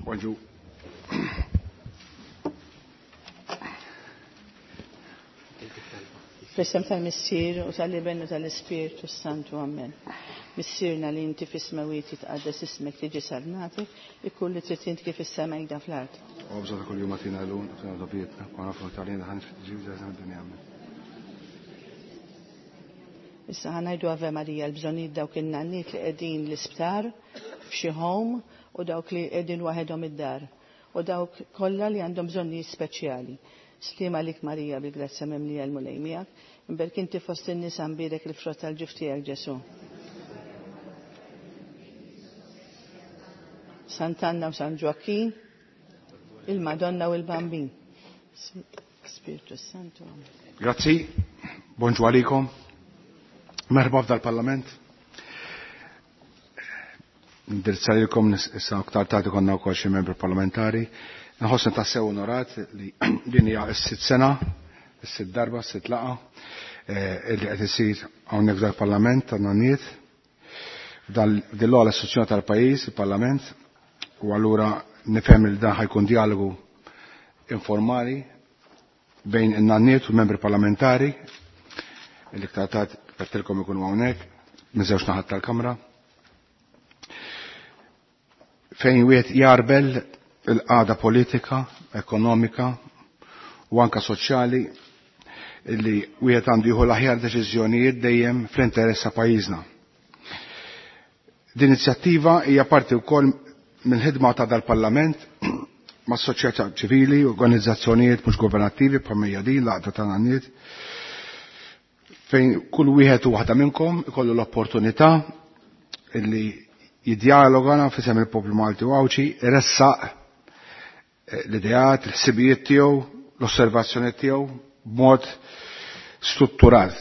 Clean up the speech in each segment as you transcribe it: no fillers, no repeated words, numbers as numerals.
Bonġu. Fl-isem tal-Missier u tal-Iben u tal-Ispirtu Santu, Amen. Missierna li inti fis-smewwiet jitqaddes ismek tiġi salnatek, ikun li trid int kif is-sema jda fl-art. Għobża ta' kull-jum għatina l-lum, għatina dobietna, u għanafu tal-jena ħan ġibda d-dinja. Issa ħanajdu Ave Maria l-bżonijiet dawk in-nanniet li qegħdin l-isptar f'xi home u dawk li qegħdin waħedhom id-dar u dawk kollha li għandhom bżonnijiet speċjali. Stima lik Marija bil-grazzja mimlija l-Mulej miegħek, imberk inti fost in-nisa mbierek il-frott tal-ġuf tiegħek Ġesu. Sant'Anna u San Ġwakkin, il-Madonna u l-Bambin. Spiritu Santu. Grazzi, bonġu għalikom. Merħba f'dal-Parlament. Indirizzalilkom issa aktar tard konna wkoll xi membri parlamentari. Nħossni tassew onorat li din hija s-sitt sena, s-sitt darba, s-sitt laqgħa illi qed isir hawnhekk f'dal-Parlament tan-nanniet. F'din l-ogħla istituzzjoni tal-pajjiż, il-Parlament, u allura nifhem li dan ħajkun dialogu informali bejn in-nanniet u membri parlamentari li iktar tard qedtilkom ikunu hawnhekk minn żewġ naħat tal-Kamra. Fejn wieħed jarbel il-qagħda politika, ekonomika u anka soċjali li wieħed għandu jieħu l-aħjar deċiżjonijiet dejjem fl-interess ta' pajjiżna. Din inizjattiva hija parti wkoll mill-ħidma ta' dal-Parlament ma' soċjetà ċivili, organizzazzjonijiet mhux governattivi bħal hija din l-għaqda ta' nanniet fejn kull wieħed u waħda minnkom ikollu l-opportunità illi jiddialoga f'isem il-poplu Malti u Għawdxi, iressaq l-ideat, l-ħsibijiet tiegħu, l-osservazzjoni tiegħu b'mod strutturat.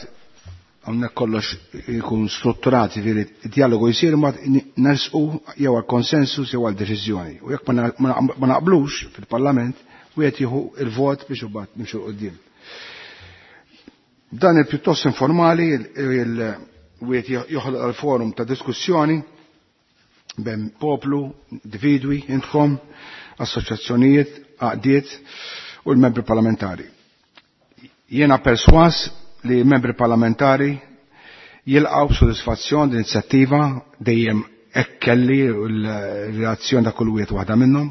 Hawnhekk kollox ikun strutturat, jiġifieri d-dialogu jsir imbagħad nersqu jew għal konsensus jew għal deċiżjoni. U jekk ma naqblux fil-Parlament, wieħed jieħu il-vot biex imbagħad nimxu 'l quddiem. Dan il-pjuttost informali wieħed joħloq l-forum ta' diskussjoni bejn poplu, individwi, intkom, assoċjazzjonijiet, għaqdiet u l-membri parlamentari. Jiena perswas li membri parlamentari jilqgħu b'sodisfazzjon din inizjattiva dejjem hekk kelli l-reazzjoni ta' kull wieħed waħda minnhom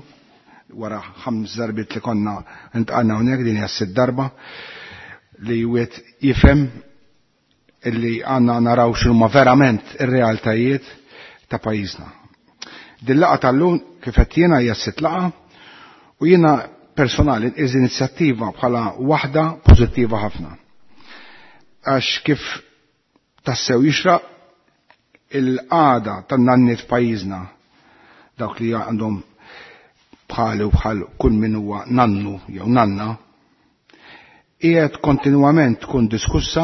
wara 5 darbiet li konna ntqalna hawnhekk din hija s-sitt darba li wieħed jifhem illi għandna naraw x'huma verament ir-realtajiet ta' pajjiżna. Din laqgħa tal-lum kif qed jiena hija s-sitt laqgħa u jiena personali nqis inizjattiva bħala waħda pożittiva ħafna. Għax kif tassew jixraq il-qagħda tan-nanniet f'pajjiżna dawk li għandhom bħali u bħal kull min huwa nannu jew nanna qiegħed kontinwament tkun diskussa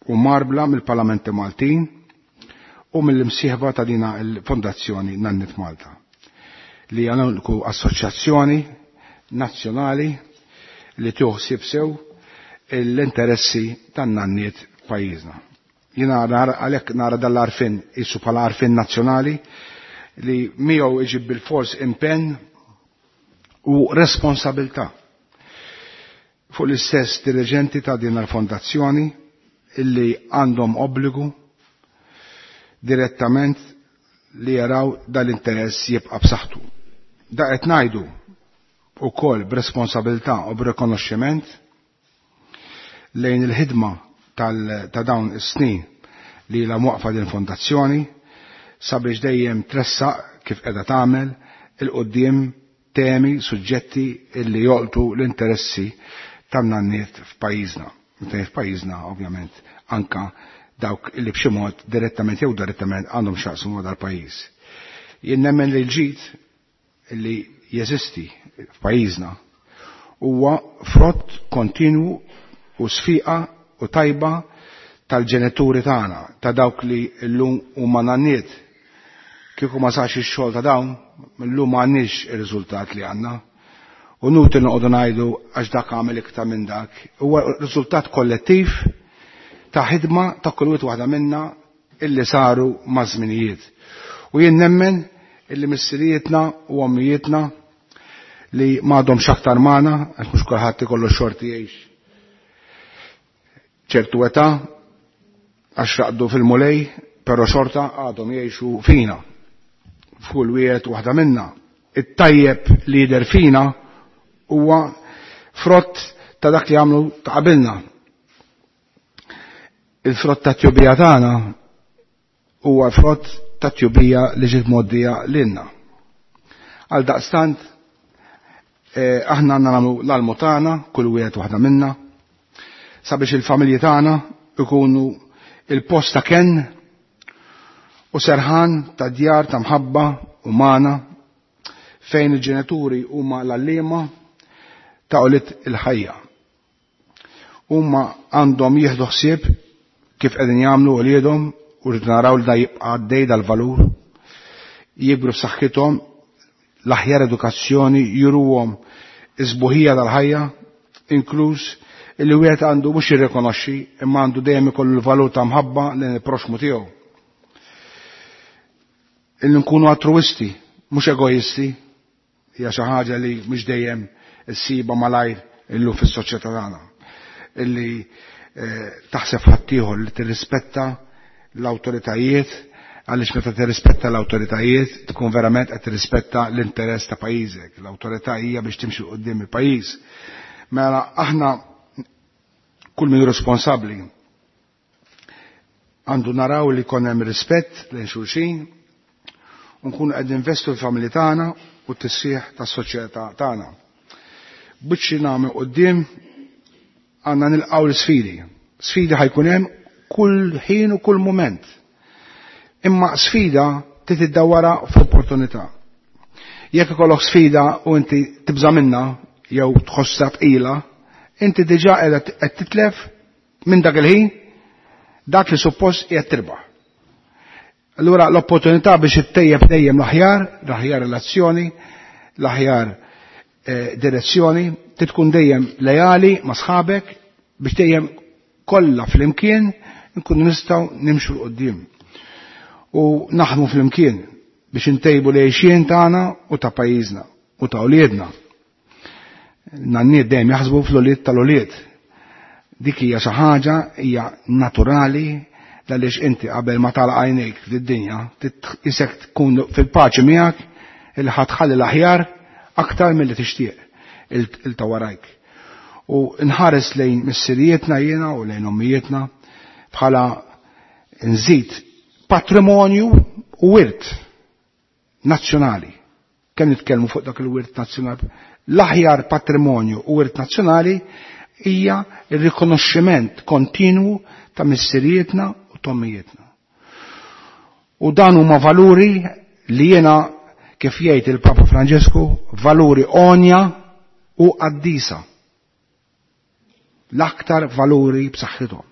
u marbla mill-Parlamenti Maltin u mill-imsieħba ta' dina il-Fondazzjoni Nanniet Malta li hija l-uniku assoċjazzjoni nazzjonali li tuħsib sew l-interessi tan-nanniet f'pajjiżna. Jiena għalhekk nara dal-għarfien isu bħala għarfien nazzjonali li miegħu iġib bil-fors impenn u responsabilità fuq l-istess dirigenti ta' din il-fondazzjoni illi għandhom obbligu direttament li jaraw dal-interess jibqa' b'saħħtu. Da qed ngħidu wkoll b'responsabilità u b'rikonoxximent lejn il-ħidma ta' dawn is-snin li la mwaqfa din fondazzjoni sabiex dejjem tressaq kif qiegħda tagħmel il-quddiem temi, suġġetti illi jolqtu l-interessi tan-nanniet f'pajjiżna. Meta f'pajjiżna ovvjament anka dawk illi b'xi mod direttament jew direttament għandhom x'jaqsmu ma' dal-pajjiż. Jien nemmen li l-ġid illi jeżisti f'pajjiżna huwa frott kontinwu u sfiqa u tajba tal-ġenituri tagħna, ta' dawk li llum huma nanniet. Kieku ma sarx ix-xogħol ta' dawn, llum ma għandniex ir-riżultat li għandna. U nutil noqogħdu ngħidu għax dak għamel iktar minn dak. Huwa riżultat kollettiv ta' ħidma ta' kull wieħed waħda minna illi saru maż-żminijiet. U jien nemmen illi missirietna u ommijietna li m'għadhomx aktar magħna, għax mhux kulħadd ikollu xorti jgħix ċertu età, għax raqdu fil-Mulej, però xorta għadhom jgħixu fina. F'kull wieħed waħda minna. It-tajjeb li jidher fina huwa frott ta' dak li għamlu ta' qabilna. Il-frott ta' tjubija tagħna huwa frott ta' tjubija li ġiet mgħoddija lilna. Għal daqstant aħna għandna nagħmlu l-almu tagħna, kull wieħed waħda minna, sabiex il-familji tagħna ikunu il-post ta' kenn u serħan ta' djar ta' mħabba umana fejn il-ġenituri huma l-għalliema ta' ulied il-ħajja. Huma għandhom jieħdu ħsieb kif qegħdin jagħmlu uliedhom u rrid naraw li da jibqa' għaddej dal-valur, jikbru f'saħħithom, l-aħjar edukazzjoni, juruhom is-sbuħija tal-ħajja, inkluż illi wieħed għandu mhux jirrikonoxxi imma għandu dejjem ikollu l-valur ta' mħabba lejn il-proxmu tiegħu. Illi nkunu altruisti, mhux egoisti, hija xi ħaġa li mhux dejjem issiba malajr illum fis-soċjetà tagħna. Illi taħseb ħaddieħor, li tirrispetta l-awtoritajiet, għaliex meta tirrispetta l-awtoritajiet tkun verament qed tirrispetta l-interess ta' pajjiżek. L-awtorità hija biex timxi quddiem il-pajjiż. Mela aħna kull min responsabbli għandu naraw li jkun hemm rispett lejn xulxin u nkunu qed ninvestu fil-familji tagħna u t-tisħiħ tas-soċjetà tagħna. Biċċi nagħmel quddiem għandna nilqgħu l-sfidi. Sfidi ħajkun hemm kull ħin u kull mument. Imma sfida trid iddawwarha f'opportunità. Jekk ikollok sfida u inti tibża' minnha jew tħossha tqila, inti diġà qiegħda qed titlef minn dak il-ħin dak li suppost qiegħed tirbaħ. Allura l-opportunità biex ittejjeb dejjem l-aħjar, l-aħjar relazzjoni, l-aħjar direzzjoni, tkun dejjem lejali ma' sħabek biex dejjem kollha flimkien nkunu nistgħu nimxu 'l quddiem. U naħdmu flimkien biex intejbu l-għixien tagħna u ta' pajjiżna u ta' uliedna. Nanniet dejjem jaħsbu fl-ulied tal-ulied. Dik hija xi ħaġa hija naturali għaliex inti qabel ma tagħlaq għajnejk fid-dinja isek tkun fil-paċi miegħek illi ħa tħalli l-aħjar aktar milli tixtieq il ta' warajk. U nħares lejn missirijietna jiena u lejn ommijietna bħala nżid patrimonju u wirt nazzjonali. Kemm nitkellmu fuq dak il-wirt nazzjonali? L-aħjar patrimonju u wirt nazzjonali hija r-rikonoxximent kontinwu ta' missirijietna u tommijietna. U dan huma valuri li jiena kif jgħid il-Papa Franġisku, valuri onja u qaddisa. L-aktar valuri b'saħħithom.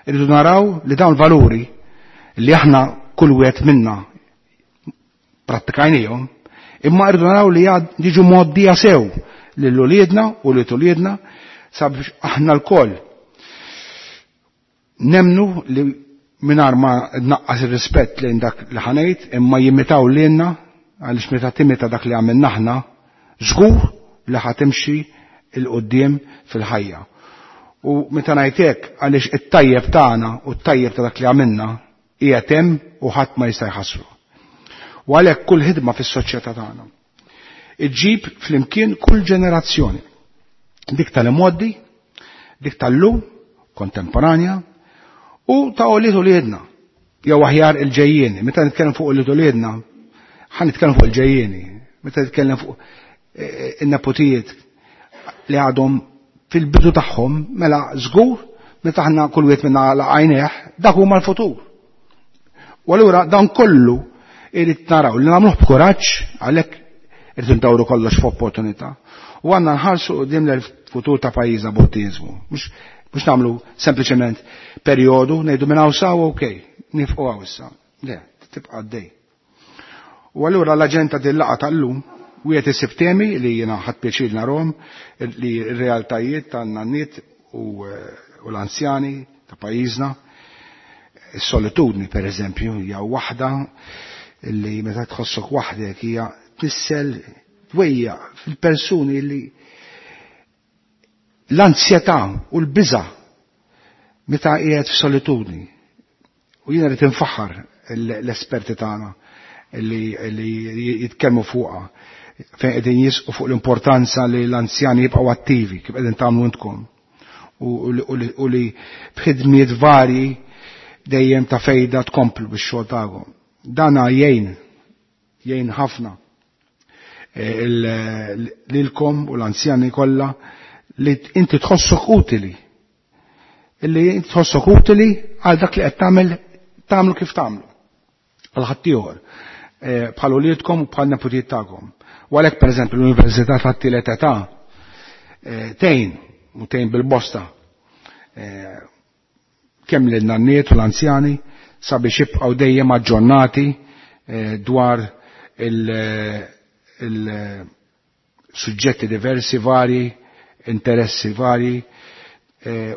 Irridu naraw li dawn valuri li aħna kull wieħed minna prattikajnihom, imma rridu naraw li jiġu mgħoddija sew lil uliedna u lil uliedna sabiex aħna lkoll nemnu li mingħajr ma naqqas ir-rispett lejn dak li ħanejt imma jimitaw lilna, għaliex meta timita dak li għamilna aħna żgur li ħatimxi il quddiem fil-ħajja. U meta ngħid hekk għaliex it-tajjeb tagħna u t-tajjeb ta' dak li għamilna qiegħed hemm u ħadd ma jista' jħassru. U għalhekk kull ħidma fis-soċjetà tagħna iġġib flimkien kull ġenerazzjoni. Dik tal-imgħoddi, dik tal-lum, kontemporanja, u ta' ulied uliedna, jew aħjar il-ġejjieni. Meta nitkellem fuq ulied uliedna, ħa nitkellem fuq il-ġejjieni. Meta nitkellem fuq in-nepotijiet li għadhom fil-bidu tagħhom, mela żgur meta aħna kull wieħed minna laqajnieh, dak huma l-futur. U allura dan kollu irid naraw li nagħmluh b'kuraġġ, għalhekk irid ndawru kollox f'opportunità. U għandna nħarsu quddiem l-futur ta' pajjiżna b'ottimizmu. Mhux nagħmlu sempliċement perjodu ngħidu minn hawn saw okej, nifqu hawn issa. Le, tibqa' għaddej. U allura l-aġenda din laqgħa tal-lum wieħed isib temi li jiena ħadd pjaċir narhom li r-realtajiet tan-nanniet u l-anzjani ta' pajjiżna. Is-solitudni pereżempju hija waħda Illi meta tħossok waħdek hija tnissel twejja fil-persuni li l-ansjetà u l-biża' meta qiegħed f'solitudni. U jiena rrid infaħħar l-esperti tagħna li jitkellmu fuqha fejn qegħdin jisqu fuq l-importanza li l-anzjani jibqgħu attivi kif qegħdin tagħmlu intkom u li b'ħidmiet varji dejjem ta' fejda tkomplu bix-xogħol tagħkom. Dana jgħin jgħin ħafna lilkom u l-anzjani kollha li inti tħossok utili. Illi inti tħossok utili għal dak li qed tagħmel tagħmlu kif tagħmlu. Għal ħaddieħor. Bħal uliedkom u bħal neputijiet tagħkom. U għalhekk pereżempju l-Università tat-tielet età tgħin u tgħin bil-bosta kemm lin-nanniet u l-anzjani sabiex jibqgħu dejjem aġġornati dwar il-suġġetti diversi varji, interessi varji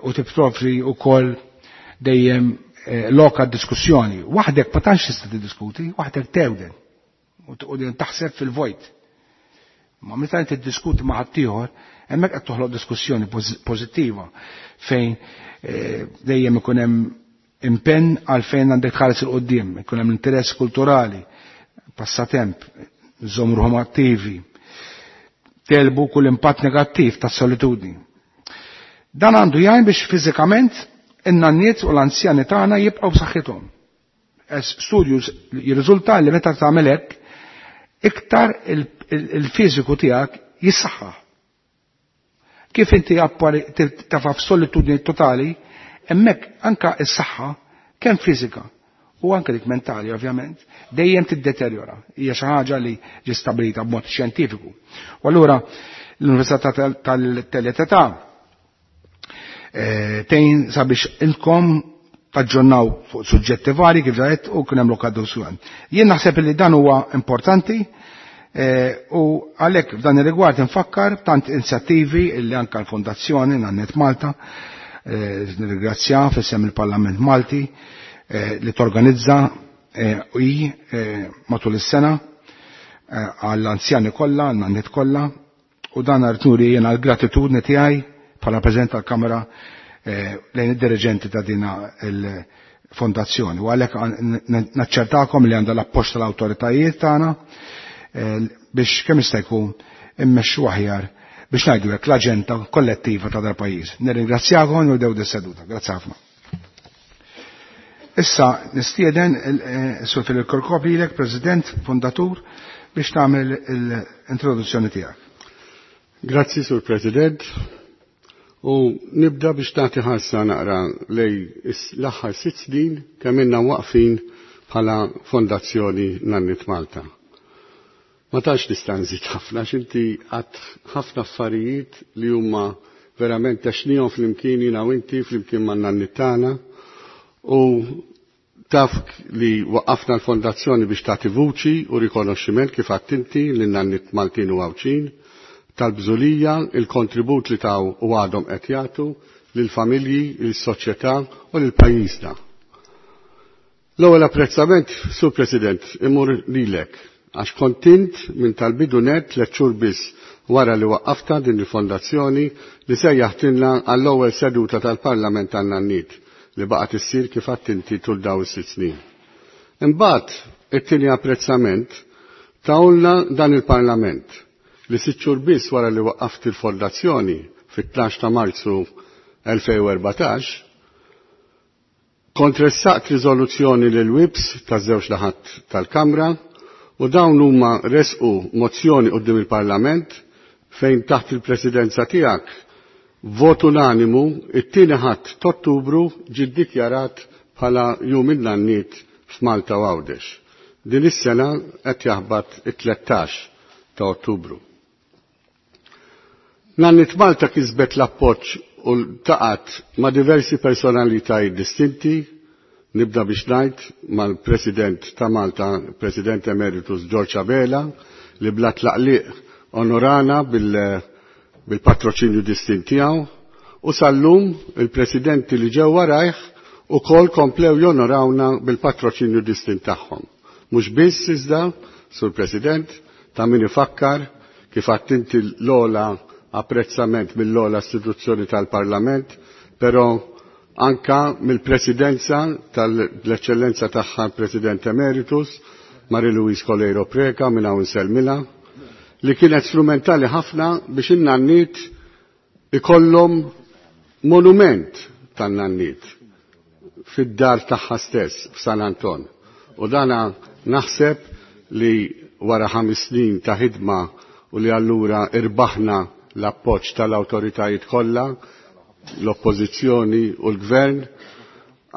u tipprovdi wkoll dejjem loka diskussjoni. Waħdek ma tantx tista' tiddiskuti, waħdek tewden u taħseb fil-vojt. Ma meta inti tiddiskuti ma' ħaddieħor, hemmhekk qed toħloq diskussjoni pożittiva fejn dejjem ikun hemm impenn għal fejn għandek tħares il quddiem, ikun hemm interess kulturali, passatemp, żomm ruħhom attivi, telbu kull impatt negattiv tas-solitudni. Dan għandu jgħin biex fiżikament in-nanniet u l-anzjani tagħna jibqgħu b'saħħithom. Studju jirriżulta li meta tagħmel hekk iktar il-fiżiku tiegħek jissaħħaħ. Kif inti tafa f'solitudni totali, hemmhekk anka s-saħħa kemm fiżika u anke dik mentali ovvjament, dejjem tiddeterjora. Hija xi ħaġa li ġi stabilita b'mod xjentifiku. U allura l-Università tal-Teletà tgħin sabiex ilkom taġġornaw fuq suġġetti vari kif ġajet u kien hemm lokal. Jien naħseb li dan huwa importanti u għalhekk f'dan ir-rigward infakkar tant inizjattivi li anke l-Fondazzjoni Nannet Malta nirringrazzja f'isem il-Parlament Malti li torganizza i matul is-sena għall-anzjani kollha, għan-nanniet kollha, u dan rrid nuri jiena l-gratitudni tiegħi bħala President tal-Kamra lejn id-dirigenti ta' dina il-fondazzjoni. U għalhekk naċċertakom li għandha l-appoġġ tal-awtoritajiet tagħna biex kemm jista' jkun immexxu aħjar biex ngħidu hekk l-aġenda kollettiva ta' dal-pajjiż. Nirringrazzjakom u nibdew dis-seduta. Grazzi ħafna. Issa nistieden Sur Philip Chircop lilek, President Fondatur, biex tagħmel l-introduzzjoni tiegħek. Grazzi, Sur President. U nibda biex tagħti ħarsa naqra lej l-aħħar 6 snin kemm ilna waqfin bħala Fondazzjoni Nanniet Malta. Ma tantx nista' nżid ħafna x'inti għad ħafna affarijiet li huma verament għaxnihom flimkien jiena u inti flimkien ma' nanniet tagħna u taf li waqqafna l-fondazzjoni biex tagħti vuċi u rikonoxximent kif għadt inti lin nanniet Maltin u Għawdxin tal-bżulija, il-kontribut li taw u għadhom qed jagħtu lill-familji, lis-soċjetà u lil pajjiżna. L-ewwel apprezzament, Sur President, imur lilek għax kontint minn tal-bidu net 3 xhur biss wara li waqqafta din il-fondazzjoni li sejjaħtilna għall-ewwel seduta tal-Parlament tan-Nanniet li baqgħet issir kif għadt inti tul dawn is-6 snin. Imbagħad it-tieni apprezzament tawlna dan il-Parlament li 6 xhur biss wara li waqqaft il-fondazzjoni fit-12 ta' Marzu 2014 kont ressaqt riżoluzzjoni lil WIPS taż-żewġ naħat tal-Kamra u dawn huma resqu mozzjoni quddiem il-Parlament fejn taħt il-presidenza tiegħek vot unanimu it-tieni ħadd t'Ottubru ġie ddikjarat bħala Jum in-Nanniet f'Malta u Għawdex. Din is-sena qed jaħbat it-13 ta' Ottubru. Nanniet Malta kisbet l-appoġġ u ltaqat ma' diversi personalitajiet distinti, nibda biex ngħid mal-President ta' Malta, President Emeritus George Abela, li bla tlaqliq onorana bil-patroċinju distint tiegħu, u sal-lum il-presidenti li ġew warajh ukoll komplew jonorawna bil-patroċinju distint tagħhom. Mhux biss iżda, Sur President, ta' min ifakkar kif għattinti l-ola apprezzament mill-ola istituzzjoni tal-Parlament, però anka mill-presidenza tal-eċċellenza tagħha President Emeritus, Marie-Louise Coleiro Preca minn hawn Selmila, li kienet strumentali ħafna biex in-nanniet ikollhom monument tan-nanniet fid-dar tagħha stess f'San Anton. U dana naħseb li wara 5 snin ta' ħidma u li allura irbaħna l-appoġġ tal-awtoritajiet kollha, l-oppożizzjoni u l-gvern,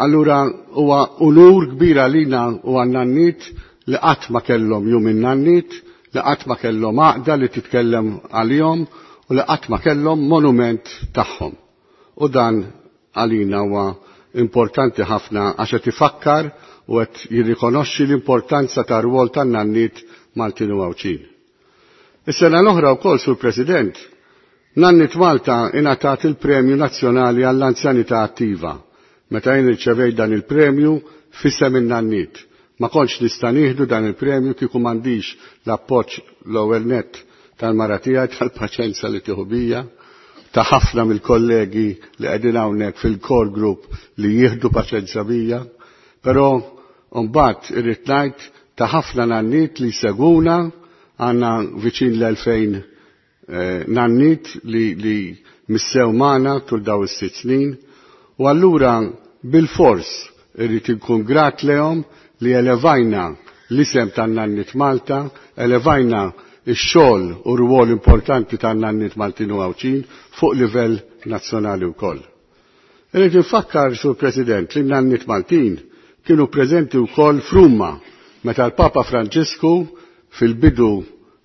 allura huwa unur kbir għalina u għan-nanniet li qatt ma kellhom jum in-nanniet, li qatt ma kellhom għaqda li titkellem għalihom u li qatt ma kellhom monument tagħhom. U dan għalina huwa importanti ħafna għax qed ifakkar u qed jirrikonoxxi l-importanza tar-rwol tan-nanniet Maltin u Għawdxin. Is-sena l-oħra wkoll, Sur President, Nanniet Malta ingħatat il-Premju Nazzjonali għall-Anzjanità Attiva. Meta jien irċevejt dan il-premju f'isem in-nanniet. Ma kontx nista' nieħdu dan il-premju kieku m'għandix l-appoġġ l-ewwel nett tal-mara tiegħi, tal-paċenza li tieħu bija, ta' ħafna mill-kollegi li qegħdin hawnhekk fil-core group li jieħdu paċenza bija, però mbagħad irrid ngħid ta' ħafna nanniet li jsegwuna, għandna viċin l-2000 nanniet li missew magħna tul daw is-6 snin, u allura bil-fors irrid inkun grat lehom li elevajna l-isem tan-nanniet Malta, elevajna ix-xogħol u rwol importanti tan-nanniet Maltin u Għawdxin fuq livell nazzjonali wkoll. Irrid infakkar, Sur President, li n-nanniet Maltin kienu preżenti wkoll f'Ruma meta l-Papa Franġisku fil-bidu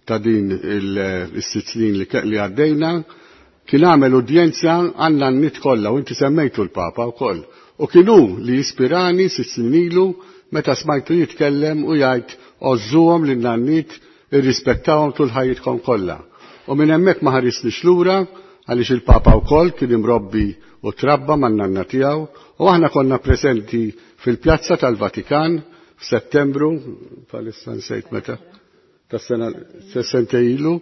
ta' din is-6 snin li għaddejna kien għamel udjenza għan-nanniet kollha u inti semmejtu l-Papa wkoll. U kienu li jispirani 6 snin ilu meta smajtu jitkellem u jgħid għożżuhom lin-nanniet, irrispettawhom tul ħajjitkom kollha. U minn hemmhekk ma ħarisniex lura għaliex il-Papa wkoll kien imrobbi u trabba man-nanna tiegħu u aħna konna preżenti fil-Pjazza tal-Vatikan f'Settembru, palissa nsejt meta, tas-sena sentej ilu,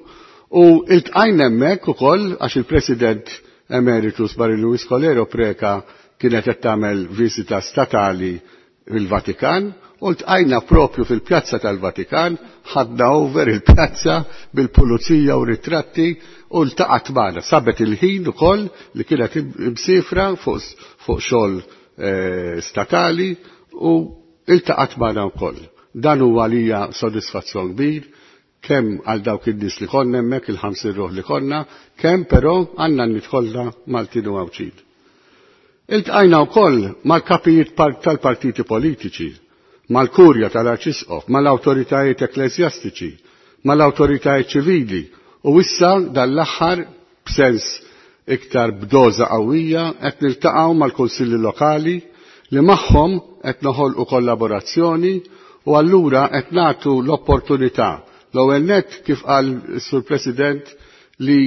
u iltqajna hemmhekk ukoll għax il-President Emeritus Marie-Louise Coleiro Preca kienet qed tagħmel viżita statali fil-Vatikan, u ltqajna propju fil-Pjazza tal-Vatikan, ħadna over il-pjazza bil-pulizija u ritratti u ltaqgħet magħna. Sabet il-ħin ukoll li kienet imsifra fuq xogħol statali u iltaqgħet magħna wkoll. Dan huwa għalija sodisfazzjon kbir, kemm għal dawk in-nies li konna hemmhekk, il-50 ruħ li konna, kemm però għandna nidħolna Maltin u Għawdxin. Iltqajna wkoll mal-kapijiet tal-partiti politiċi, mal-kurja tal-Arċisqof, mal-awtoritajiet ekklesjastiċi, mal-awtoritajiet ċivili, u issa dan l-aħħar b'sens iktar b'doża qawwija qed niltaqgħu mal-kunsilli lokali li magħhom qed noħolqu kollaborazzjoni u allura qed nagħtu l-opportunità. L-ewwel nett kif qal is-Sur President li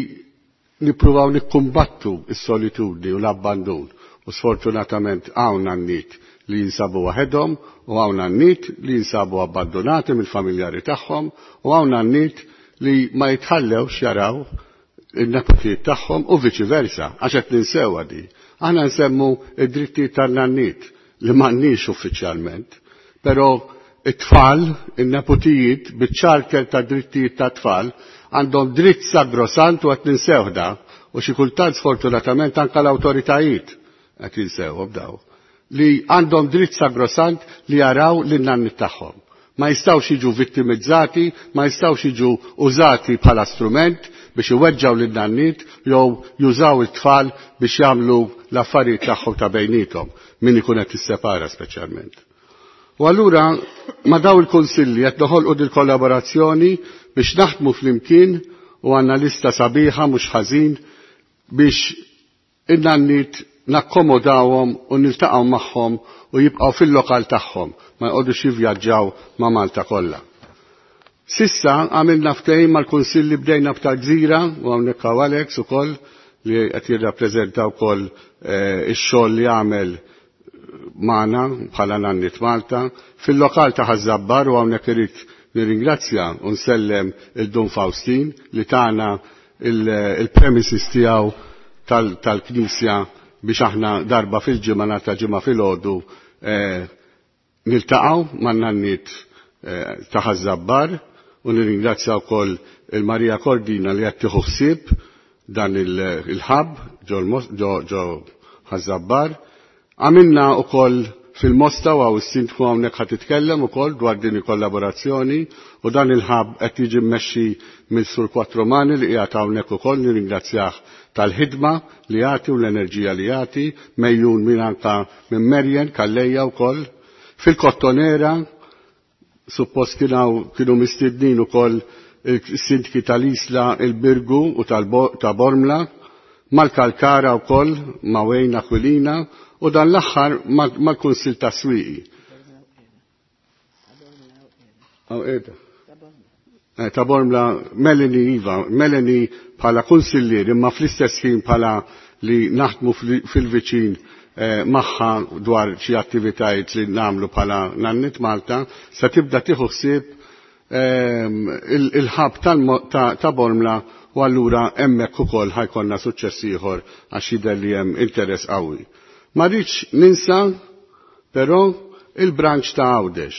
nippruvaw nikkumbattu s-solitudni u l-abbandun. U sfortunatament hawn għan-niet li jinsabu waħedhom u hawn għan-niet li jinsabu abbandonati mill-familjari tagħhom u hawn għan-niet li ma jitħallewx jaraw in-nepotijiet tagħhom u viċi versa, għax qed ninsewha di. Aħna nsemmu id-drittijiet tan-nanniet li m'għandniex uffiċjalment, però it-tfal, in-nepotijiet, biċ-charter ta' drittijiet ta' tfal, għandhom dritt sagrosant u qed ninsewh da, u xi kultant sfortunatament anke l-awtoritajiet qed jinsewhom daw, li għandhom dritt sagrosant li jaraw lin-nanniet tagħhom. Ma jistgħux jiġu vittimizzati, ma jistgħux jiġu użati bħala strument biex iweġġaw lin-nanniet jew jużaw it-tfal biex jagħmlu l-affarijiet tagħhom ta' bejniethom, min ikun qed issepara speċjalment. U allura ma daw il-kunsilli qed noħolqu dil-kollaborazzjoni biex naħdmu flimkien u għandna lista sabiħa mhux ħażin biex in-nanniet nakkomodawhom u niltaqgħu magħhom u jibqgħu fil-lokal tagħhom, ma jqogħdux jivvjaġġaw ma' Malta kollha. Sissa għamilna ftehim mal-kunsilli bdejna b'tal-Gżira u hawnhekk hawn Alex ukoll li qed jirrappreżenta wkoll ix-xogħol li għamel magħna bħala Nanniet Malta fil-lokal ta' Ħaż-Żabbar u hawnhekk irid nirringrazzja u nsellem il-Dun Faustin li tagħna il-premises tiegħu tal-Knisja biex aħna darba fil-ġimgħa nhar ta' ġimgħa filgħodu niltaqgħu man-nanniet ta' Ħaż-Żabbar u nirringrazzja wkoll il-Marija Cordina li qed tieħu ħsieb dan il-ħab ġo Ħaż-Żabbar. Għamilna wkoll fil-Mosta u hawn is-sindku hawnhekk ħa titkellem ukoll dwar din il-kollaborazzjoni u dan il-ħab qed jiġi mmexxi mill-Sur Quattromani li qiegħed hawnhekk ukoll nirringrazzjah tal-ħidma li jagħti u l-enerġija li jagħti, mejjun minn anka minn Merjen Kalleja wkoll. Fil-Kottonera suppost kienu mistednin ukoll il-sindki tal-Isla, il-Birgu u ta' Bormla, mal-Kalkara wkoll ma' Wayne Aquilina u dan l-aħħar mal-Kunsil ta' Swieqi. Ta' Bormla, Melanie Iva, Melanie bħala kunsillier imma fl-istess ħin bħala li naħdmu fil-viċin magħha dwar xi attivitajiet li nagħmlu bħala Nanniet Malta, se tibda tieħu ħsieb il-ħab ta' Bormla u allura hemmhekk ukoll ħajkonna suċċess ieħor għax jidher li hemm interess qawwi. Ma rridx ninsa però il-branch ta' Għawdex.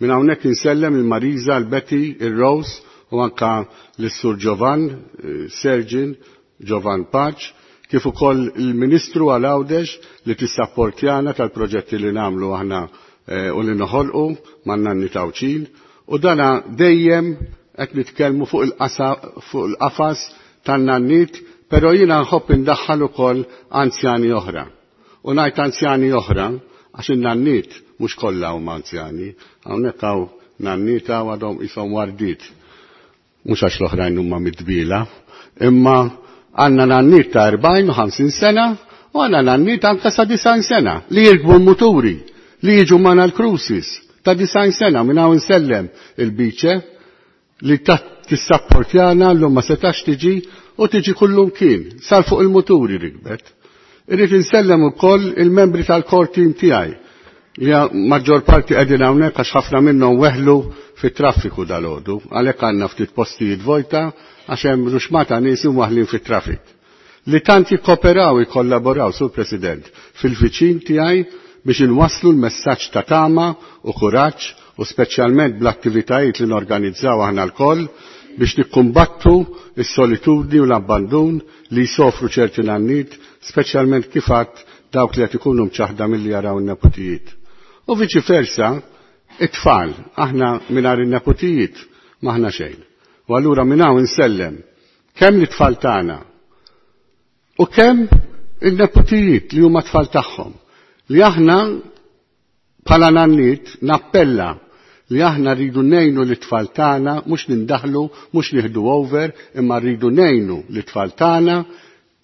Minn hawnhekk insellem il-Marisa, il-Betty, il-Rose u anka l-Sur Giovan, Sergin, Giovan Paċ, kif ukoll il-Ministru għal Għawdex li tissapportjana tal-proġetti li nagħmlu aħna u li noħolqu man-nanni Tawċin. U dana dejjem qed nitkellmu fuq il-qafas tan-nannit, però jiena nħobb indaħħal ukoll anzjani oħra. U ngħid anzjani oħra għax in-nannit mhux kollha huma anzjani, hawnhekk hawn nannita u għadhom ishom wardit. Mhux għax l-oħrajn huma midbila, imma għandna nannit ta' 40 u 50 sena u għandna nannit anke sa' 90 sena li jirkbu l-muturi, li jiġu magħna l-cruises ta' 90 sena minn hawn insellem il-biċe li tissapportjana llum ma setax tiġi u tiġi kullum kien, sar fuq il-muturi rikbet. Irrid insellem ukoll il-membri tal-core team tiegħi li maġġor parti qegħdin hawnhekk għax ħafna minnhom weħlu fit-traffiku dal-għodu, għalhekk għandna ftit postijiet vojta għax hemm ruxmata nies waħlin fit-traffic. Li tant jikkoperaw jikkollaboraw, Sur President, fil-viċin tiegħi biex inwasslu l-messaġġ ta' tama u kuraġġ u speċjalment bl-attivitajiet li norganizzaw aħna lkoll biex nikkumbattu s-solitudni u l-abbandun li jsofru ċerti nannit, speċjalment kif għadd dawk li qed ikunu mċaħda milli jaraw in-nepotijiet. U viċi versa, it-tfal, aħna mingħajr in-nepotijiet m'aħna xejn. U allura minn hawn insellem kemm l-tfal tagħna u kemm in-nepotijiet li huma tfal tagħhom. Li aħna bħala nannit nappella li aħna rridu nejnu l-tfal tagħna, mhux nindaħlu, mhux nieħdu over, imma rridu nejnu l-tfal tagħna,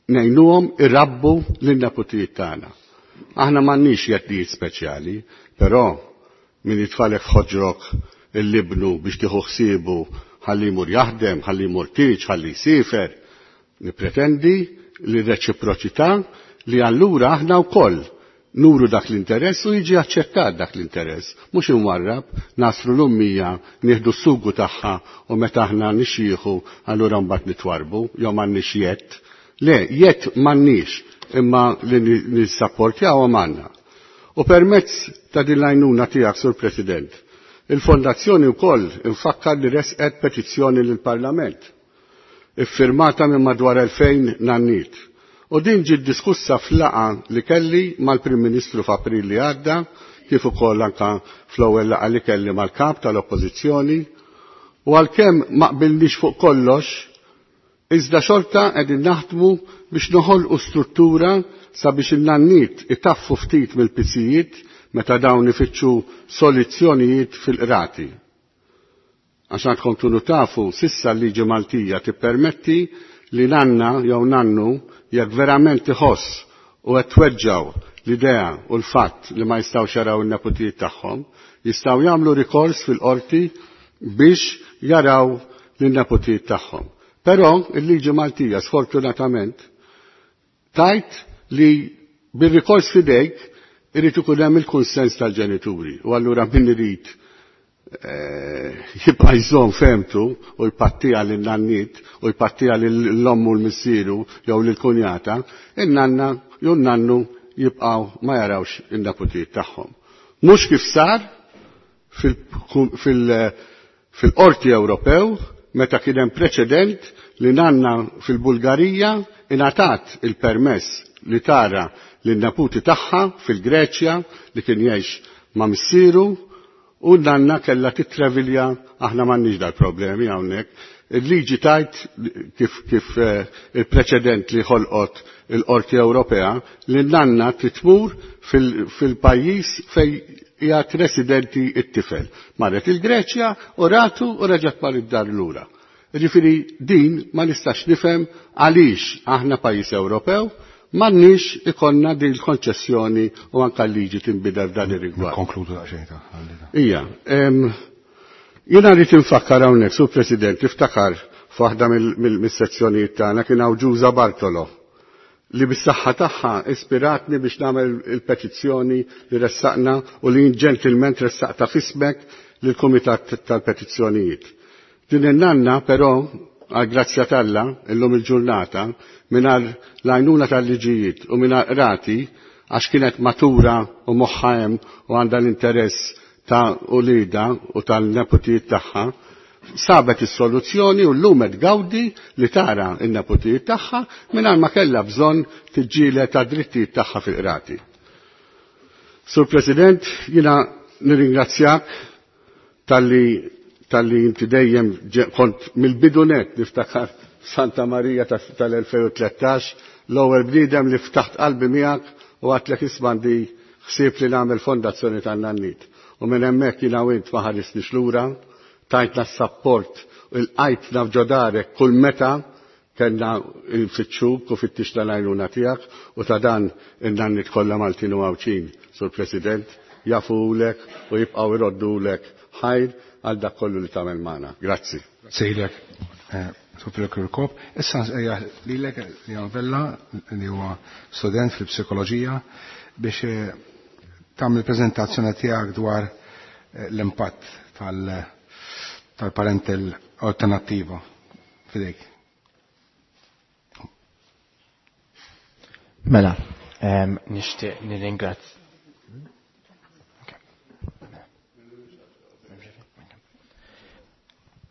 nejnuhom irabbu lin-nepotijiet tagħna. Aħna m'għandniex jeddijiet speċjali, però min jitfalek f'ħoġrok il-libnu biex tieħu ħsiebu ħalli jmur jaħdem, ħalli jmur tieġ, ħalli jsifer. Nipretendi li reċiproċità li allura aħna wkoll nuru dak l-interess u jiġi aċċettat dak l-interess. Mhux imwarrab, nasru l-ummija, nieħdu s-sugu tagħha u meta aħna nixjieħu allura mbagħad nitwarbu, jew m'għandniex jett. Le, jett m'għandniex, imma li nissapportjaw għandna. U permezz ta' din l-għajnuna tiegħek, Sur President, il-Fondazzjoni wkoll infakkar li resqet petizzjoni lill-Parlament, iffirmata minn madwar 2000 nannit. U din ġiet diskussa f'laqa li kelli mal-Prim Ministru f'April li għadda, kif ukoll anka fl-ewwel laqa li kelli mal-kap tal-Oppożizzjoni, u għalkemm ma qbilniex fuq kollox, iżda xorta qegħdin naħdmu biex noħolqu struttura sabiex in-nannit itaffu ftit mill-pisijiet meta dawn ifittxu soluzzjonijiet fil-qrati. Għax għandkom tkunu tafu, sissa l-liġi Maltija tippermetti li nanna jew nannu jekk verament iħoss u qed tweġġaw l-idea u l-fatt li ma jistgħux jaraw in-nepotijiet tagħhom, jistgħu jagħmlu rikors fil-qorti biex jaraw lin-nepotijiet tagħhom. Però il-liġi Maltija sfortunatament tajt li bir-rikors fidejk Irid ikun hemm il-kunsens tal-ġenituri u allura min irid jibqa' jżomm femtu u jpattija lin-nanniet u jpattija lill-omm u l-missieru jew lill-kunjata, in-nanna jew nannu jibqgħu ma jarawx in-neputijiet tagħhom. Mhux kif sar fil-Qorti Ewropew meta kien hemm preċedent li nanna fil-Bulgarija ingħatat il-permess li tara lin-neputi tagħha fil-Greċja li kien jgħix ma' missieru u nanna kellha titrevilja aħna m'għandniex dal-problemi hawnhekk. Il-liġi tajt kif il-preċedent li ħolqot il-Qorti Ewropea li nanna titmur fil-pajjiż fej qiegħed residenti t-tifel. Marret il-Greċja u ratu u reġgħet mar id-dar lura. Ġifieri din ma nistax nifhem għaliex aħna pajjiż Ewropew m'għandniex ikollna din il-konċessjoni u anke l-liġi tinbidel f'dan ir-rigward. Konkludu daqsxejn ta' Ija, jiena rrid infakkar hawnhekk, Sur President, iftakar f'waħda mill-sezzjonijiet tagħna kien hawn Ġuża Bartolo li bis-saħħa tagħha ispiratni biex nagħmel il-petizzjoni li ressaqna u li ġentilment ressaqta f'ismek lill-Kumitat tal-Petizzjonijiet. Din in-nanna però għal grazzja t'Alla illum il-ġurnata mingħajr l-għajnuna tal-liġijiet u mingħajr qrati għax kienet matura u moħħa hemm u għandha l-interess ta' ulida u tal-neputijiet tagħha, sabet is-soluzzjoni u llum qed gawdi li tara n-neputijiet tagħha mingħajr ma kellha bżonn tiġġieled ta' drittijiet tagħha fil-qrati. Sur President, jiena nirringrazzjak talli inti dejjem kont mill-bidu net niftakar Santa Marija tal-2013 l-ewwel bniedem li ftaħt qalbi miegħek u għadtlek isma' għandi ħsieb li nagħmel fondazzjoni tan-nannit. U minn hemmhekk jiena u int ma ħarisniex lura, tajtna s-sapport u l-qajtna f'ġodarek kull meta kellna nfittxuk u fittixna l-għajnuna tiegħek u ta' dan in-nannit kollha Maltin u Għawdxin, Sur President, jafulek u jibqgħu jroddulek ħajr għal dak kollu li tagħmel magħna. Grazzi. Sejlek, Sur Kirkop. Issa nsejjaħ lilek Leon Vella li huwa student fil-psikoloġija biex tagħmel preżentazzjoni tiegħek dwar l-impatt tal-parental alternattiva. Fidejk. Mela, nixtieq nirringrazz.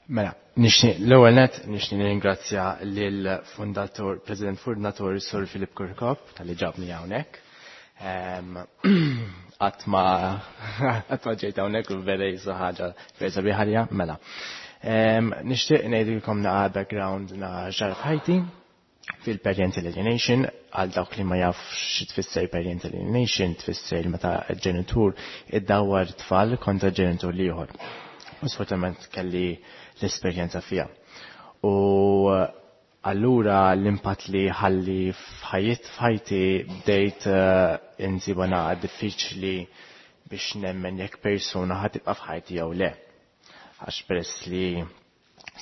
Mela, nixtieq l-ewwel nett nixtieq nirringrazzja lill-fundatur, President Fundatur Sur Filip Kirkop talli ġabni hawnhekk. Qatt ma ġejt hawnhekk u vera jisu ħaġa vera sabiħa għalija, mela. Nixtieq ngħidilkom naqa' background naqa' ġara f'ħajti fil-parental alienation, għal dawk li ma jafx xi tfisser parental alienation, tfisser meta ġenitur iddawwar tfal kontra ġenitur l-ieħor. U sfortunatament kelli l-esperjenza fija. U allura l-impatt li ħalli f'ħajti bdejt insiba naqa diffiċli biex nemmen jekk persuna ħa tibqa' f'ħajti jew le. Għax peress li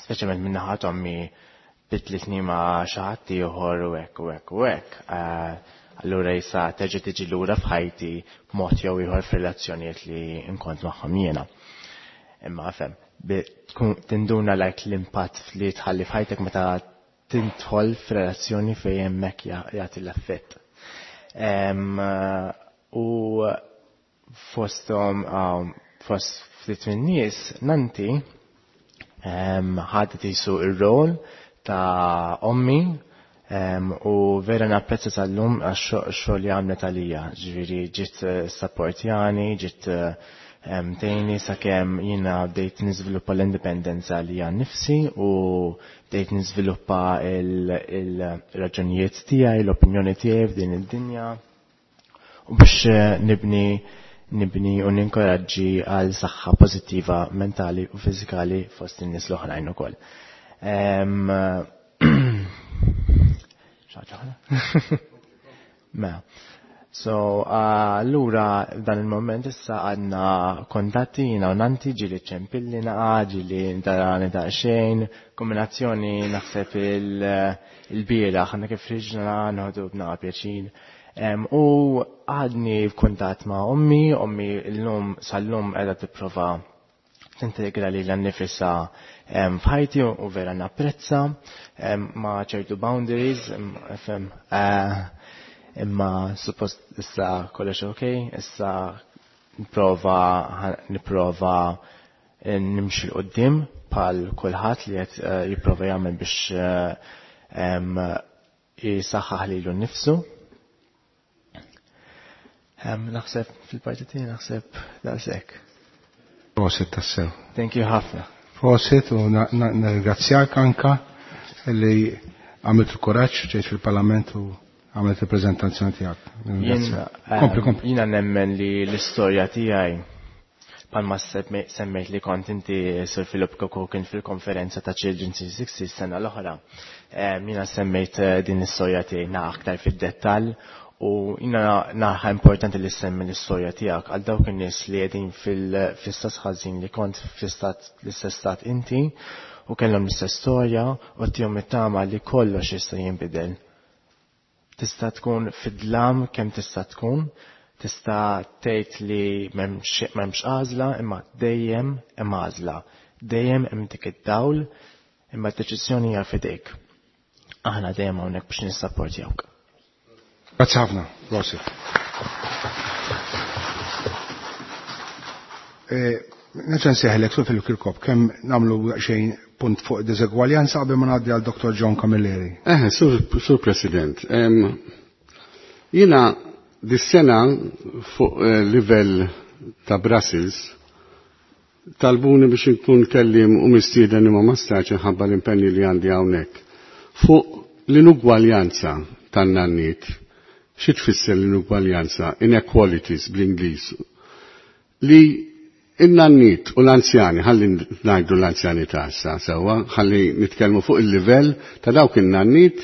speċjalment minn naħa ommi bidlitni ma' xi ħadd ieħor u hekk u hekk u hekk. Allura jisa terġa' tiġi lura f'ħajti b'mod jew ieħor f'relazzjonijiet li nkont magħhom jiena. Imma fem, tkun tinduna like l-impatt li tħalli f'ħajtek meta tintħol f'relazzjoni fejn hemmhekk jagħti l-effett. U fosthom fost ftit min-nies nanti ħadet jisu ir-rol ta' ommi u vera napprezza tal-lum għax xogħol li għamlet għalija. Ġifieri ġiet supportjani, ġiet tgħinni sakemm jiena bdejt niżviluppa l-indipendenza li għan nifsi u bdejt niżviluppa il-raġunijiet tiegħi, l-opinjoni tiegħi f'din id-dinja u biex nibni u ninkoraġġi għal saħħa pożittiva mentali u fiżikali fost in-nies l-oħrajn ukoll. Mela. So, allura dan il-moment issa għandna kontatti jiena u nanti ġieli ċempilli naqa, ġieli ntarani ta' xejn, kombinazzjoni naħseb il-bieraħ, għandna kif riġna noħdu b'naqa pjaċir. U għadni f'kuntatt ma' ommi, ommi l-lum sal-lum qiegħda tipprova tintegra li l-nifisa f'ħajti u vera napprezza ma' ċertu boundaries, fem, imma suppost issa kollox ok, issa nipprova nipprova nimxi 'l quddiem bħal kulħadd li qed jipprova jagħmel biex jisaħħaħ lilu nnifsu. Naħseb fil-parti tiegħi naħseb daqshekk. Prosit tassew. Thank you ħafna. Prosit u nirringrazzjak anka li għamilt il-kuraġġ ġejt fil-Parlament u għamilt il-preżentazzjoni tiegħek. Kompli, kompli. Jiena nemmen li l-istorja tiegħi palma semmejt li kont inti Sir Philip Koko kien fil-konferenza ta' Children 360 sena l-oħra. Jiena semmejt din l-istorja tiegħi na aktar fid-dettall u jiena naħa importanti li semmi l-istorja tiegħek għal dawk in-nies li qegħdin fil-istat ħażin li kont fl-istat l-istess stat inti u kellhom l-istess storja u tihom it-tama li kollox jista' jinbidel. Tista' tkun fid-dlam kemm tista' tkun, tista' tgħid li m'hemmx għażla, imma dejjem hemm għażla. Dejjem hemm dik id-dawl, imma d-deċiżjoni hija f'idejk. Aħna dejjem hawnhekk biex nissapportjawk. Grazzi ħafna, prosit. Nerġa' nsejħlek Sur Philip Kirkop, kemm nagħmlu xejn punt fuq diżegwaljanza qabel ma ngħaddi għal Dr. John Camilleri. Sur President, jiena dis-sena fuq livell ta' Brussels talbuni biex inkun kellim u mistieden imma ma stax inħabba l-impenni li għandi hawnhekk. Fuq l-inugwaljanza tan-nanniet. Xi tfisser l-inugwaljanza? Inequalities bl-Ingliż. Li in-nanniet u l-anzjani, ħalli ngħidu l-anzjani ta' issa sewwa, ħalli nitkellmu fuq il-livell ta' dawk in-nanniet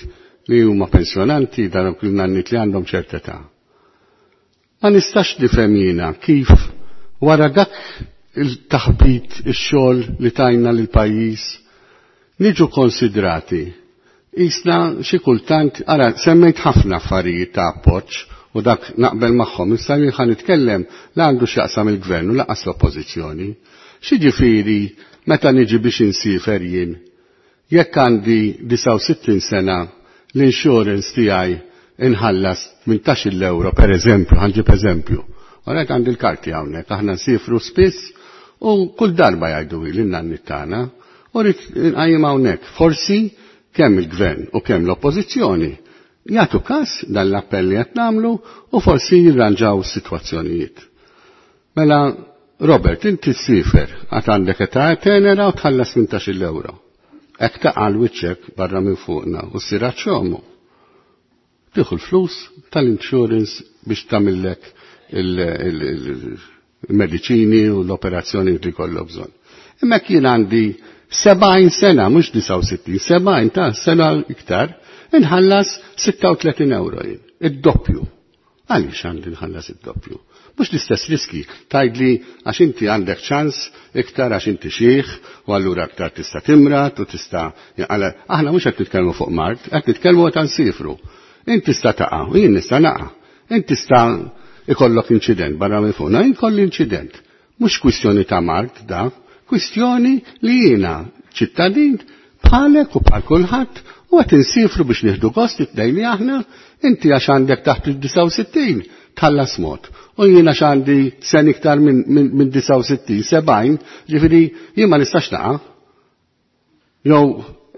li huma pensjonanti, dawk in-nanniet li għandhom ċerta età. Ma nistax nifhem jiena kif wara dak il-taħbit, ix-xogħol li tajna lil pajjiż niġu konsidrati. Isna xi kultant, ara, semmejt ħafna affarijiet ta' appoġġ u dak naqbel magħhom, issa jien ħa nitkellem la għandu x'jaqsam il-gvern u lanqas l-oppożizzjoni. X'jiġifieri meta niġi biex insifer jien? Jekk għandi 69 sena l-insurance tiegħi inħallas 18 euro per eżempju, ħanġib eżempju. Għalhekk għandi l-karti hawnhekk, aħna nsifru spiss u kull darba jgħidu li n-nanni tagħna u rrid nqajjem hawnhekk. Forsi kemm il-gvern u kemm l-oppożizzjoni jagħtu każ dan l-appell li qed nagħmlu u forsi jirranġaw is-sitwazzjonijiet. Mela, Robert, inti ssifer għad għandek età tenera u tħallas 18 euro. Hekk taqa' l-wiċċek barra minn fuqna u ssir għaċ-ċomu. Tieħu l-flus tal-insurance biex tagħmillek il-mediċini u l-operazzjoni li kollok bżonn. Imma jien għandi 70 sena, mhux 69, 70 ta' sena iktar, inħallas 36 euro jien, id-doppju. Għaliex għandi nħallas id-doppju? Mhux l-istess riski, tgħidli għax inti għandek ċans iktar għax inti xieħ u allura aktar tista' timrat u tista' aħna mhux qed nitkellmu fuq mard, qed nitkellmu qed nsifru. Inti tista' taqa' u jien nista' naqa'. Inti tista' ikollok inċident barra minn fuqna, jien kolli inċident. Mhux kwistjoni ta' mard da, kwistjoni li jiena ċittadin bħalek u bħal kulħadd u qed insifru biex nieħdu gost it-tnejn li aħna, inti għax għandek taħt il-69 tħallas mod. U jien għax għandi sen iktar minn 69, 70, ġifieri jien ma nistax naqa'. Jew,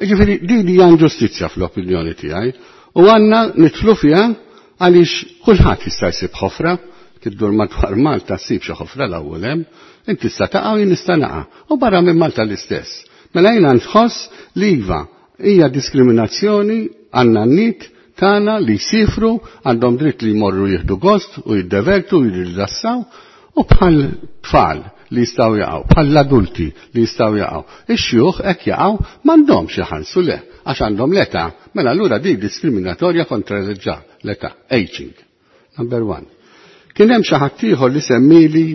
ġifieri din hija inġustizzja fl-opinjoni tiegħi u għandna nidħlu fiha għaliex kulħadd jista' jsib ħofra, tiddur madwar Malta ssib xi ħofra l-ewwel hemm, inti tista' taqa' u jien nista' naqa' u barra minn Malta l-istess. Mela jiena nħoss li iva hija diskriminazzjoni għandna n-nit tagħna li jsifru, għandhom dritt li jmorru jieħdu gost u jiddevertu u jirrilassaw u bħal tfal li jistgħu jaqgħu, bħal l-adulti li jistgħu jaqgħu. Ix-xjuħ hekk jaqgħu m'għandhomx iħallsu le, għax għandhom l-età, mela allura di diskriminatorja kontra l-età, aging. Number one. Kien hemm xi ħadd ieħor li semmili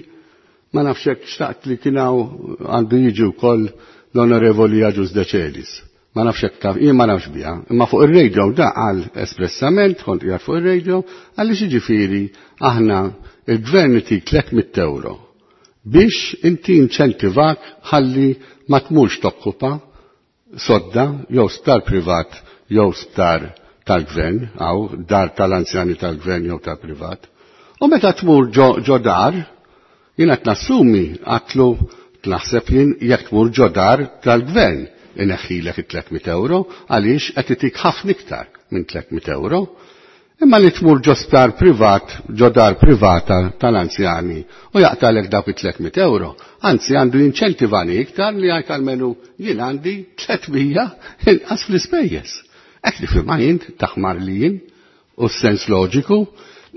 ma nafx hekk xtaqt li kien hawn għandu jiġi wkoll l-Onorevoli Agius Decelis. Ma nafx hekk taf, jien ma nafx biha, imma fuq ir-radio da qal espressament, kont qiegħed fuq ir-radio, għaliex jiġifieri aħna il-gvern itik 300 euro biex inti inċentivak ħalli ma tmurx tokkupa sodda jew sptar privat jew sptar tal-gvern, għaw dar tal-anzjani tal-gvern jew tal-privat. U meta tmur ġo dar, jien qed nassumi għatlu naħseb jien jekk tmur ġo dar tal-gvern ineħħilek it-300 euro għaliex qed itik ħafna iktar minn 300 euro. Imma li tmur ġo sptar privat, ġo dar privata tal-anzjani u jaqtalek dawk it-300 euro, anzi għandu jinċentivani iktar li għajt almenu jien għandi 300 inqas fl-ispejjeż. Hekk li firma jien taħmar li jien u s-sens loġiku,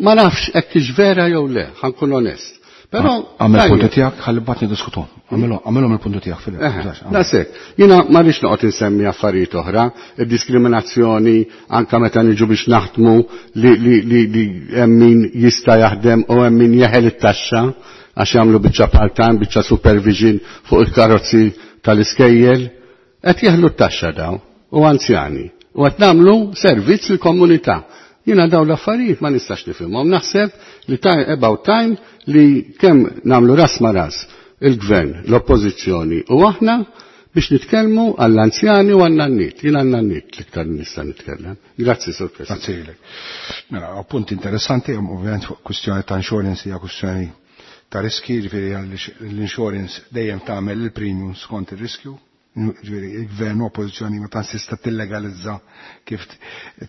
ma nafx hekk vera jew le, ħankun onest. Però Għamel punti tiegħek ħalli mbagħad niddiskutu. Għamilhom il-punti tiegħek Filip. Dasek, jiena ma rridx noqgħod insemmi affarijiet oħra, id-diskriminazzjoni anka meta niġu biex naħdmu li hemm min jista' jaħdem u hemm min jeħel it-taxxa għax jagħmlu biċċa part-time, biċċa supervision fuq il-karozzi tal-iskejjel, qed jeħlu t-taxxa daw u anzjani. U qed nagħmlu servizz lill-komunità. Jiena daw l-affarijiet ma nistax nifhimhom. Naħseb li about time li kemm nagħmlu ras ma ras il-gvern, l-oppożizzjoni u aħna biex nitkellmu għall-anzjani u għan-nanniet. Jien għan-nanniet l-iktar nista' nitkellem. Grazzi, Sur President. Grazzi lilek. Mela, punt interessanti, ovvjament fuq kwistjoni ta' insurance hija kwistjoni ta' riski, ġifieri l-insurance dejjem tagħmel il-premium skont ir-riskju. Ġifieri il-gvern u oppożizzjoni ma tantx tista' tillegalizza kif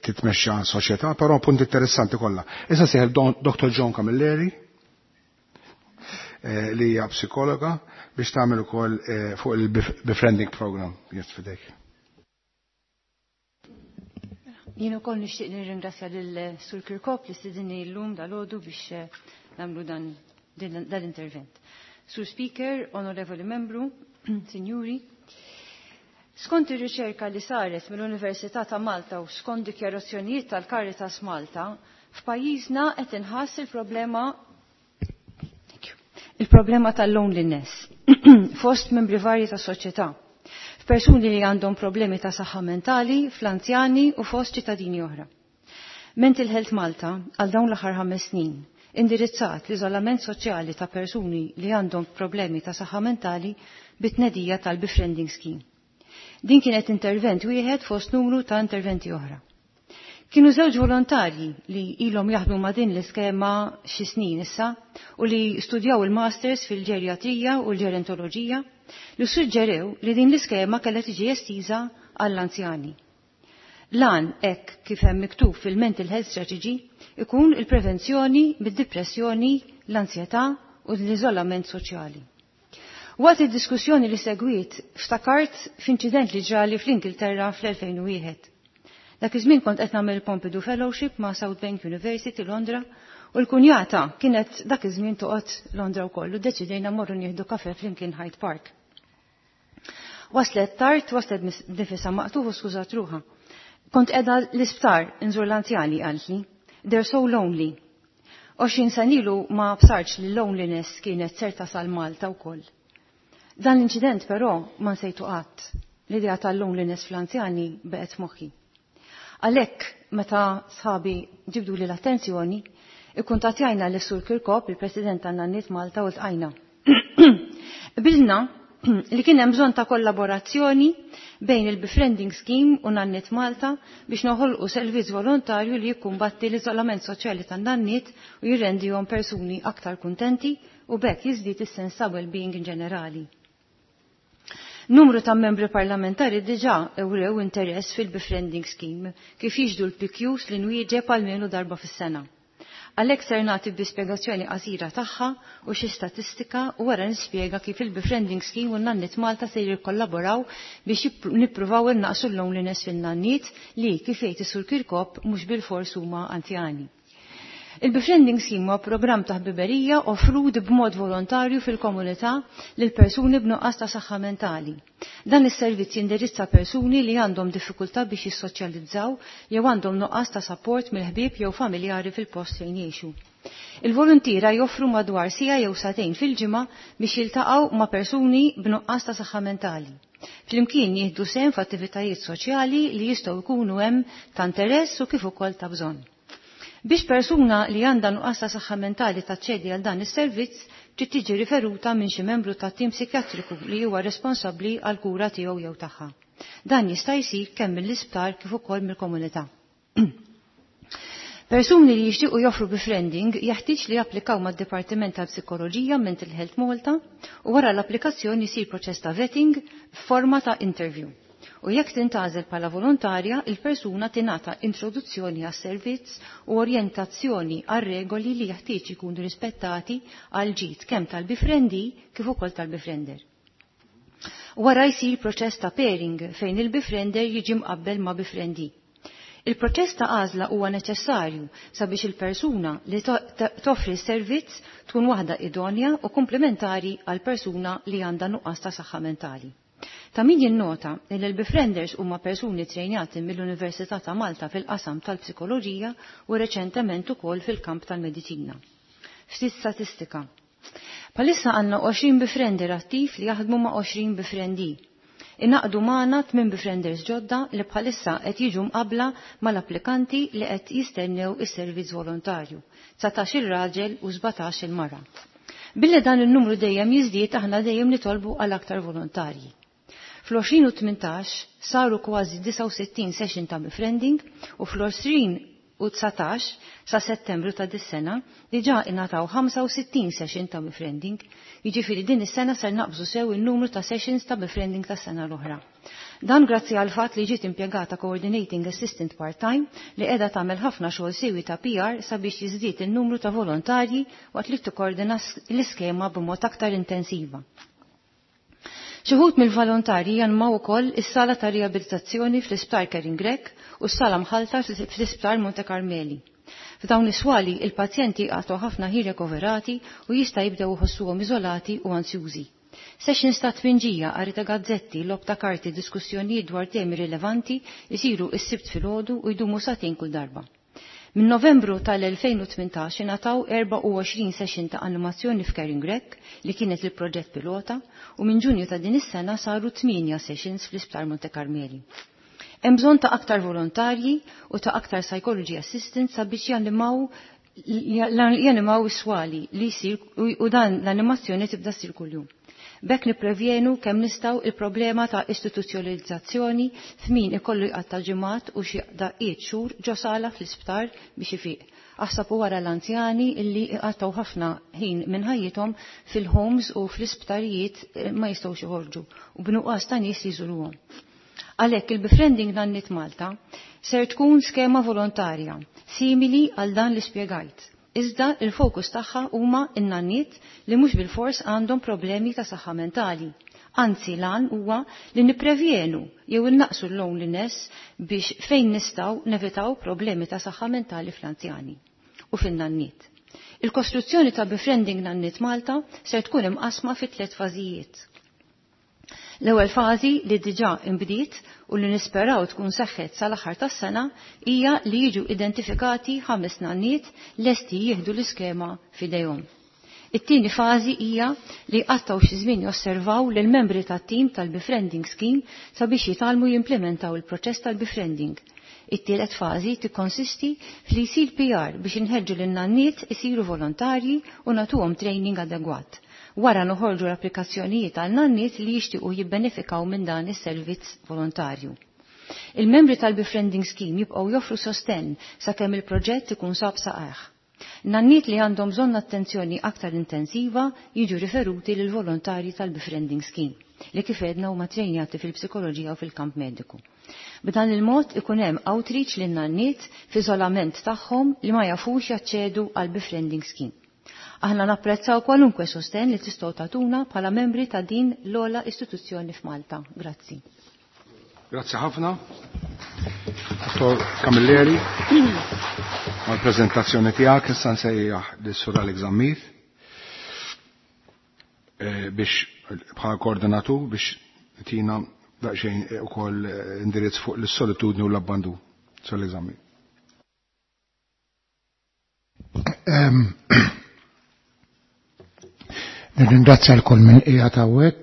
titmexxa soċjetà, però punt interessanti kollha. Issa seħel Dr. John Camilleri li hija psikologa biex tagħmel ukoll fuq il-befriending program. Yes, fidejk. Jien ukoll nixtieq nirringrazzja lil Sur Kirkop li stidinni llum dalgħodu biex nagħmlu dan l-intervent. Sur Speaker, Onorevoli Membru, Sinjuri, skont ir-riċerka li saret mill-Università ta' Malta u skont dikjarazzjonijiet tal-Caritas Malta, f'pajjiżna qed inħass il-problema il-problema tal-loneliness fost membri varji ta' soċjetà, f'persuni li għandhom problemi ta' saħħa mentali, fl-anzjani u fost ċittadini oħra. Mental Health Malta għal dawn l-aħħar 5 snin indirizzat l-iżolament soċjali ta' persuni li għandhom problemi ta' saħħa mentali bit-tnedija tal-befriending scheme. Din kienet intervent wieħed fost numru ta' interventi oħra. Kienu żewġ volontarji li ilhom jaħdmu ma' din l-iskema xi snin issa u li studjaw il-masters fil-ġerjatrija u l-ġerontoloġija li suġġerew li din l-iskema kellha tiġi estiża għall-anzjani. Lan hekk kif hemm miktub fil-Mental Health Strategy ikun il-prevenzjoni mid-depressjoni, l-ansjetà u l-iżolament soċjali. Waqt id-diskussjoni li segwit, ftakart f'inċident li ġrali fl-Ingilterra fl-2001. Dak iż-żmien kont qed nagħmel Pompidou Fellowship ma' South Bank University Londra u l-kunjata kienet dak iż-żmien toqgħod Londra wkoll u ddeċidejna mmorru nieħdu kafe flimkien Hyde Park. Waslet tard, waslet nifisha maqtugħ u skużat ruħha. Kont qiegħda l-isptar inżur l-anzjani qaltli. They're so lonely. 20 sena ilu ma bsartx li loneliness kienet ser tasal Malta wkoll. Dan l-inċident però ma nsejtu qatt. L-idea tal-loneliness fl-anzjani beqgħet moħħi. Għalhekk meta sħabi ġibdu li l-attenzjoni, ikkuntattjajna l Sur Kirkop, il-President tan-Nanniet Malta u ltqajna. Bilna li kien hemm bżonn ta' kollaborazzjoni bejn il-Befriending Scheme u Nanniet Malta biex noħolqu servizz volontarju li jikkumbatti l-iżolament soċjali tan-nanniet u jirrendihom persuni aktar kuntenti u bekk jiżdied is-sens ta' well-being in ġenerali. Numru ta' membri parlamentari diġà ewrew interess fil-Befriending Scheme kif jiġdu l-PQs li nwieġeb almenu darba fis-sena. Għalhekk ser nagħti bi spjegazzjoni qasira tagħha u xi statistika u wara nispjega kif il-Befriending Scheme u n-Nanniet Malta se jikkollaboraw biex nippruvaw innaqsu l-loneliness fin-nanniet li kif jgħid is-Sur Kirkop mhux bil-fors huma anzjani. Il-Befriending Scheme huwa programm ta' ħbiberija offrut b'mod volontarju fil-komunità lil persuni b'nuqqas ta' saħħa mentali. Dan is-servizz jindirizza persuni li għandhom diffikultà biex jissoċjalizzaw jew għandhom nuqqas ta' support mill-ħbieb jew familjari fil-post fejn jgħixu. Il-voluntiera joffru madwar siegħa jew sagħtejn fil-ġimgħa biex jiltaqgħu ma' persuni b'nuqqas ta' saħħa mentali. Flimkien jieħdu sehem f'attivitajiet soċjali li jistgħu jkunu hemm ta' interess u kif ukoll ta' bżonn. Biex persuna li għandha nuqqas ta' saħħa mentali taċċedi għal dan is-servizz, trid tiġi riferuta minn xi membru tat-tim psikjatriku li huwa responsabbli għal kura tiegħu jew tagħha. Dan jista' jsir kemm mill-isptar kif ukoll mill-komunità. Persuni li jixtiequ joffru befriending jeħtieġ li japplikaw mad-Dipartiment tal-Psikoloġija Mental Health Malta u wara l-applikazzjoni jsir proċess ta' vetting f'forma ta' interview. U jekk tintgħażel bħala volontarja, il-persuna tingħata introduzzjoni għas-servizz u orjentazzjoni għar-regoli li jeħtieġ ikunu rispettati għal ġid kemm tal-befriendee kif ukoll tal-befriender. Wara jsir proċess ta' pairing fejn il-befriender jiġi mqabbel ma' befriendee. Il-proċess ta' għażla huwa neċessarju sabiex il-persuna li toffri s-servizz tkun waħda idonja u komplementari għal persuna li għandha nuqqas ta' saħħa mentali. Ta' min jinnota li l-befrienders huma persuni trejnjati mill-Università ta' Malta fil-qasam tal-psikoloġija u reċentement ukoll fil-kamp tal-mediċina. Ftit statistika. Bħalissa għandna 20 befriender attiv li jaħdmu ma' 20 befriendee. Ingħaqdu magħna 8 befrienders ġodda li bħalissa qed jiġu mqabla mal-applikanti li qed jistennew is-servizz volontarju, 19 il raġel u 17 il-mara. Billi dan il-numru dejjem jiżdied aħna dejjem nitolbu għal aktar volontarji. Fl-2018 saru kważi 69 session ta' befriending u fl-2019 sa' settembru ta' dis-sena diġà ingħataw 65 session ta' befriending, jiġifieri din is-sena ser naqbżu sew il-numru ta' sessions ta' befriending tas-sena l-oħra. Dan grazzi għal fatt li ġiet impjegata coordinating assistant part-time li qiegħda tagħmel ħafna xogħol siewi ta' PR sabiex jiżdied il-numru ta' volontarji waqt li tikkoordina l-iskema b'mod aktar intensiva. Xi wħud mill-volontarji janmaw ukoll is-sala ta' riabilitazzjoni fl-Isptar Karen Grech u s-sala mħalta fl-Isptar Monte Carmeli. F'dawn is-swali il-pazjenti għatu ħafna ħin rekoverati u jista' jibdew iħossuhom iżolati u ansjużi. Sessions ta' tpinġija, qari ta' gazzetti, logħob ta' karti, diskussjonijiet dwar temi rilevanti jisiru is-Sibt filgħodu u jdumu sagħtejn kull darba. Minn Novembru tal-2018 ingħataw 24 session ta' animazzjoni f'Caring Grech li kienet il-proġett pilota u minn Ġunju ta' din is-sena saru 8 sessions fl-Isptar Monte Carmeli. Hemm bżonn ta' aktar volontarji u ta' aktar psychology assistants sabiex janimaw is-swali li jsir u dan l-animazzjoni tibda ssir kuljum. B'hekk nipprevjenu kemm nistgħu il-problema ta' istituzzjonalizzazzjoni f'min ikollu jqatta' ġimgħat u xi daqqiet xhur ġo sala fl-isptar biex ifiq. Aħseb u wara l-anzjani illi iqattaw ħafna ħin minn ħajjithom fil-homes u fl-isptarijiet ma jistgħux joħorġu u b'nuqqas ta' nies jżuruhom. Għalhekk il-Befriending Nanniet Malta ser tkun skema volontarja simili għal dan li spjegajt. Iżda il-fokus tagħha huma n-nanniet li mhux bil-fors għandhom problemi ta' saħħa mentali. Anzi lan huwa li nipprevjenu jew innaqsu l-loneliness biex fejn nistgħu nevitaw problemi ta' saħħa mentali fl-anzjani u fin-nanniet. Il-kostruzzjoni ta' Befriending Nanniet Malta ser tkun imqasma fi tliet fażijiet. L-ewwel fażi li diġà imbdiet u li nisperaw tkun seħħet sal-aħħar tas-sena hija li jiġu identifikati ħames nanniet lesti jieħdu l-iskema f'idejhom. It-tieni fażi hija li jqattgħu xi żmien josservaw lil membri tat-tim tal-befriending scheme sabiex jitgħallmu jimplementaw il-proċess tal-befriending. It-tielet fażi tikkonsisti fli jsir PR biex inħeġġu lin-nanniet isiru volontarji u nagħtuhom training adegwat. Wara noħorġu l-applikazzjonijiet għal nanniet li jixtiequ jibbenefikaw minn dan is-servizz volontarju. Il-membri tal-befriending scheme jibqgħu joffru sostenn sakemm il-proġett ikun sab saqajh. Nanniet li għandhom bżonn attenzjoni aktar intensiva jiġu riferuti lil volontarji tal-befriending scheme li kif għedna huma trejnjati fil-psikoloġija u fil-kamp mediku. B'dan il-mod ikun hemm outreach lin nanniet f'iżolament tagħhom li ma jafux jaċċedu għal befriending scheme. Aħna napprezzaw kwalunkwe sosten li tistgħu tagħtuna bħala membri ta' din l-ogħla istituzzjoni f'Malta. Grazzi. Grazzi ħafna. Dottor Camilleri, għal-prezentazzjoni tiegħek issa nsejjaħ lis-Sur Alex Zammit biex bħala koordinatur biex tina daqsxejn ukoll indirizz fuq l-solitudni u l-abbandun. Sur Alex Zammit. Nirringrazzja l-kull minn qiegħed hawnhekk.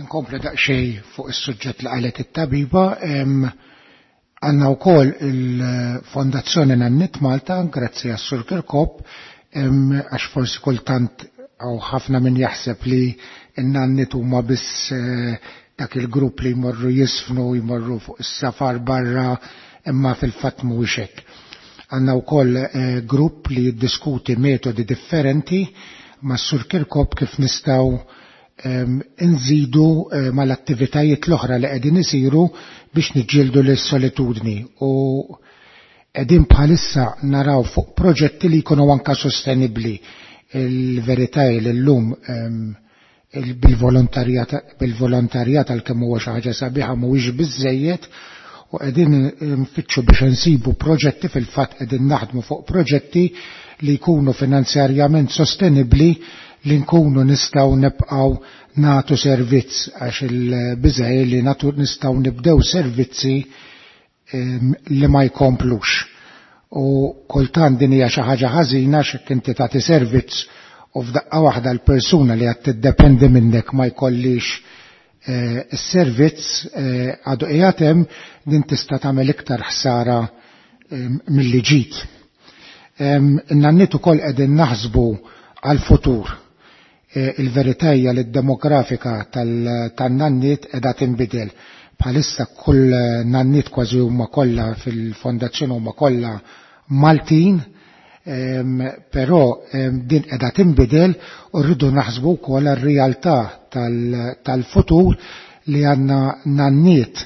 Nkompli daqsxejn fuq is-suġġett li qalet it-tabiba. Għandna wkoll il-Fondazzjoni Nannit Malta, grazzi għas-Sur Kirkop, għax forsi kultant għaw ħafna min jaħseb li n-nannit huma biss dak il-grupp li jmorru jisfnu, jmorru fuq is-safar barra, imma fil-fatt mhuwiex hekk. Għandna wkoll grupp li jiddiskuti metodi differenti ma' Sur Kirkop kif nistgħu nżidu mal-attivitajiet l-oħra li qegħdin isiru biex niġġieldu lis-solitudni u qegħdin bħalissa naraw fuq proġetti li jkunu anka sostenibbli. Il-verità hi li llum bil-volontarjat għalkemm huwa xi ħaġa sabiħa mhuwiex biżejjed u qegħdin nfittxu biex insibu proġetti, fil-fatt qegħdin naħdmu fuq proġetti li jkunu finanzjarjament sostenibbli li nkunu nistgħu nibqgħu nagħtu servizz, għax il-biża' hi li nistgħu nibdew servizzi li ma jkomplux. U kultant din hija xi ħaġa ħażina għax jekk inti tagħti servizz u f'daqqa waħda l-persuna li qed tiddependi minnek ma jkollix is-servizz għadu qiegħed hemm, din tista' tagħmel iktar ħsara milli ġid. In-nanniet ukoll qegħdin naħsbu għall-futur. Il-verità hija li d-demografika tan-nanniet qiegħda tinbidel. Bħalissa kull nanniet kważi huma kollha fil-fondazzjoni huma kollha Maltin, però din qiegħda tinbidel u rridu naħsbu wkoll għar-realtà tal-futur li għandna nanniet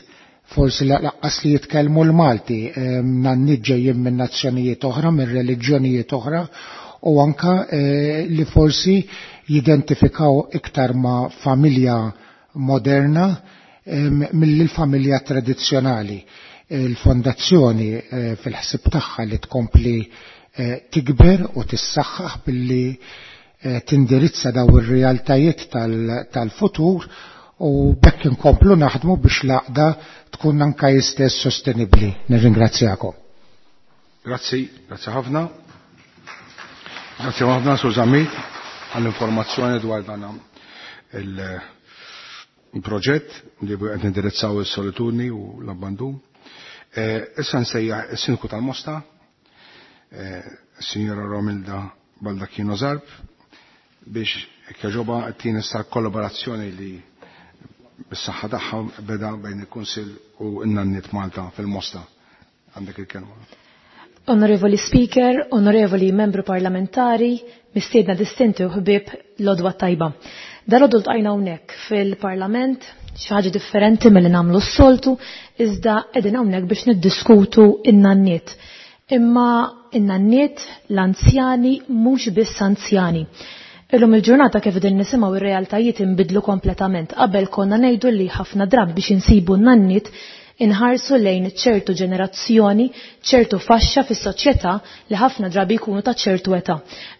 forsi laqqas li jitkellmu l-Malti, nanniet ġejjin minn nazzjonijiet oħra, minn reliġjonijiet oħra, u anka li forsi jidentifikaw iktar ma' familja moderna mill-familja tradizzjonali. Il-fondazzjoni fil-ħsieb tagħha li tkompli tikber u tissaħħaħ billi tindirizza daw ir-realtajiet tal-futur u bekk inkomplu naħdmu biex l-għaqda tkun anka jistess sostenibbli. Nirringrazzjakom. Grazzi, grazzi ħafna. Grazzi ħafna Sur Zammit għall-informazzjoni dwar dan il-proġett li qed nindirizzaw is-solitudni u l-abbandun. Issa nsejjaħ is-Sindku tal-Mosta, Signora Romilda Baldacchino Zarb, biex kjaġoba tina issa kollaborazzjoni li bis-saħħa tagħha beda bejn il-Kunsill u n-Nanniet Malta fil-Mosta. Għandek il-kelma. Onorevoli Speaker, onorevoli membru parlamentari, mistiedna distinti u ħbieb l-odwa tajba. Dal-għodu ltqajna hawnhekk fil-Parlament, xi ħaġa differenti milli nagħmlu s-soltu, iżda qegħdin hawnhekk biex niddiskutu in-nanniet. Imma in-nanniet, l-anzjani, mhux biss anzjani. Illum il-ġurnata kif din nisimgħu ir-realtajiet inbidlu kompletament. Qabel konna ngħidu li ħafna drabi biex insibu n-nanniet inħarsu lejn ċertu ġenerazzjoni, ċertu faxxa fis-soċjetà li ħafna drabi jkunu ta' ċertu età.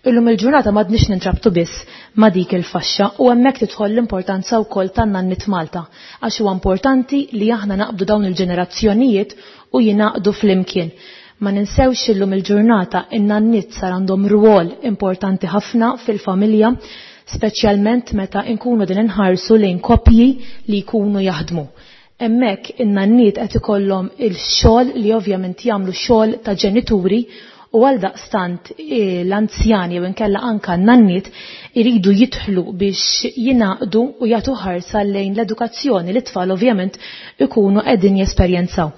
Illum il-ġurnata m'għadniex nintrabtu biss ma' dik il-faxxa u hemmhekk tidħol l-importanza wkoll tan-nanniet Malta, għax huwa importanti li aħna naqbdu dawn il-ġenerazzjonijiet u jingħaqdu flimkien. Ma ninsewx illum il-ġurnata in-nanniet sar għandhom rwol importanti ħafna fil-familja, speċjalment meta nkunu din inħarsu lejn koppji li jkunu jaħdmu. Hemmhekk in-nanniet qed ikollhom il-xogħol li ovvjament jagħmlu xogħol ta' ġenituri u għal daqstant l-anzjani jew inkella anka n-nanniet iridu jidħlu biex jingħaqdu u jagħtu ħarsa lejn l-edukazzjoni li t-tfal ovvjament ikunu qegħdin jesperjenzaw.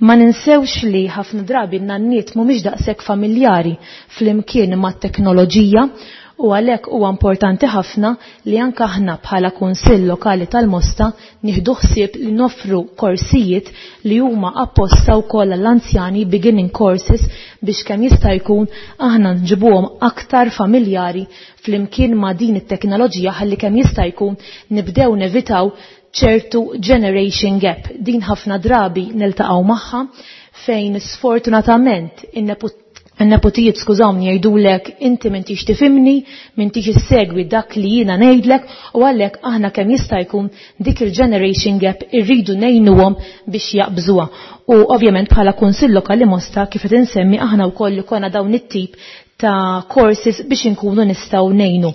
Ma ninsewx li ħafna drabi n-nanniet mhumiex daqshekk familjari flimkien mat-teknoloġija u għalhekk huwa importanti ħafna li anke aħna bħala Kunsill Lokali tal-Mosta nieħdu ħsieb li noffru korsijiet li huma apposta wkoll għall-anzjani, beginning courses, biex kemm jista' jkun aħna nġibuhom aktar familjari flimkien ma' din it-teknoloġija ħalli kemm jista' jkun nibdew nevitaw ċertu generation gap. Din ħafna drabi niltaqgħu magħha fejn sfortunatament n-nepotijiet skużawni jgħidulek inti m'intix tifhimni, m'intix issegwi dak li jiena ngħidlek u għalhekk aħna kemm jista' jkun dik il-generation gap irridu ngħinuhom biex jaqbżuha. U ovvjament bħala Kunsill Lokali Mosta kif qed insemmi aħna wkoll li konna dawn it-tip ta' courses biex inkunu nistgħu ngħinu.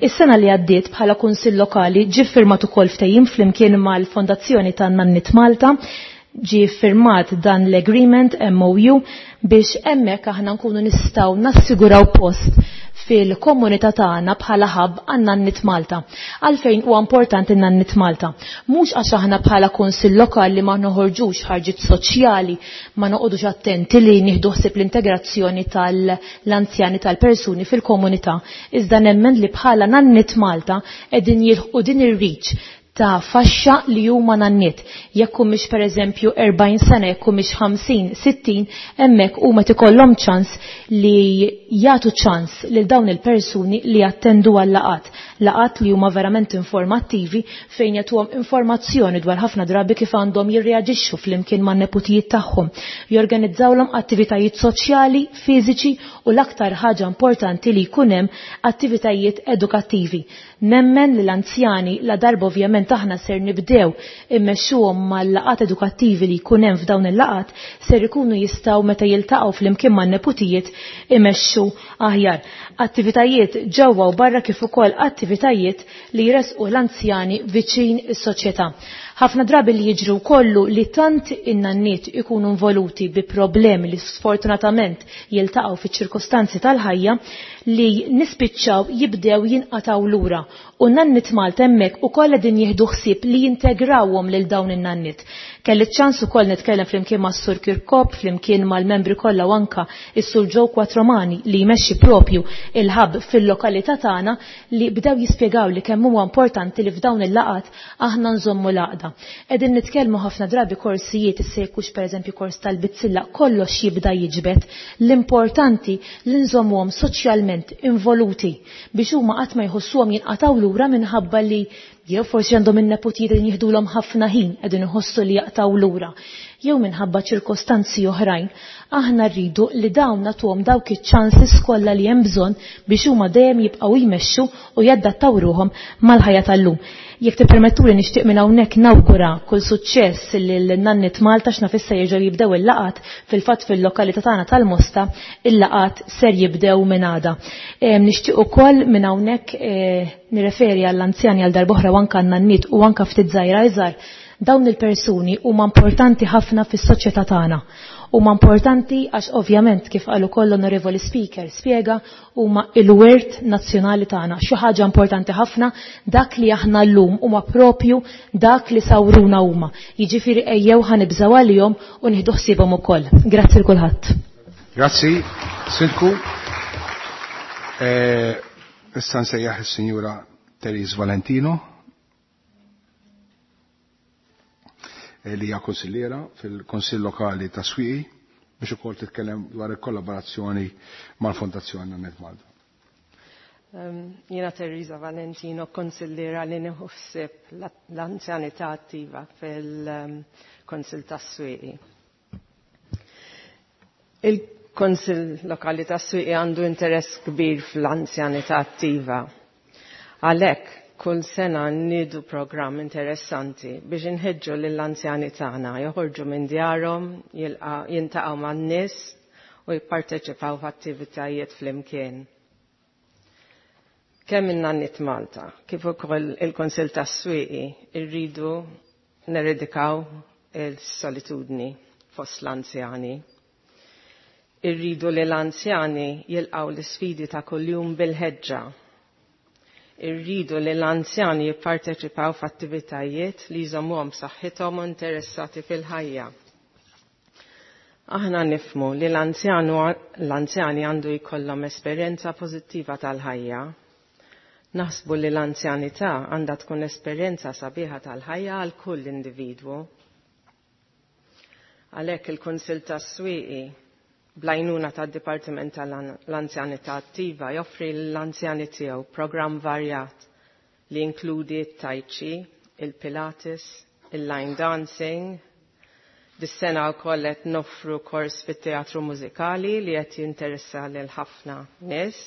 Is-sena li għaddiet bħala Kunsill Lokali ġie ffirmat ukoll ftehim flimkien mal-Fondazzjoni ta' Nannit Malta, ġie ffirmat dan l-agreement MOU biex hemmhekk aħna nkunu nistgħu nassiguraw post fil-komunità tagħna bħala hub għan-Nannit Malta. Għalfejn huwa importanti n-Nannit Malta? Mhux għax aħna bħala kunsill lokali ma noħorġux ħarġiet soċjali, ma noqogħdux attenti li nieħdu ħsieb l-integrazzjoni tal-anzjani tal-persuni fil-komunità, iżda nemmen li bħala Nannit Malta qegħdin jilħqu din ir-reach ta' faxxa li huma nanniet. Jekk humiex pereżempju 40 sena, jekk humiex 50, 60, hemmhekk huma tikollhom ċans li jagħtu ċans lil dawn il-persuni li jattendu għal laqat. Laqat li huma verament informattivi fejn jagħtuhom informazzjoni dwar ħafna drabi kif għandhom jirreaġixxu flimkien man-neputijiet tagħhom. Jorganizzawlhom attivitajiet soċjali, fiżiċi u l-aktar ħaġa importanti li jkun hemm attivitajiet edukattivi. Nemmen li l-anzjani la darba ovvjament aħna ser nibdew immexxuhom mal-laqat edukattivi li jkun hemm f'dawn il-laqat ser ikunu jistgħu meta jiltaqgħu flimkien man-neputijiet imexxu aħjar. Attivitajiet ġewwa u barra kif ukoll attivitajiet li jresqu l-anzjani viċin is-soċjetà. Ħafna drabi li jiġru kollu li tant in-nanniet ikunu involuti bi problemi li sfortunatament jiltaqgħu fiċ-ċirkostanzi tal-ħajja li nispiċċaw jibdew jinqataw lura. U Nannit Malta hemmhekk ukoll qegħdin jieħdu ħsieb li jintegrawhom lil dawn in-nanniet. Kelli ċans ukoll nitkellem flimkien mas-Sur Kirkop, flimkien mal-membri kollha u anka is-Sur Joe Quattromani li jmexxi propju il-ħab fil-lokalità tagħna li bdew jispjegaw li kemm huwa importanti li f'dawn il-laqat aħna nżommu l-għaqda. Qegħdin nitkellmu ħafna drabi korsijiet issa jekk hux pereżempju kors tal-bizzilla kollox jibda jiġbed. L-importanti li nżommuhom soċjalment involuti biex huma qatt ma jħossuhom jinqatgħu lura minħabba li jew forsi għandhom in-neputijiet li jieħdulhom ħafna ħin qegħdin iħossu li jaqtgħu lura, jew minħabba ċirkostanzi oħrajn. Aħna rridu li dawn nagħtuhom dawk iċ-ċansis kollha li hemm bżonn biex huma dejjem jibqgħu jmexxu u jadattaw ruhom mal-ħajja tal-lum. Jekk tippermettuli nixtieq minn hawnhekk nawgura kull suċċess lil Nannit Malta x'naf issa jerġgħu jibdew il-laqat fil-fatt fil-lokalità tagħna tal-Mosta il-laqat ser jibdew minn għada. Nixtieq ukoll minn hawnhekk nirreferi għall-anzjani għal darb'oħra u anke għan-nanniet u anke ftit żgħira iżgħar. Dawn il-persuni huma importanti ħafna fis-soċjetà tagħna. Huma importanti għax ovvjament kif qal ukoll l-Onorevoli Speaker spjega huma il-wirt nazzjonali tagħna. Xi ħaġa importanti ħafna dak li aħna llum huma propju dak li sawruna huma. Jiġifieri ejjew ħanibżgħu għalihom u nieħdu ħsiebhom ukoll. Grazzi l kulħadd. Grazzi, Sindku. Issa nsejjaħ is-Sinjura Therese Valentino li hija konsilliera fil-Konsill Lokali ta' Swieqi biex ukoll titkellem dwar il-kollaborazzjoni mal-Fondazzjoni Nannit Malta. Jiena Teresa Valentino, konsilliera li nieħu ħsieb l-anzjanità attiva fil-Konsill tas-Swieqi. Il-Konsill Lokali tas-Swieqi għandu interess kbir fl-anzjanità attiva. Għalhekk kull sena nniedu programm interessanti biex inħeġġu lill-anzjani tagħna joħorġu minn djarhom, jiltaqgħu man-nies u jipparteċipaw f'attivitajiet flimkien. Kemm in-Nannit Malta, kif ukoll il-Kunsill tas-Swieqi rridu neredikaw il-solitudni fost l-anzjani. Irridu li l-anzjani jilqgħu l-isfidi ta' kuljum bil-ħeġġa. Irridu li l-anzjani jipparteċipaw f'attivitajiet li jżommuhom b'saħħithom u interessati fil-ħajja. Aħna nifhmu li l-anzjani għandu jkollhom esperjenza pożittiva tal-ħajja. Naħsbu li l-anzjanità għandha tkun esperjenza sabiħa tal-ħajja għal kull individwu. Għalhekk il-Kunsill tas-Swieqi bl-għajnuna tad-Dipartiment tal-Anzjanità Attiva joffri l-anzjani tiegħu programm varjat li jinkludi t-tai chi, il-Pilates, il-line dancing, Dis-sena wkoll qed noffru kors fit-teatru mużikali li qed jinteressa lil ħafna nies.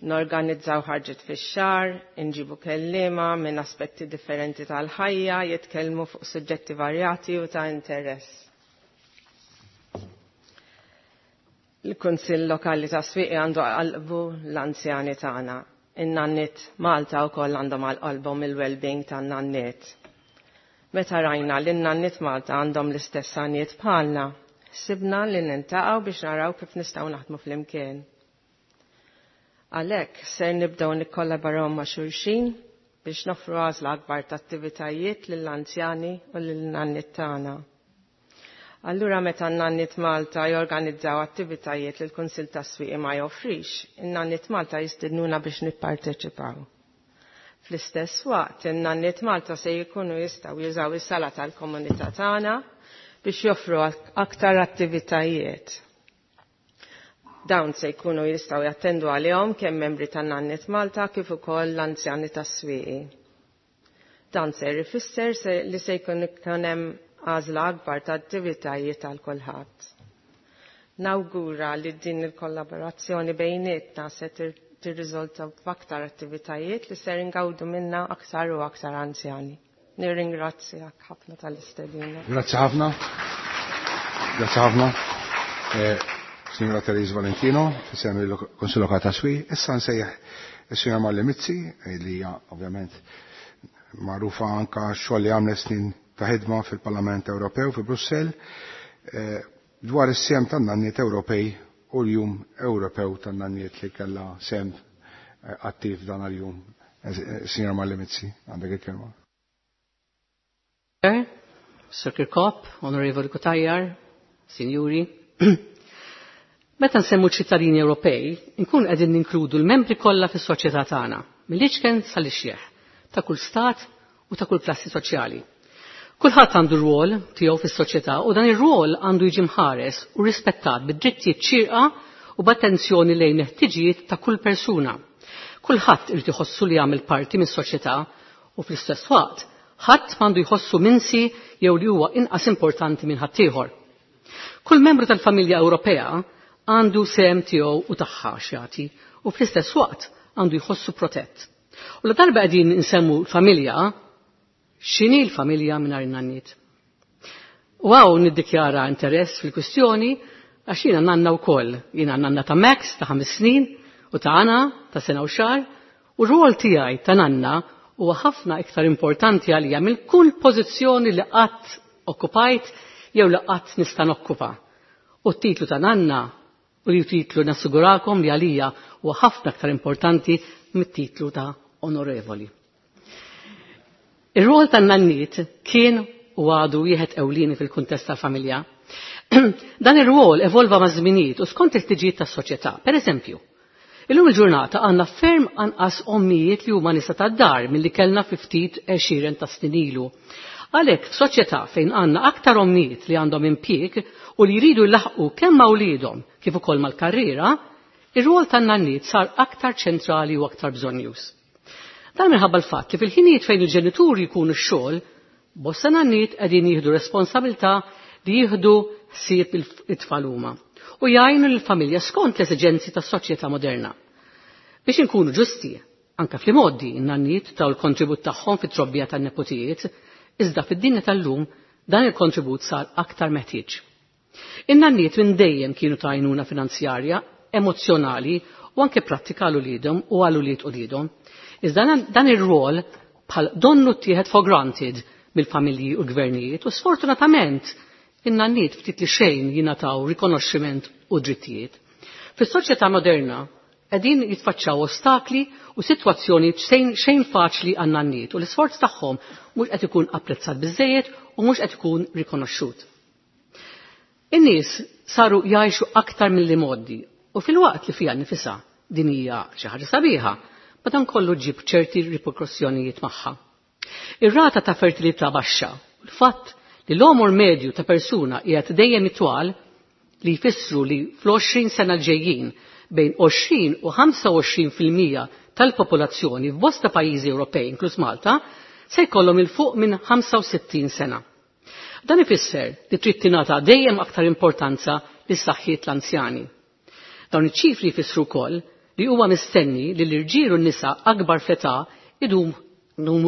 Norganizzaw ħarġet fix-xahar, inġibu kelliema minn aspetti differenti tal-ħajja, jitkellmu fuq suġġetti varjati u ta' interess. Il-Kunsill Lokali ta' Swieqi għandu qalbu l-anzjani tagħna. In-nanniet Malta wkoll għandhom għal qalbhom il-well-being tan-nanniet. Meta rajna li n-nanniet Malta għandhom l-istess għaniet bħalna, sibna li nintaqgħu biex naraw kif nistgħu naħdmu flimkien. Għalhekk ser nibdew nikkollaboraw ma' xulxin biex noffru għażla akbar ta' attivitajiet lill-anzjani u lil-nanniet tagħna. Allura meta n-nanniet Malta jorganizzaw attivitajiet li l-Kunsill tas-Swieqi ma joffrix, in-nanniet Malta jistednuna biex nipparteċipaw. Fl-istess waqt, in-nanniet Malta se jkunu jistgħu jużaw is-sala tal-komunità tagħna biex joffru aktar attivitajiet. Dawn se jkunu jistgħu jattendu għalihom kemm membri tan-nanniet Malta kif ukoll l-anzjani tas-Swieqi. Dan ser ifisser li se jkun hemm għażla akbar ta' attivitajiet għal kulħadd. Nawgura li din il-kollaborazzjoni bejnietna se tirriżulta f'aktar attivitajiet li ser ingawdu minna aktar u aktar anzjani. Nirringrazzjak ħafna tal-istedina. Grazzi ħafna. Grazzi ħafna. Signora Therese Valentino, f'isem il-Kunsill Lokali ta' Swieqi. Issa nsejjaħ is-Sinjora Marlene Mizzi, li hija ovvjament magħrufa anka x-xogħol li għamlet snin ta' ħidma fil-Parlament Ewropew fi Brussell, dwar is-sehem tan-nanniet Ewropej u l-Jum Ewropew tan-nanniet li kellha sehem attiv dan għal-jum. Signora Marlene Mizzi, għandek il-kelma. Sir Kirkop, Onorevoli Cutajar, Signori. Meta nsemmu ċittadini Ewropej, nkun qegħdin ninkludu l-membri kollha fis-soċjetà tagħna, mill-iċken sal-ixjeħ, ta' kull stat u ta' kull klassi soċjali. Kulħadd għandu rwol tiegħu fis-soċjetà u dan ir-rwol għandu jiġi mħares u rispettat bid-drittijiet xierqa u b'attenzjoni lejn il-ħtiġijiet ta' kull persuna. Kulħadd irid iħossu li jagħmel parti mis-soċjetà u fl-istess waqt ħadd m'għandu jħossu minsi jew li huwa inqas importanti minn ħaddieħor. Kull membru tal-familja Ewropea għandu sehem tiegħu u tagħha x'jagħti u fl-istess waqt għandu jħossu protett. U la darba qegħdin insemmu l-familja, x'inhi l-familja mingħajr in-nanniet? U hawn niddikjara interess fil-kwistjoni għax jiena nanna wkoll. Jiena nanna ta' Max ta' 5 snin u ta' Anna ta' sena u xahar, u r-rwol tiegħi ta' nanna huwa ħafna iktar importanti għalija mill kull pożizzjoni li qatt okkupajt jew li qatt nista' nokkupa. U t-titlu ta' nanna u li titlu nassigurakom li għalija huwa ħafna aktar importanti mit-titlu ta' onorevoli. Ir-rwol tan-nanniet kien u għadu wieħed ewlieni fil-kuntest tal-familja. Dan ir-rwol evolva ma' żminijiet u skont il-ħtiġijiet tas-soċjetà. Per eżempju, illum il-ġurnata għandna ferm anqas ommijiet li huma nisa tad-dar milli kellna fi ftit għexieren ta' snin ilu. Għalhekk f'soċjetà fejn għandna aktar ommijiet li għandhom impjieg u li jridu jlaħqu kemm ma' wliedhom kif ukoll mal-karriera, ir-rwol tan-nanniet sar aktar ċentrali u aktar bżonnjuż. Dan minħabba l-fatt li fil-ħinijiet fejn il-ġenituri jkunu x-xogħol, bosta nanniet qegħdin jieħdu responsabilità li jieħdu ħsieb it-tfal huma u jgħinu lill-familja skont l-esiġenzi tas-soċjetà moderna. Biex inkunu ġusti, anka fl-imgħoddi n-nanniet taw l-kontribut tagħhom fit-trobbija tan-nepotijiet, iżda fid-dinja tal-lum dan il-kontribut sar aktar meħtieġ. In-nanniet minn dejjem kienu ta' għajnuna finanzjarja, emozzjonali u anke prattika għal uliedhom u għal ulied uliedhom. Iżda dan ir-rwol bħal donnu ttieħed for granted mill-familji u l-gvernijiet u sfortunatament in-nanniet ftit li xejn jingħataw rikonoxximent u drittijiet. Fis-soċjetà moderna qegħdin jitfaċċaw ostakli u sitwazzjoni xejn faċli għan-nanniet u l-isforz tagħhom mhux qed ikun apprezzat biżejjed u mhux qed ikun rikonoxxut. In-nies saru jgħixu aktar milli mgħoddi u fil-waqt li fiha nifisha din hija xi ħaġa sabiħa, madankollu ġib ċerti riperkussjonijiet magħha. Ir-rata ta' fertilità baxxa u l-fatt li l-għomor medju ta' persuna qiegħed dejjem itwal li jfissru li fl-20 sena l-ġejjin bejn 20 u 25% tal-popolazzjoni f'bosta pajjiżi Ewropej, inkluż Malta, se jkollhom il fuq minn 65 sena. Dan ifisser li trid tingħata dejjem aktar importanza lis saħħiet l-anzjani. Dawn iċ-ċifri jfissru wkoll li huwa mistenni li l-irġiel u n-nisa akbar fl-età idum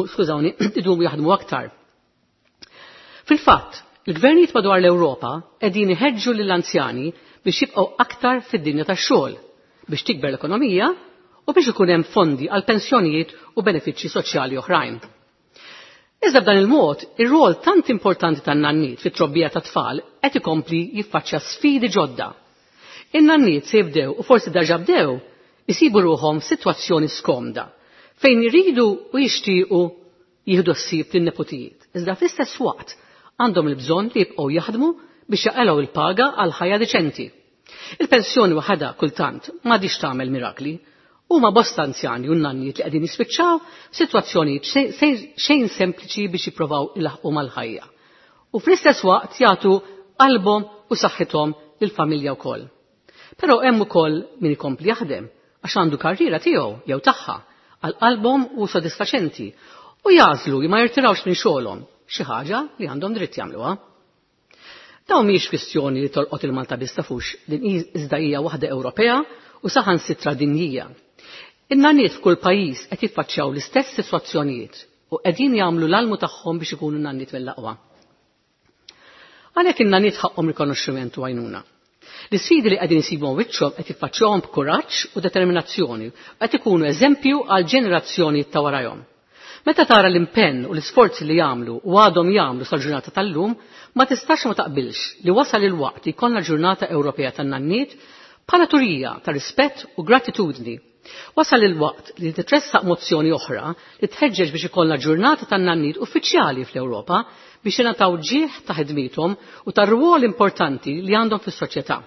skużawni, idumu jaħdmu aktar. Fil-fatt, il-gvernijiet madwar l-Ewropa qegħdin iħeġġu lill-anzjani biex jibqgħu aktar fid-dinja tax-xogħol, biex tikber l-ekonomija u biex ikun hemm fondi għal pensjonijiet u benefiċċji soċjali oħrajn. Iżda b'dan il-mod, ir-rol tant importanti tan-nanniet fit-trobbija ta' tfal qed ikompli jiffaċċja sfidi ġodda. In-nanniet se jibdew u forsi diġà bdew isibu ruħhom f'sitwazzjoni skomda fejn iridu u jixtiequ jieħdu ħsieb lin-nepotijiet. Iżda fl-istess waqt għandhom il-bżonn li jibqgħu jaħdmu biex jaqilgħu il-paga għal ħajja deċenti. Il-pensjoni waħedha kultant m'għadix tagħmel mirakli. Huma bosta anzjani u nanniet li qegħdin jispiċċaw f'sitwazzjonijiet xejn sempliċi biex jippruvaw ilaħqu mal-ħajja. U fl-istess waqt jagħtu qalbhom u saħħithom lill-familja wkoll. Però hemm ukoll min ikompli jaħdem għax għandu karriera tiegħu jew tagħha għal qalbhom u sodisfaċenti u jagħżlu li ma jirtirawx minn xogħolhom, xi ħaġa li għandhom dritt jagħmluha. Dawn mhijiex kwistjoni li tolqot il-Malta biss tafux, din iżda hija waħda Ewropea u saħansitra dinjija. In-nanniet f'kull pajjiż qed jiffaċċjaw l-istess sitwazzjonijiet u qegħdin jagħmlu l-almu tagħhom biex ikunu nanniet mill-aqwa. Għalhekk in-nanniet ħaqhom rikonoxximent u għajnuna. L-isfidi li qegħdin isibu wiċċhom qed jiffaċċjahom b'kuraġġ u determinazzjoni u qed ikunu eżempju għal ġenerazzjoni ta' warajhom. Meta tara l-impenn u l-isforzi li jagħmlu u għadhom jagħmlu sal-ġurnata tal-lum, ma tistax ma taqbilx li wasal il-waqt li jkollna ġurnata Ewropea tan-nanniet bħala turija ta' rispett u gratitudni. Wasal il-waqt li titressaq mozzjoni oħra li tħeġġeġ biex ikollna ġurnata tan-nanniet uffiċjali fl-Ewropa biex jingħataw ġieħ ta' ħidmiethom u tar-rwol importanti li għandhom fis-soċjetà.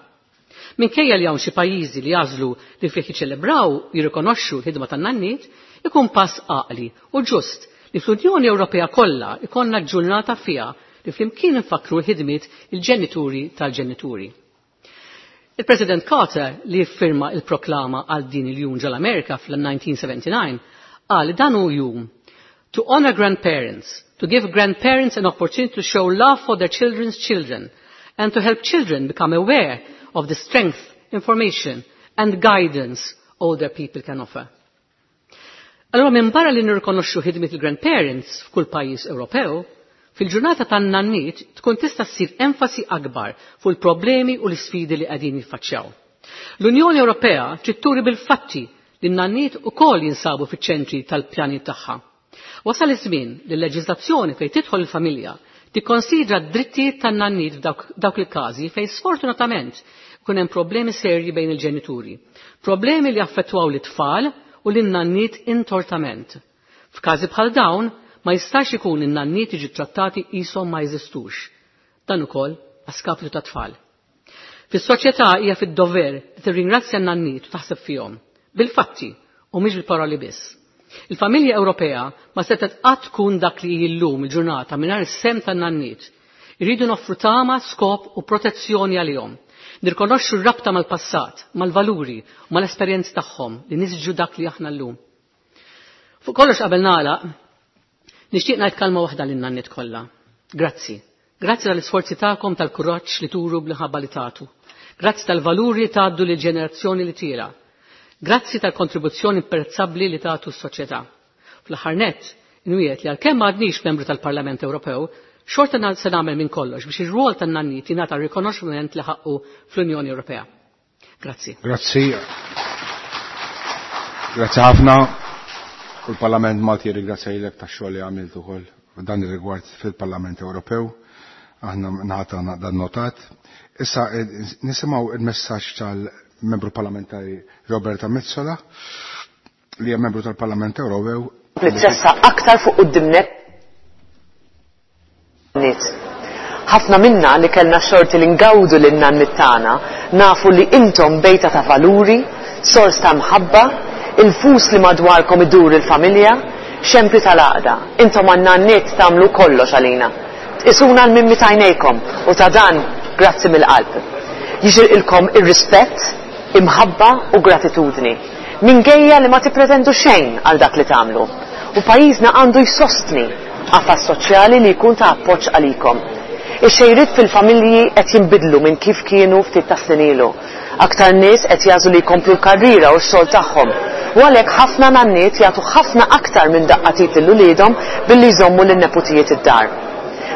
Minkejja li hawn xi pajjiżi li jagħżlu li fih jiċċelebraw jirrikonoxxu l-ħidma tan-nanniet, ikun pass għaqli u ġust li fl-Unjoni Ewropea kollha ikollna ġurnata fiha li flimkien nfakru l-ħidmiet il-ġenituri tal-ġenituri. Il-President Carter li firma il-proklama għal din il-jum ġol-Amerika fl-1979 qal li dan hu jum to honor grandparents, to give grandparents an opportunity to show love for their children's children and to help children become aware of the strength, information and guidance older people can offer. Allora minn barra li nirrikonoxxu ħidmiet il-grandparents f'kull pajjiż Ewropew, fil-ġurnata tan-nanniet tkun tista' ssir enfasi akbar fuq il-problemi u l-isfidi li qegħdin jiffaċċjaw. L-Unjoni Ewropea trid turi bil-fatti li n-nanniet ukoll jinsabu fiċ-ċentri tal-pjani tagħha. Wasal iż-żmien li l-leġiżlazzjoni fejn tidħol il-familja tikkonsidra d-drittijiet tan-nanniet f'dawk il-każi fejn sfortunatament ikun hemm problemi serji bejn il-ġenituri. Problemi li affettwaw l-tfal u lin-nanniet intortament. F'każi bħal dawn ma jistax ikun in-nanniet jiġu trattati qishom ma jeżistux. Dan ukoll a skapitu ta' tfal. Fis-soċjetà hija fid-dover li tirringrazzja n-nanniet u taħseb fihom. Bil-fatti u mhix bil-paroli biss. Il-familja Ewropea ma setgħet qatt tkun dak li hi llum il-ġurnata mingħajr is-sehem tan-nanniet. Irridu noffru tama, skop u protezzjoni għalihom. Nirkonoxxu r-rabta mal-passat, mal-valuri u mal-esperjenzi tagħhom li nisġu dak li aħna llum. Fuq kollox qabel nagħlaq, nixtieq ngħid kelma waħda lin-nanniet kollha. Grazzi. Grazzi tal-isforzi tagħkom tal-kuraġġ li turu bl-ħabba li tagħtu. Grazzi tal-valuri li tgħaddu lil ġenerazzjoni li tiela. Grazzi tal-kontribuzzjoni imprezzabbli li tagħtu s-soċjetà. Fl-aħħar nett, inwiegħed li għalkemm m'għadnix membru tal-Parlament Ewropew, xorta se nagħmel minn kollox biex ir-rwol tan-nanniet jingħata rikonoxximent li ħaqqu fl-Unjoni Ewropea. Grazzi. Grazzi. Grazzi ħafna. U l-Parlament Malti jirringrazzja lilek tax-xogħol li għamilt ukoll f'dan ir-rigward fil-Parlament Ewropew. Aħna nagħta dan notat. Issa nisimgħu il-messaġġ tal-membru parlamentari Roberta Metsola li hija membru tal-Parlament Ewropew. Li tressaq aktar fuq quddiem nett. Ħafna minna li kellna x-xorti li ngawdu lin-nanniet tagħna nafu li intom bejta ta' valuri, sors ta' mħabba, il-fus li madwarkom idur il-familja, xempju tal-għaqda. Intom għan-nanniet tagħmlu kollox għalina. Tqisuna l-mimmi t'għajnejkom u ta' dan grazzi mill-qalb. Jixirqilkom ir-rispett, imħabba u gratitudni. Minkejja li ma tippretendu xejn għal dak li tagħmlu. U pajjiżna għandu jsostni qafas soċjali li jkun ta' appoġġ għalikom. Ix-xejriet fil-familji qed jinbidlu minn kif kienu ftit ta' snin ilu. Aktar nies qed jagħżlu li jkomplu l-karriera u x-xogħol tagħhom. U għalhekk ħafna nanniet jagħtu ħafna aktar minn daqqa t'id lil uliedhom billi jżommu lin-neputijiet id-dar.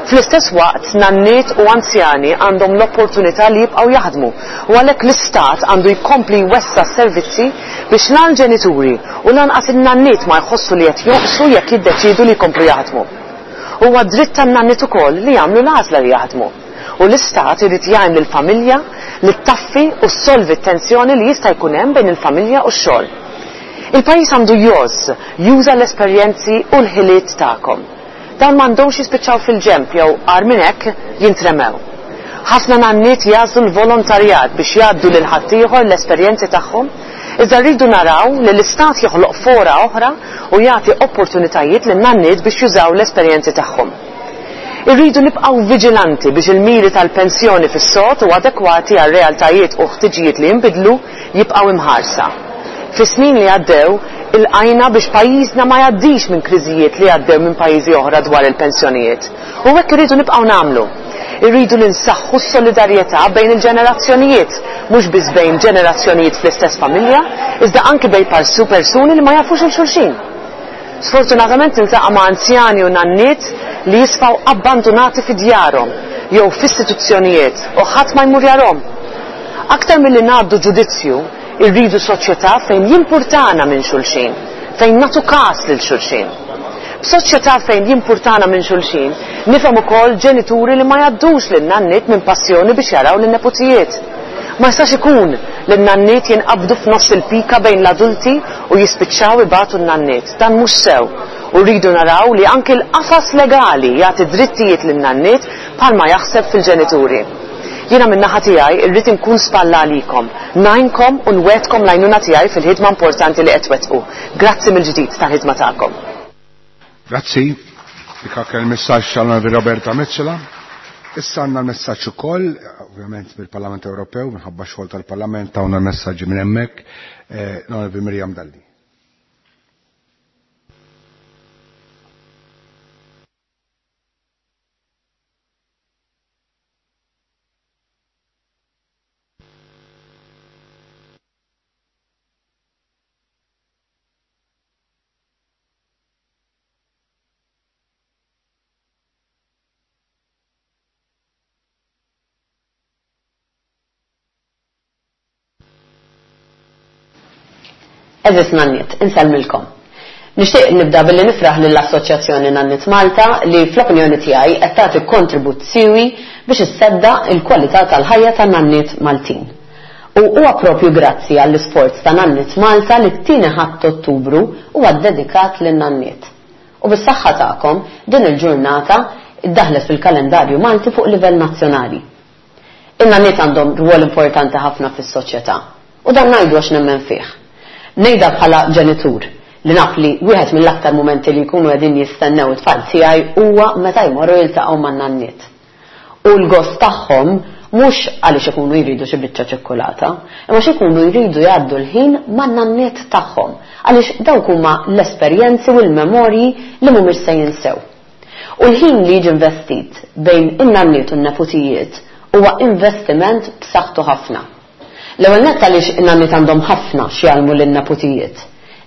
Fl-istess waqt, nanniet u anzjani għandhom l-opportunità li jibqgħu jaħdmu u għalhekk l-Istat għandu jkompli jwessa' s-servizzi biex la l-ġenituri u lanqas in-nanniet ma jħossu li qed jonqsu jekk jiddeċiedu li jkomplu jaħdmu. Huwa dritt tan-nanniet ukoll li jagħmlu l-għażla li jaħdmu. U l-Istat irid jgħin lill-familja li ttaffi u ssolvi t-tensjoni li jista' jkun hemm bejn il-familja u x-xogħol. Il-pajjiż għandu jgħożż juża l-esperjenzi u l-ħiliet tagħkom. Dawn m'għandhomx jispiċċaw fil-ġenb jew, agħar minn hekk, jintremew. Ħafna nanniet jagħżlu l-volontarjat biex jgħaddu lil ħaddieħor l-esperjenzi tagħhom, iżda rridu naraw li l-Istat joħloq fora oħra u jagħti opportunitajiet lin-nanniet biex jużaw l-esperjenzi tagħhom. Irridu nibqgħu viġilanti biex il-miri tal-pensjoni fis-sod u adekwati għar-realtajiet u ħtiġijiet li jinbidlu jibqgħu imħarsa. Fis-snin li għaddew, ilqajna biex pajjiżna ma jgħaddix minn kriżijiet li għaddew minn pajjiżi oħra dwar il-pensjonijiet. U hekk irridu nibqgħu nagħmlu. Irridu li nsaħħu s-solidarjetà bejn il-ġenerazzjonijiet, mhux biss bejn ġenerazzjonijiet fl-istess familja, iżda anki bejn persuni li ma jafux 'il xulxin. Sfortunatament niltaqa' ma' anzjani u nanniet li jisfaw abbandunati fi djarhom jew f'istituzzjonijiet u ħadd ma jmur jarahom. Aktar milli ngħaddu ġudizzju, irridu soċjetà fejn jimpurtana minn xulxin, fejn nagħtu kas lil xulxin. B'soċjetà fejn jimpurtana minn xulxin, nifhem ukoll ġenituri li ma jgħaddux lin-nanniet minn passjoni biex jaraw lin-neputijiet. Ma jistax ikun li n-nanniet jinqabdu f'nofs il-pika bejn l-adulti u jispiċċaw ibatu n-nanniet. Dan mhux sew u rridu naraw li anki l-qafas legali jagħti drittijiet lin-nanniet bħalma jaħseb fil-ġenituri. Jiena min-naħa tiegħi rrid inkun spalla għalikom, ngħinkom u nwegħdkom l-għajnuna tiegħi fil-ħidma importanti li qed twettqu. Grazzi mill-ġdid tal-ħidma tagħkom. Grazzi. Dik kien il-messaġġ tal-Onorevoli Roberta Metsola. Issa għandna l-messaġġ ukoll, ovvjament mill-Parlament Ewropew, minħabba xogħol tal-Parlament tawna l-messaġġi minn hemmhekk, l-Onorevoli Miriam Dalli. Għeżież nanniet, insellmilkom. Nixtieq nibda billi nifraħ lill-Assoċjazzjoni Nanniet Malta li fl-opinjoni tiegħi qed tagħti kontribut siewi biex isseddaq il-kwalità tal-ħajja tan-nanniet Maltin. U huwa proprju grazzi għall-isforz ta' Nanniet Malta li t-tieni Ħadd t'Ottubru huwa ddedikat lin-nanniet. U bis-saħħa tagħkom din il-ġurnata ddaħlet fil-kalendarju Malti fuq livell nazzjonali. In-nanniet għandhom rwol importanti ħafna fis-soċjetà. U dan ngħidu għax nemmen fih. Ngħidha bħala ġenitur, li naf li wieħed mill-aktar mumenti li jkunu qegħdin jistennew it-tfal tiegħi huwa meta jmorru jiltaqgħu man-nanniet. U l-gost tagħhom mhux għaliex ikunu jridu xi biċċa ċikkulata, imma għax ikunu jridu jgħaddu l-ħin man-nanniet tagħhom, għaliex dawk huma l-esperjenzi u l-memorji li mhumiex se jinsew. U l-ħin li jiġi investit bejn in-nanniet u n-neputijiet huwa investiment b'saħħtu ħafna. L-ewwel nett għaliex in-nanniet għandhom ħafna x'jgħallmu lin-neputijiet,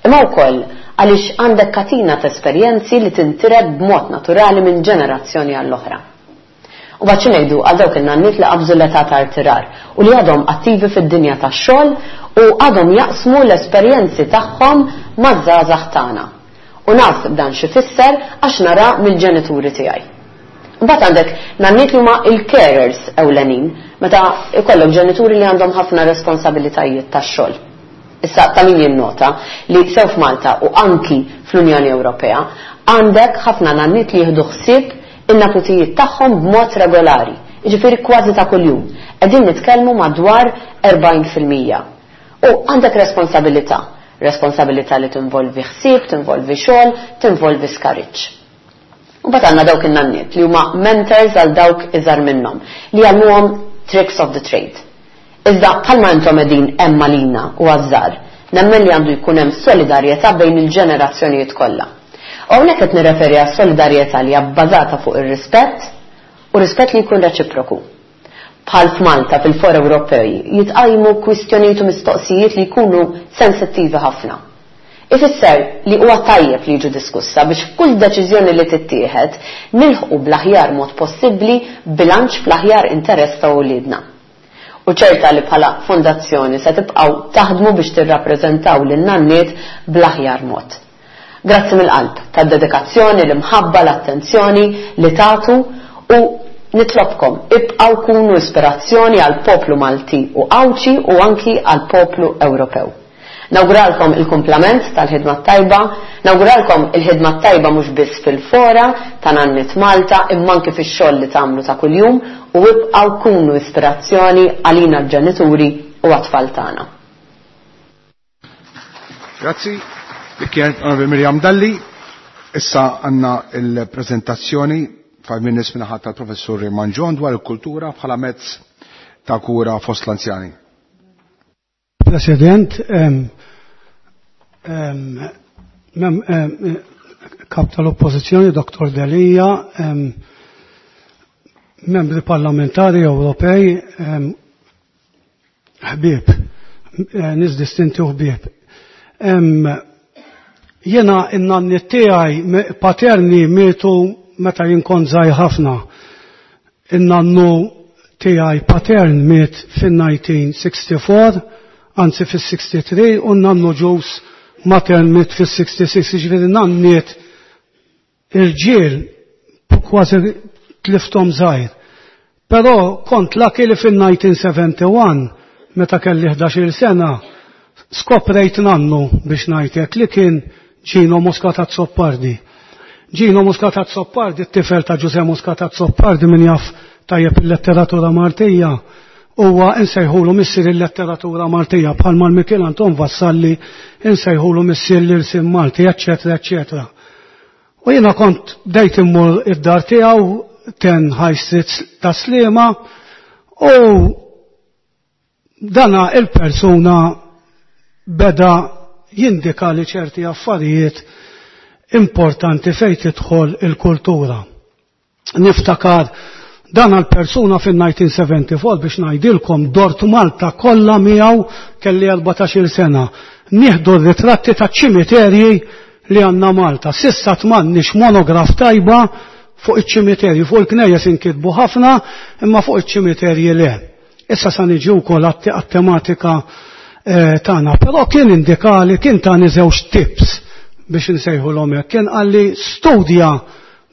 imma wkoll għaliex għandek katina t'esperjenzi li tintiret b'mod naturali minn ġenerazzjoni għall-oħra. U mbagħad xi ngħidu għal dawk in-nanniet li qabżu l-età ta' rtirar u li għadhom attivi fid-dinja tax-xogħol u għadhom jaqsmu l-esperjenzi tagħhom maż-żgħażagħ tagħna. U naf dan x'ifisser għax nara mill-ġenituri tiegħi. Imbagħad għandek nanniet li huma l-carers ewlenin meta jkollok ġenituri li għandhom ħafna responsabilitajiet tax-xogħol. Issa ta' min jinnota li sew f'Malta u anki fl-Unjoni Ewropea għandek ħafna nanniet li jieħdu ħsieb in-neputijiet tagħhom b'mod regolari, jiġifieri kważi ta' kuljum. Qegħdin nitkellmu madwar 40%. U għandek responsabilità. Responsabilità li tinvolvi ħsieb, tinvolvi xogħol, tinvolvi skariġġ. U mbagħad għandna dawk in-nanniet li huma mentors għal dawk iżgħar minnhom, li jgħallmuhom tricks of the trade. Iżda bħalma intom qegħdin hemm għalina u għaż-żgħar, nemmen li għandu jkun hemm solidarjetà bejn il-ġenerazzjonijiet kollha. U hawnhekk qed nirreferi għas-solidarjetà li hija bbażata fuq ir-rispett. U rispett li jkun reċiproku. Bħal f'Malta fil-fora Ewropej jitqajmu kwistjonijiet u mistoqsijiet li jkunu sensittivi ħafna. Ifisser li huwa tajjeb li jiġu diskussa biex f'kull deċiżjoni li tittieħed nilħqu bl-aħjar mod possibbli bilanċ fl-aħjar interess ta' uliedna. U ċerta li bħala fondazzjoni se tibqgħu taħdmu biex tirrappreżentaw lin-nanniet bl-aħjar mod. Grazzi mill-qalb tad-dedikazzjoni, l-imħabba, l-attenzjoni li tagħtu u nitlobkom ibqgħu kunu ispirazzjoni għall-poplu Malti u Għawdxi u anki għall-poplu Ewropew. Nawguralkom il-kumplament tal-ħidma t-tajba, nawguralkom il-ħidma t-tajba mhux biss fil-fora ta' Nanniet Malta imma anki fix-xogħol li tagħmlu ta' kuljum u ibqgħu kunu ispirazzjoni għalina l-ġenituri u għat-tfal tagħna. Grazzi. Dik kienet Onorevoli Miriam Dalli. Issa għandna il-prezentazzjoni 5 minutes minnaħat tal-professur Raymond John dwar il-kultura bħala mezz ta' kura fost l-anzjani. President, kap tal-Oppożizzjoni Dr. Delia, membri parlamentari Ewropej, ħbieb, nies distinti u ħbieb. Jena in-nanni tiegħi paterni mietu meta jien kont żgħir ħafna. In-nannu tiegħi patern miet fin-1964, anzi fis-63, u n-nannu ġus matern miet fis-66, jiġifieri nanniet irġiel kważi tlifthom żgħir. Però kont lucky li fin-1971, meta kelli 11-il sena, skoprejt nannu biex ngħidlek li kien Gino Muscat Azzopardi. Gino Muscat Azzopardi, t-tifel ta' Ġuże Muscat Azzopardi, min jaf tajjeb il-letteratura Maltija, huwa insejħulu missier il-letteratura Maltija, bħalma l-Mikiel Anton Vassalli insejħulu missier l-irsim Malti, eccetera, eccetera. U jiena kont bdejt immur id-dar tiegħu 10 High Street ta' Sliema, u dana il-persuna beda jindika li ċerti affarijiet importanti fejn tidħol il-kultura. Niftakar dan għal-persuna fin-1974 biex ngħidilkom dort Malta kollha miegħu kelli 14-il sena. Nieħdu r-ritratti ta' ċimiterji li għandna Malta. Sissa tmannix monograf tajba fuq iċ-ċimiterji, fuq il-knejjes inkitbu ħafna, imma fuq iċ-ċimiterji le. Issa sa niġi wkoll għat-tematika tagħna, però kien indikali, kien tani żewġ tips biex nsejħulhom hekk. Kien qalli studja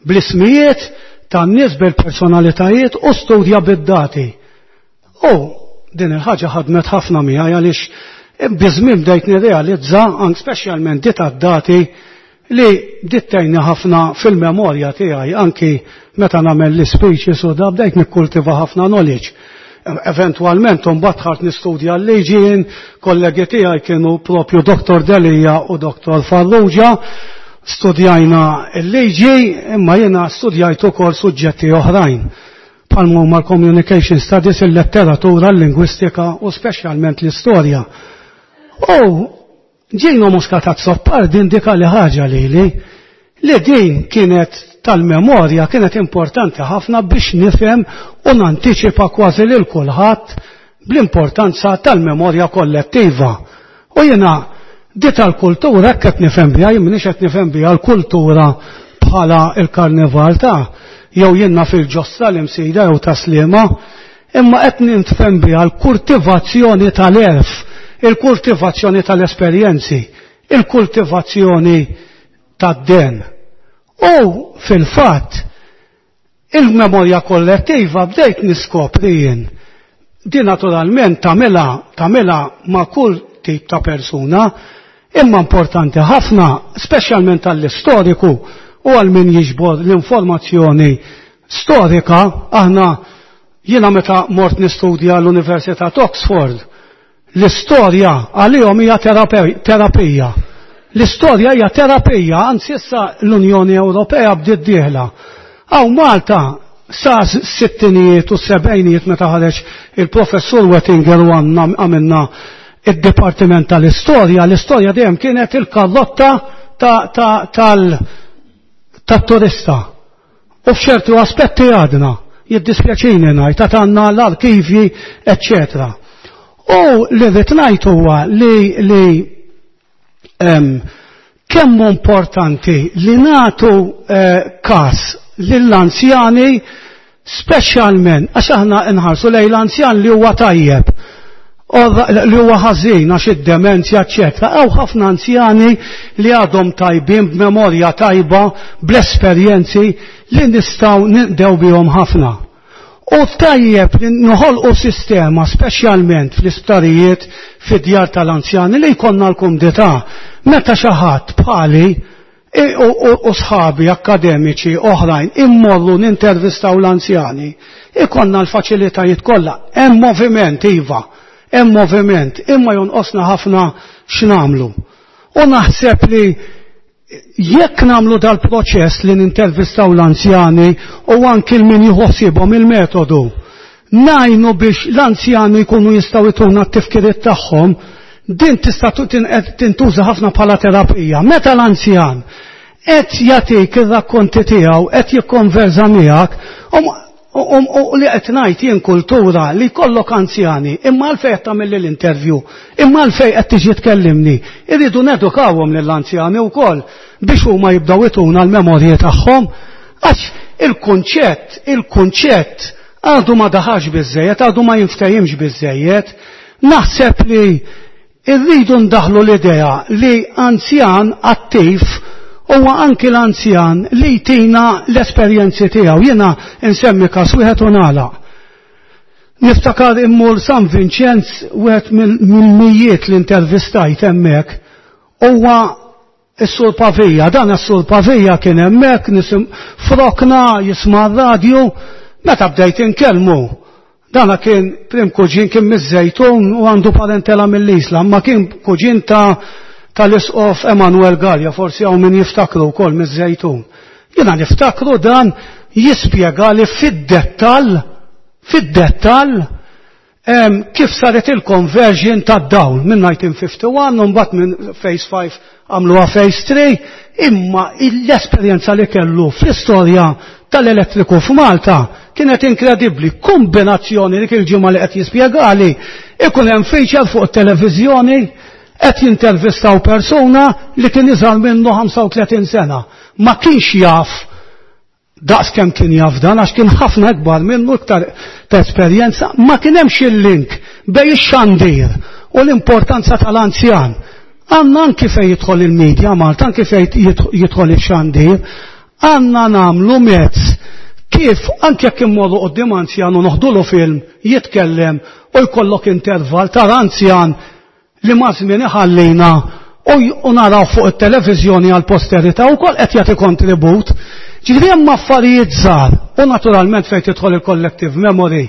bl-ismijiet tan-nies bil-personalitajiet u studja bid-dati. U din il-ħaġa ħadmet ħafna miegħi għaliex biżmien bdejt nirrealizza anke speċjalment dit dati li dittejni ħafna fil-memorja tiegħi anki meta nagħmel l-speeches u da bdejt nikkultiva ħafna knowledge. Eventualment mbagħad ħart nistudja l-liġin, kollegi tiegħi kienu propju Dr. Delia u Dr. Farrugia, studjajna l-liġi, imma jiena studjajt ukoll suġġetti oħrajn bħal huma l-communication studies, il-letteratura, l-lingwistika u speċjalment l-istorja. U Gino Muscat Azzopardi indika li ħaġa lili li din kienet tal-memorja kienet importanti ħafna biex nifhem u nantiċipa kważi lil kulħadd bl-importanza tal-memorja kollettiva. U jiena di tal-kultura hekk qed nifhem biha, jien m'iniex qed nifhem biha l-kultura bħala il-karnival ta' jew jiena fil-ġossa l-imsida jew ta' Sliema, imma qed nifhem biha l-kultivazzjoni tal-erf, il-kultivazzjoni tal-esperjenzi, il-kultivazzjoni tad-den. U fil-fatt, il-memorja kollettiva bdejt niskopri jien. Di naturalment tagħmilha ma' kull tip ta' persuna, imma importanti ħafna, speċjalment għall-istoriku u għal min jiġbor l-informazzjoni storika. Aħna jiena meta mort nistudja l-Università ta' Oxford, l-istorja għalihom hija terapija. L-istorja hija terapija, anzi issa l-Unjoni Ewropea bdiet dieħla. Hawn Malta sa sittinijiet u sebgħinijiet meta ħareġ il-professur Wettinger u għandna għamilna id-Dipartiment tal-Istorja, l-istorja dejjem kienet il-kallotta tat-turista. U f'ċertu aspetti għadna. Jiddispjaċini ngħid għad għandna l-arkivji, eċċetera. U li rrid ngħid huwa li li kemm importanti li nagħtu każ lill-anzjani speċjalment għax aħna nħarsu lejn l-anzjan li huwa tajjeb li huwa ħażin għax id-demenzja eċċetera. Hawn ħafna anzjani li għadhom tajbin b'memorja tajba bl-esperjenzi li nistgħu ninqdew bihom ħafna. U tajjeb li noħolqu sistema speċjalment fl-isptarijiet fid-djar tal-anzjani li jkollna l-kumdità. Meta xi ħadd bħali u sħabi akkademiċi oħrajn immorru nintervistaw l-anzjani, ikonna l-faċilitajiet kollha. Hemm moviment iva, hemm moviment, imma jonqosna ħafna x'namlu. U naħseb li jekk nagħmlu dal-proċess li nintervistaw l-anzjani u anki l-min jħossibhom il-metodu, ngħinu biex l-anzjani jkunu jistgħu jtuna t-tifkiriet tagħhom, din tista' tintuża ħafna bħala terapija. Meta l-anzjan qed jagħtik ir-rakkonti tiegħu, qed jikkonversa miegħek, u li qed ngħid jien kultura li jkollok anzjani, imma għalfejn qed tagħmilli l-interview, imma għalfejn qed tiġi tkellimni. Irridu nedukawhom lill-anzjani wkoll biex huma jibdew ituna l-memorji tagħhom, għax il-kunċett għadu ma daħax biżejjed, għadu ma jinftehimx biżejjed. Naħseb li irridu ndaħlu l-idea li anzjan attiv huwa anki l-anzjan li jtina l-esperjenzi tiegħu. Jiena nsemmi każ wieħed u nagħlaq. Niftakar immur San Vinċenz, wieħed mill-mijiet li intervistajt hemmhekk, huwa s-Sur Pavija. Dan is-Sur Pavija kien hemmhekk nisim frokna jisma' r-radju, meta bdejt inkellmu. Dana kien prim kuġin, kien miż-Żejtun u għandu parentela mill-Isla, ma kien kuġin tal-Isqof Emanuel Gallia, forsi hawn min jiftakru wkoll miż-Żejtun. Jiena niftakru dan jispjega li fid-dettall kif saret il-conversion tad-dawl minn 1951 u mbagħad minn Phase 5 għamluha Phase 3, imma l-esperjenza li kellu fl-istorja tal-elettriku f'Malta kienet inkredibbli. Kombinazzjoni dik il-ġimgħa li qed jispjegali, ikun hemm feature fuq it-televiżjoni qed jintervistaw persuna li kien iżgħar minnu 35 sena. Ma kienx jaf daqs kemm kien jaf dan, għax kien ħafna ikbar minnu, iktar ta' esperjenza, ma kien hemmx il-link bejn ix-xandir u l-importanza tal-anzjan. Għandna anki fejn jidħol il-medja Malta, anki fejn jidħol ix-xandir, għandna nagħmlu mezz kif anke jekk immorru quddiem anzjan u noħdulu film jitkellem u jkollok intervall tal-anzjan li ma' żmien iħallina u naraw fuq it-televiżjoni għal posterità wkoll qed jagħti kontribut. Ġifieri hemm affarijiet żgħar u naturalment fejn tidħol il-collective memory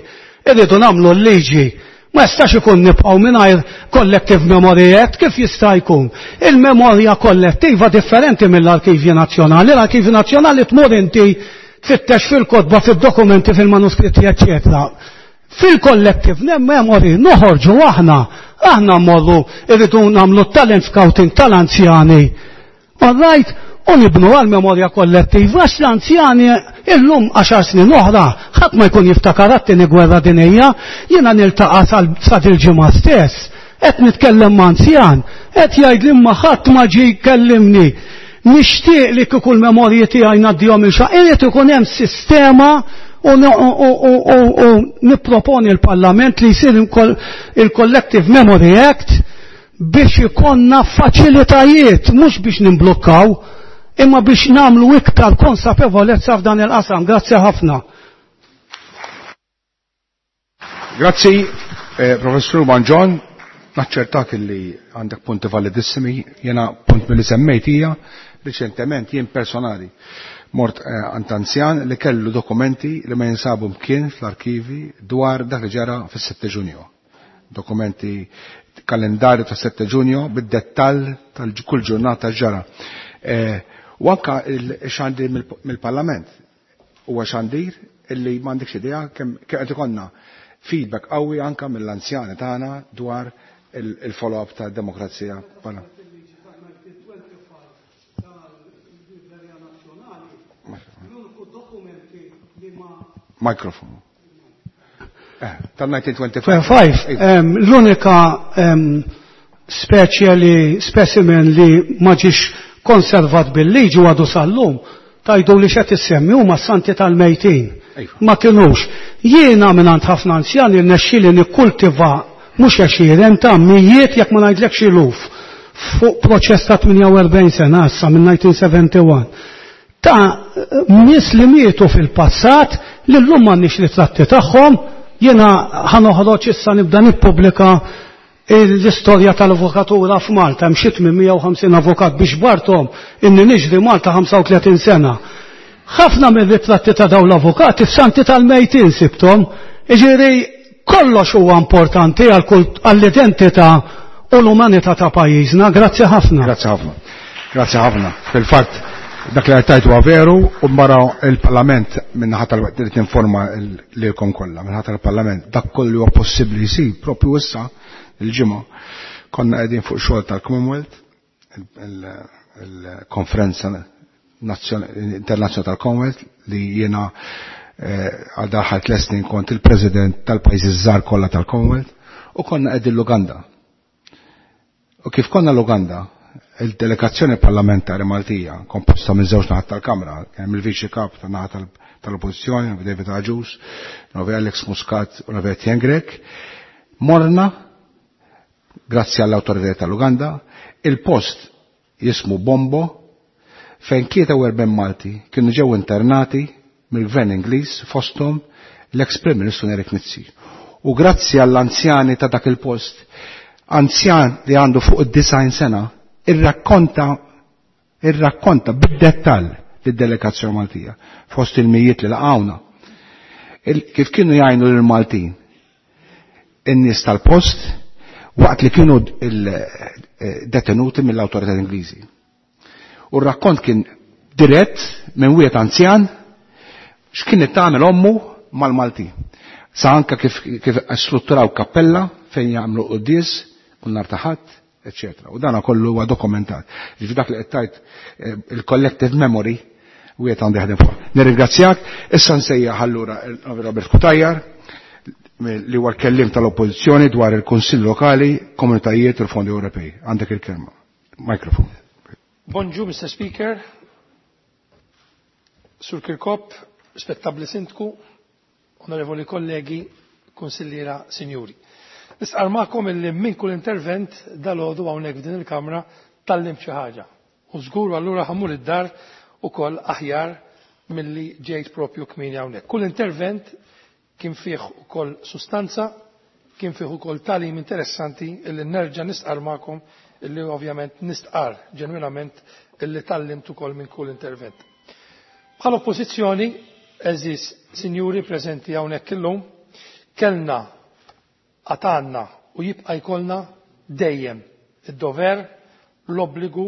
irridu nagħmlu l-liġi. Ma jistax ikun nibqgħu mingħajr collective memory act, kif jista' jkun? Il-memorja kollettiva differenti mill-Arkivji Nazzjonali. L-Arkivji Nazzjonali tmur inti tfittex fil-kotba, fid-dokumenti, fil-manuskritti, eċċetera. Fil-collective memory noħorġu aħna, aħna mmorru irridu nagħmlu talent scouting tal-anzjani. All right, u nibnu għal-memorja kollettiva, għax l-anzjani illum 10 snin oħra, ħadd ma jkun jiftakar għat-tieni gwerra dinjija, jiena niltaqa' sa dil-ġimgħa stess, qed nitkellem ma' anzjan, qed jgħid li ma ħadd ma ġie jkellimni. Nixtieq li kieku l-memorji tiegħi ngħaddihom il xa, irid ikun hemm sistema u nipproponi l-Parlament li jsir il-Collective Memory Act biex ikonna faċilitajiet, mhux biex nimblukkaw, imma biex namlu iktar konsapevolezza f'dan il-qasam. Grazzi ħafna. Grazzi, Professur Mangion. Naċċertak li għandek punti validissimi. Jena punt mill-li semmejt hija riċentement jien personali mort għand anzjan li kellu dokumenti li ma jinsabu mkien fl-arkivi dwar dak li ġara fis-7 Ġunju. Dokumenti kalendarju ta' 7 Ġunju bid-dettall tal-kull ġurnata ġara. U anka il-xandir mill-Parlament huwa xandir illi m'għandekx idea kemm qed ikollna feedback qawwi anka mill-anzjani tagħna dwar il-follow-up ta' demokrazija. Mikrofon. Eh, tal-1925. L-unika speċje li specimen li ma ġiex konservat bil-liġi għadu sal-lum tajdu li xed issemmi huma santi tal-mejtin. Ma kinux. Jiena mingħand ħafna anzjani rnexxieli nikkultiva mhux għexieren ta' mijiet jekk ma ngħidlekx iluf fuq proċess ta' 48 sena issa minn 1971 ta' nies li mietu fil-passat li llum m'għandniex ritratti tagħhom jiena ħanoħroġ issa nibda nippubblika l-istorja tal-avukatura f'Malta hemm xi 850 avukat biex bartom inni niġri Malta 35 sena. Ħafna mir-ritratti ta' dawn l-avukati f'santi tal-mejtin sibtom, jiġifieri kollox huwa importanti għall-identità u l-umanità ta' pajjiżna. Grazzi ħafna. Grazzi ħafna. Grazzi ħafna. Fil-fatt dak li għajtajt huwa veru u mbara il-Parlament minnaħa tal-waqt li tinforma lilkom kollha, minnaħa tal-Parlament dak kollu huwa possibbli jsir propju issa il-ġimgħa konna qegħdin fuq xogħol tal-Commonwealth, il-konferenza internazzjonali tal-Commonwealth li jiena għal daħal tliet snin kont il-President tal-pajjiżi żgħar kollha tal-Commonwealth u konna qegħdin l-Uganda. U kif konna l-Uganda, il-delegazzjoni parlamentari Maltija, komposta minn żewġ naħat tal-Kamra, hemm il-Viċi Kap ta' naħa tal-Oppożizzjoni, David Agius, Novi Alex Muscat u Novi Etienne Grech, morna, grazzi għall-awtoritajiet tal-Uganda, il-post jismu Bombo, fejn 43 Malti kienu ġew internati mill-Gvern Ingliż fosthom l-ex Prim Ministru Nerik Mizzi. U grazzi għall-anzjani ta' dak il-post, anzjan li għandu fuq id-90 sena, irrakkonta bid-dettall lid-delegazzjoni Maltija fost il-mijiet li laqgħuna. Kif kienu jgħinu lill-Maltin in-nies tal-post waqt li kienu detenuti mill-awtorità Ingliżi. U r-rakkont kien dirett minn wieħed anzjan x'kienet tagħmel ommu mal-Maltin. Sa anka kif strutturaw kappella fejn jagħmlu quddies kull nhar ta' Ħadd, eċċetera. U dana kollu huwa dokumentat. Ġifieri dak li qed tgħid il-collective memory wieħed għandu jaħdem fuq. Nirringrazzjak, issa nsejjaħ allura Robert Cutajar li huwa l-kellim tal-Oppożizzjoni dwar il-Kunsill Lokali, Komunitajiet u l-Fondi Ewropej. Għandek il-kelma. Mikrofon. Bonġu, Mr. Speaker, Sur Kirkop, Spettabli Sindku, Onorevoli kollegi, Konsilliera, Sinjuri. Nistqar magħkom illi minn kull intervent dal-għodu hawnhekk f'din il-Kamra tallimt xi ħaġa. U żgur allura ħammur id-dar ukoll aħjar milli ġejt propju kmieni hawnhekk. Kull intervent kien fih ukoll sustanza, kien fih ukoll tagħlim interessanti illi nerġa' nistqar magħkom illi ovvjament nistqar ġenwinament illi tallimt ukoll minn kull intervent. Bħala oppożizzjoni, eżis sinjuri preżenti hawnhekk illum, kellna għatanna u jibqa' jkollna dejjem id-dover, l-obbligu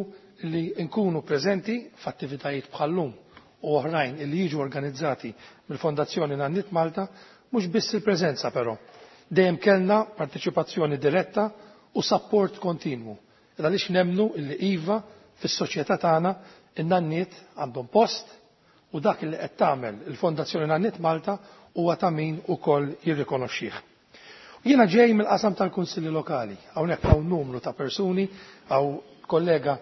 li nkunu preżenti f'attivitajiet bħal-lum u oħrajn li jiġu organizzati mill-Fondazzjoni Nanniet Malta, mhux biss il-preżenza però. Dejjem kellna parteċipazzjoni diretta u support kontinwu. Għaliex nemnu illi iva fis-soċjetà tagħna in-nanniet għandhom post u dak li qed tagħmel il-Fondazzjoni Nanniet Malta huwa ta' min ukoll jirrikonoxxih. Jiena ġej mill-qasam tal-Kunsilli Lokali, hawnhekk hawn numru ta' persuni, hawn kollega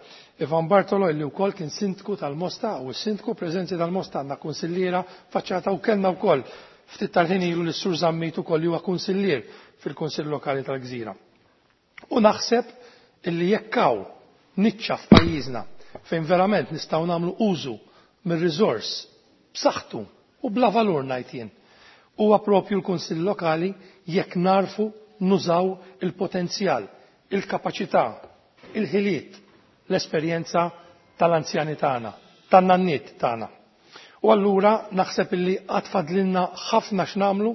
Ivan Bartolo illi wkoll kien sindku tal-Mosta u s-sindku preżenzi tal-Mosta għandna kunsilliera faċċata u kellna wkoll ftit tal-ħin ilu lis-Sur Zammit ukoll li huwa kunsillier fil-Kunsill Lokali tal-Gżira. U naħseb illi jekk hawn niċċa f'pajjiżna fejn verament nistgħu nagħmlu użu mir-riżors b'saħħtu u bla valur ngħid jien. Huwa propju l-Kunsill Lokali jekk narfu nużaw il-potenzjal, il-kapaċità, il-ħiliet, l-esperjenza tal-anzjani tagħna, tan-nanniet tagħna. U allura naħseb illi għad fadlilna ħafna x'nagħmlu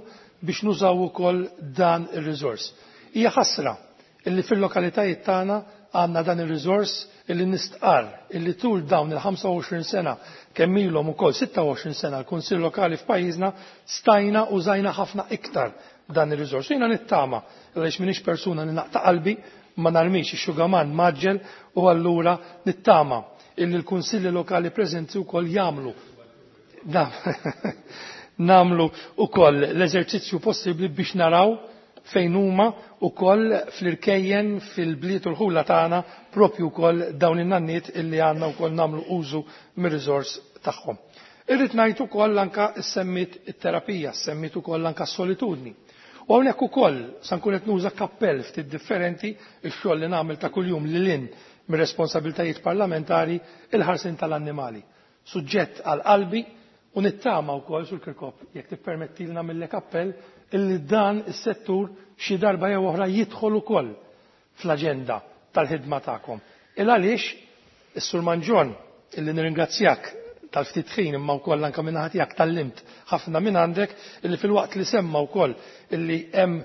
biex nużaw ukoll dan ir-riżors. Hija ħasra illi fil-lokalitajiet tagħna għandna dan ir-riżors illi nistqar illi tul dawn il-25 sena kemm ilhom ukoll 26 sena l-Kunsill Lokali f'pajjiżna stajna u żajna ħafna iktar dan ir-riżors. Jiena nittama għaliex m'iniex persuna li naqta' qalbi ma narmix ix-xugaman maġġel u allura nittama illi l-Kunsilli Lokali preżenti wkoll jagħmlu. nagħmlu wkoll l-eżerċizzju possibbli biex naraw fejn huma wkoll fl-irkejjen fil-bliet u l-ħula tagħna propju wkoll dawn in-nanniet illi għandna wkoll nagħmlu użu mir-riżors tagħhom. Irrid ngħid ukoll anke semmit it-terapija, semmit ukoll anke s-solitudni. U hawnhekk ukoll sa nkun qed nuża kappell ftit differenti x-xogħol li nagħmel ta' kuljum lil hinn mir-responsabiltajiet parlamentari il-ħarsien tal-annimali. Suġġett għal qalbi u nittama wkoll sur Kirkop jekk tippermettilna nagħmillek appell illi dan is-settur xi darba jew oħra jidħol ukoll fl-aġenda tal-ħidma tagħkom. Il għaliex is-Sur Manġon illi nirringrazzjak tal-ftit ħin imma wkoll anke minn naħa tiegħek tallimt ħafna minn għandek illi filwaqt li semma wkoll illi hemm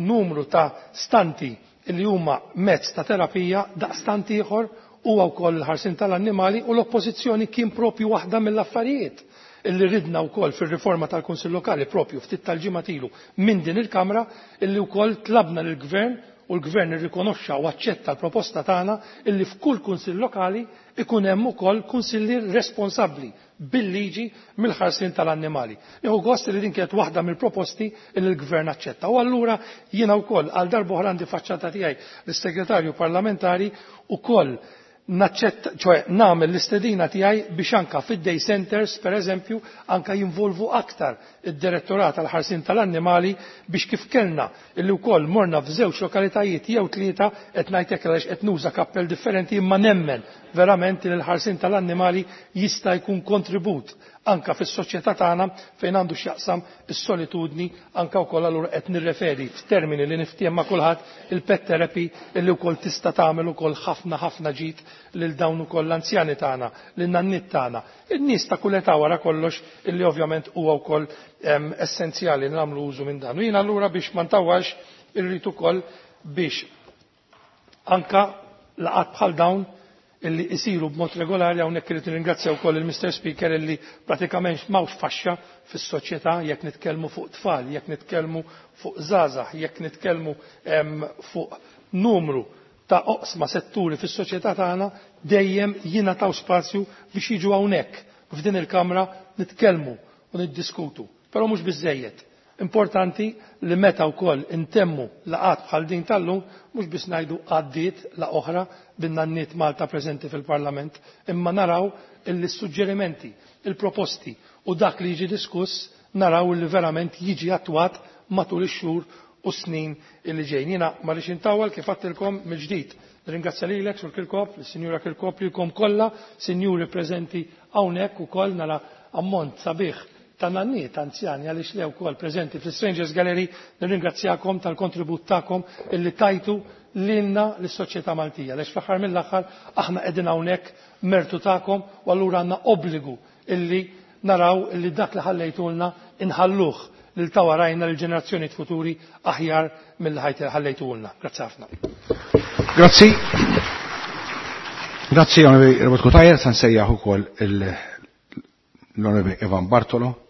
numru ta' stanti illi huma mezz ta' terapija daqstant ieħor huwa wkoll il-ħarsien tal-annimali u l-oppożizzjoni kien propju waħda mill-affarijiet illi ridna wkoll fir-riforma tal-Kunsill Lokali propju ftit tal-ġimgħat ilu minn din il-Kamra illi wkoll tlabna lill-Gvern u l-Gvern irrikonoxxa u aċċetta l-proposta tagħna illi f'kull Kunsill Lokali ikun hemm ukoll kunsillier responsabbli bil-liġi mill-ħarsien tal-annimali. Nieħu gost li din kienet waħda mill-proposti illi l-Gvern aċċetta. U allura jiena wkoll għal darba oħra għandi faċċata tiegħi lis-Segretarju Parlamentari ukoll naċċetta, ċoe nagħmel l-istedina tiegħi biex anka fid-day centers, per eżempju, anka jinvolvu aktar id-direttorat tal-ħarsien tal-annimali biex kif kellna illi wkoll morna f'żewġ lokalitajiet jew tlieta qed ngħid hekk għaliex qed nuża kappell differenti imma nemmen verament li l-ħarsien tal-annimali jista' jkun kontribut anka fis-soċjetà tagħna fejn għandu x'jaqsam is-solitudni anka wkoll allura qed nirreferi f'termini li niftiehem ma' kulħadd il-pet therapy illi wkoll tista' tagħmel ukoll ħafna ħafna ġid lil dawn ukoll l-anzjani tagħna, lin nanniet tagħna, in-nies ta' kull età wara kollox illi ovvjament huwa wkoll essenzjali li nagħmlu użu minn dan. U jiena allura biex ma ntawwalx irrid ukoll biex anka laqgħat bħal dawn illi isiru b'mod regolari hawnhekk irid nirringrazzja wkoll il-Mr. Speaker illi pratikament m'hawnx faxxa fis-soċjetà jekk nitkellmu fuq tfal, jekk nitkellmu fuq żgħażagħ, jekk nitkellmu fuq numru ta' oqsma setturi fis-soċjetà tagħna dejjem jingħataw spazju biex jiġu hawnhekk f'din il-Kamra nitkellmu u niddiskutu. Però mhux biżejjed. Importanti li meta wkoll intemmu laqgħat bħal din tal-lum mhux biss ngħidu għaddiet la oħra bin-nanniet Malta preżenti fil-Parlament, imma naraw illi s-suġġerimenti, il-proposti u dak li jiġi diskuss naraw li verament jiġi attwat matul ix-xhur u snin illi ġejjin. Jiena ma rridx intawwal kif għedtilkom mill-ġdid. Nirringrazzja lilek Sur Kirkop, lis-Sinjura Kirkop, lilkom kollha, sinjuri preżenti hawnhekk ukoll nara ammont sabiħ ta' nanniet anzjani għaliex le wkoll preżenti fl-Strangers Gallery, nirringrazzjakom tal-kontribut tagħkom illi tajtu lilna lis-soċjetà Maltija. Għaliex fl-aħħar mill-aħħar aħna qegħdin hawnhekk mertu tagħkom u allura għandna obbligu illi naraw illi dak li ħallejtulna inħalluh lil ta' warajna lil ġenerazzjonijiet futuri aħjar milli ħallejtulna. Grazzi ħafna. Grazzi. Grazzi Onorevoli Robert Cutajar, sa nsejjaħ ukoll l-Onorevoli Ivan Bartolo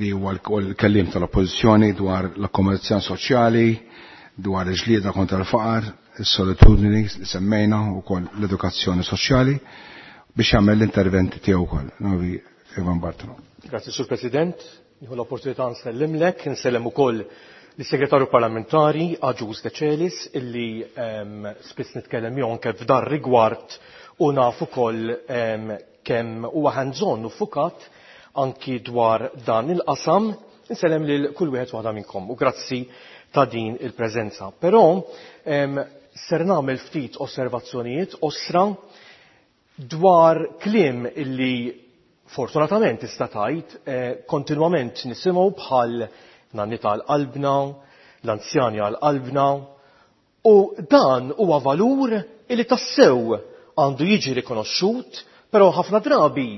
li huwa l-kellim tal-Oppożizzjoni dwar l-akkomodazzjoni soċjali, dwar il-ġlieda kontra l-faqar, is-solitudni li semmejna wkoll l-edukazzjoni soċjali biex jagħmel l-intervent tiegħu wkoll. Onorevoli Ivan Bartolo. Grazzi Sur President, nieħu l-opportunità nsellimlek, nsellem ukoll lis-Segretarju Parlamentari Agius Decelis illi spiss nitkellem miegħu anke f'dar rigward u naf ukoll kemm huwa hands-on u fukat anki dwar dan il-qasam. Insellem lil kull wieħed waħda minnkom u grazzi ta' din il-preżenza. Però ser nagħmel ftit osservazzjonijiet osra dwar kliem illi fortunatament tista' tgħid kontinwament nisimgħu bħal nannita għal qalbna, l-anzjani għal qalbna, u dan huwa valur illi tassew għandu jiġi rikonoxxut, però ħafna drabi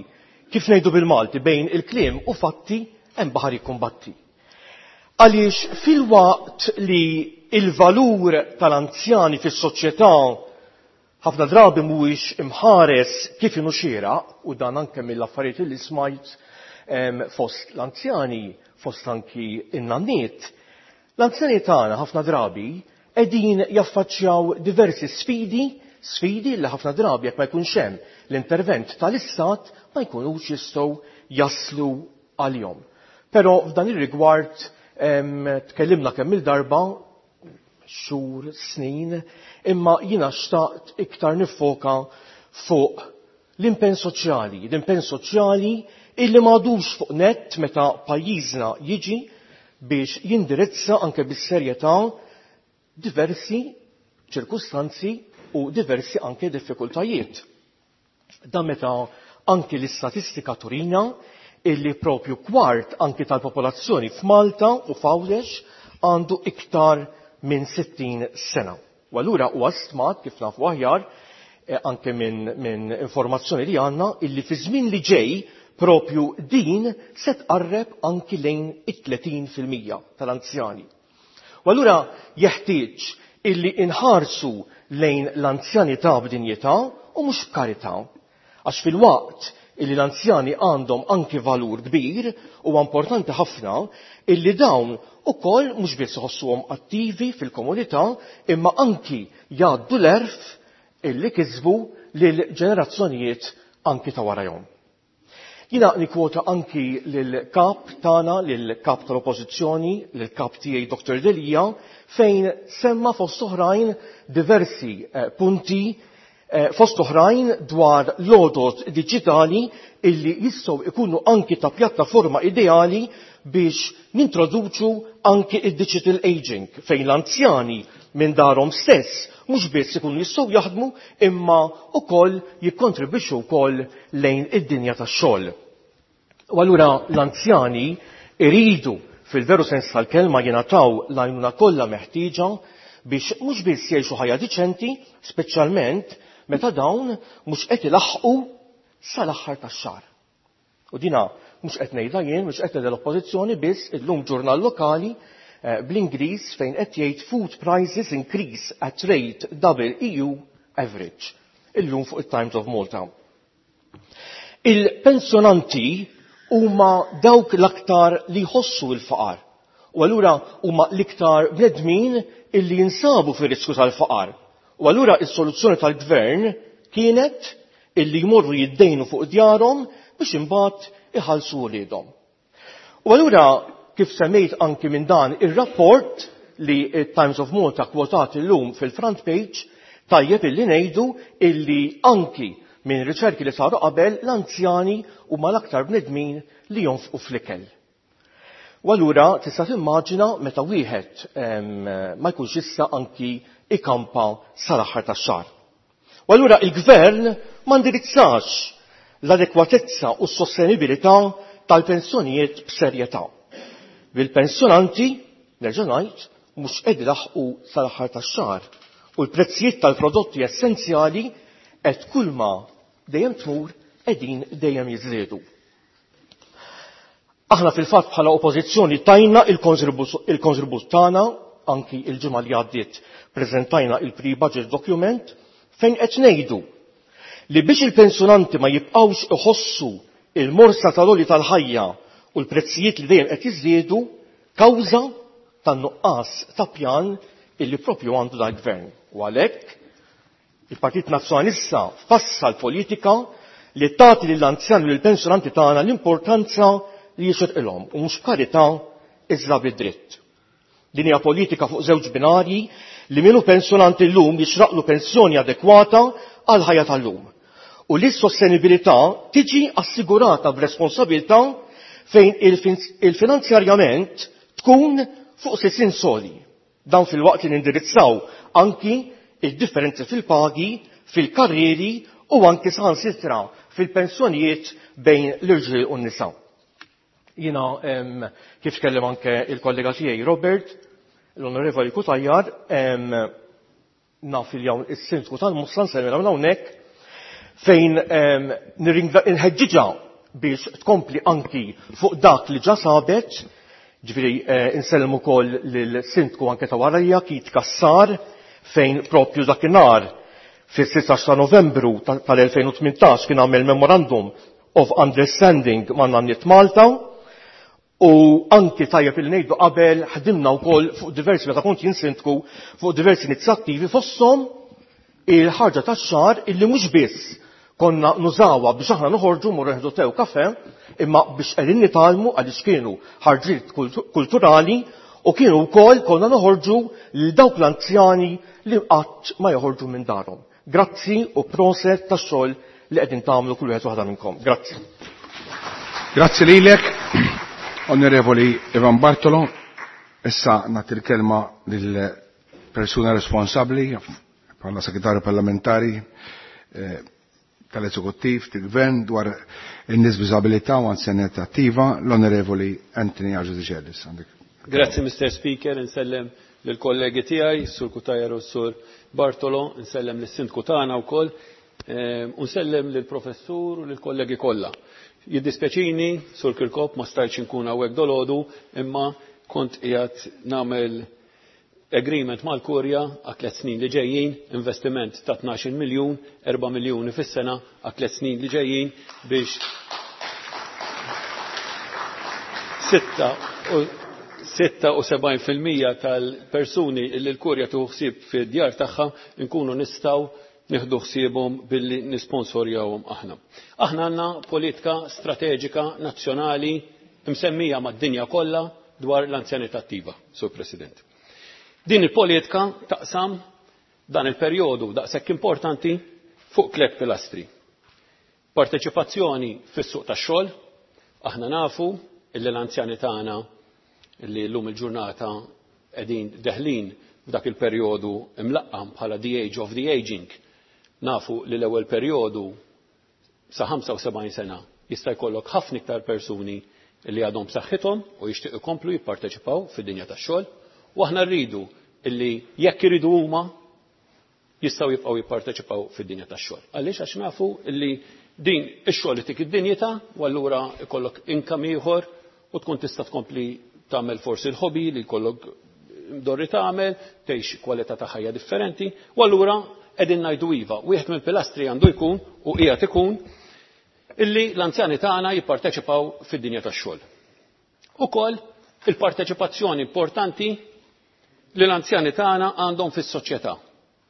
kif ngħidu bil-Malti bejn il-kliem u fatti hemm baħar jikkumbatti. Għaliex fil-waqt li il-valur tal-anzjani fis-soċjetà ħafna drabi mhuwiex imħares kif inhu xieraq, u dan anke mill-affarijiet li smajt fost l-anzjani, fost anki in-nanniet, l-anzjani tagħna ħafna drabi qegħdin jaffaċċjaw diversi sfidi, sfidi li ħafna drabi jekk ma jkunx hemm l-intervent tal-istat ma jkunux jistgħu jaslu għalihom. Però f'dan ir-rigward tkellimna kemm il-darba xhur, snin, imma jiena xtaqt iktar niffoka fuq l-impenn soċjali, l-impenn soċjali illi m'għadux fuq nett meta pajjiżna jiġi biex jindirizza anke bis-serjetà diversi ċirkustanzi u diversi anke diffikultajiet. Dan meta anki l-istatistika turina illi propju kwart anki tal-popolazzjoni f'Malta u f'Għawdex għandu iktar minn 60 sena. U allura huwa stmat kif nafu aħjar anke minn informazzjoni li għandna illi fi żmien li ġej propju din se tqarreb anki lejn it-30% tal-anzjani. U allura jeħtieġ illi inħarsu lejn l-anzjanità b'dinjità u mhux b'karità. Għax fil-waqt illi l-anzjani għandhom anki valur kbir huwa importanti ħafna illi dawn ukoll mhux biss iħossuhom attivi fil-komunità imma anki jgħaddu l-għerf illi kisbu lil ġenerazzjonijiet anki ta' warajhom. Jiena nikkwota anki lill-kap tagħna, lill-kap tal-Oppożizzjoni, lill-kap tiegħi Dr. Delia, fejn semma fost oħrajn diversi punti fost oħrajn dwar l-għodod diġitali illi jistgħu ikunu anki ta' pjattaforma ideali biex nintroduċu anki id-digital aging fejn l-anzjani minn darhom stess mhux biss ikunu jistgħu jaħdmu imma wkoll jikkontribwixxu wkoll lejn id-dinja tax-xogħol. U allura l-anzjani iridu fil-veru sens tal-kelma jingħataw l-għajnuna kollha meħtieġa biex mhux biss jgħixu ħajja diċenti, speċjalment meta dawn mhux qed ilaħħqu sal-aħħar tax-xahar. U dina mhux qed ngħidha jien, mhux qed ngħidha l-Oppożizzjoni biss, illum ġurnal lokali bl-Ingliż fejn qed jgħid food prices increase at rate double EU average. Illum fuq it-Times of Malta. Il-pensjonanti huma dawk l-aktar li jħossu l-faqar. U allura huma l-iktar bnedmin illi jinsabu fir-riskju tal-faqar. U allura is-soluzzjoni tal-gvern kienet illi jmorru jiddejnu fuq djarhom biex imbagħad iħallsu wliedhom. U allura kif semmejt anki minn dan ir-rapport li Times of Malta kwotat illum fil-front page, tajjeb illi ngħidu illi anki minn riċerki li saru qabel l-anzjani huma l-aktar bnedmin li jonfqu fl-ikel. U allura tista' timmaġina meta wieħed ma jkunx jista' anki ikampa sal-aħħar tax-xahar. U allura il-gvern ma ndirizzax l-adekwatezza u s-sostenibilità tal-pensjonijiet b'serjetà. Bil-pensjonanti, nerġa' ngħid, mhux qed ilaħħqu sal-aħħar tax-xahar u l-prezzijiet tal-prodotti essenzjali qed kulma dejjem tmur qegħdin dejjem jiżdiedu. Aħna fil-fatt bħala oppożizzjoni tajna il-kontribut tagħna, anki il-ġimgħa li għaddiet preżentajna il-pre-budget document fejn qed ngħidu li biex il-pensjonanti ma jibqgħux iħossu il-morsa tal-għoli tal-ħajja u l-prezzijiet li dejjem qed jiżdiedu kawża tan-nuqqas ta' pjan illi propju għandu dal-gvern. U għalhekk il-Partit Nazzjonalista fassal politika li tagħti lill-anzjani u lill-pensjonanti tagħna l-importanza li jixirqilhom u mhux b'karità iżda bid-dritt. Din hija politika fuq żewġ binarji li minnu pensjonanti llum jixraqlu pensjoni adekwata għal ħajja tal-lum. U li s-sostenibilità tiġi assigurata b'responsabilità fejn il-finanzjarjament tkun fuq sisien soli. Dan fil-waqt li nindirizzaw anki il-differenzi fil-pagi, fil-karrieri u anki saħansitra fil-pensjonijiet bejn l-irġiel u n-nisa. Jiena kif tkellem anke il-kollega tiegħi Robert, l-Onorevoli Cutajar, naf il hawn is-Sindku tal-Mosta nsellmilha minn hawnhekk fejn nħeġġiġha biex tkompli anki fuq dak li ġa sabet, ġifieri insellem ukoll lill-Sindku anke ta' warajja Keith Cassar fejn propju dakinhar fis-16 ta' Novembru tal-2018 kien għamel Memorandum of Understanding ma' Nanniet Malta u anki tajjeb il ngħidu qabel ħdimna wkoll fuq diversi meta kont jien sindku fuq diversi inizjattivi fosthom il-ħarġa tax-xahar illi mhux biss Konna nużawha biex aħna noħorġu mmorru nieħdu te u kafè, imma biex qegħdin nitgħallmu għaliex kienu ħarġiet kulturali u kienu wkoll konna noħorġu lil dawk l-anzjani li qatt ma joħorġu minn darhom. Grazzi u proset tax-xogħol li qegħdin tagħmlu kull wieħed waħda minnkom. Grazzi. Grazzi lilek, Onorevoli Ivan Bartolo. Issa nagħti l-kelma lil persuna responsabbli bħala segretarju parlamentari tal-Eżekuttiv tal-Gvern dwar in-nies b'diżabilità u anzjanità attiva, l-Onorevoli Anthony Agius Decelis. Grazzi, Mr. Speaker, insellem lill-kollegi tiegħi, Sur Cutajar u Sur Bartolo, insellem lis-Sindku tagħna wkoll, u nsellem lill-Professur u lill-kollegi kollha. Jiddispjaċini, Sur Kirkop, ma stajtx inkun hawnhekk dolodu, imma kont qiegħed nagħmel agreement mal-Kurja għal 3 snin li ġejjin, investiment ta' 12 miljun, 4 miljuni fis-sena għal 3 snin li ġejjin biex 76% tal-persuni li l-Kurja tieħu ħsieb fid-djar tagħha nkunu nistgħu nieħdu ħsiebhom billi nisponsorjawhom aħna. Aħna għandna politika strateġika nazzjonali msemmija mad-dinja kollha dwar l-anzjanità attiva, Sur President. Din il-politika taqsam dan il-perjodu daqshekk importanti fuq 3 pilastri. Parteċipazzjoni fis-suq tax-xogħol, aħna nafu illi l-anzjani tagħna illi llum il-ġurnata qegħdin deħlin f'dak il-perjodu imlaqqam bħala the age of the aging. Nafu li l-ewwel perjodu sa 75 sena jista' jkollok ħafna iktar persuni li għadhom b'saħħithom u jixtiequ ikomplu jipparteċipaw fid-dinja tax-xogħol, u aħna rridu illi jekk iridu huma jistgħu jibqgħu jipparteċipaw fid-dinja tax-xogħol. Għaliex? Għax nafu illi din ix-xogħol itik id-dinjità u allura ikollok income ieħor u tkun tista' tkompli tagħmel forsi l-hobby li jkollok mdorri tagħmel, tgħix kwalità ta' ħajja differenti, u allura qegħdin ngħidu iva. Wieħed mill-pilastri għandu jkun u qiegħed ikun illi l-anzjani tagħna jipparteċipaw fid-dinja tax-xogħol. Ukoll il-parteċipazzjoni importanti li l-anzjani tagħna għandhom fis-soċjetà.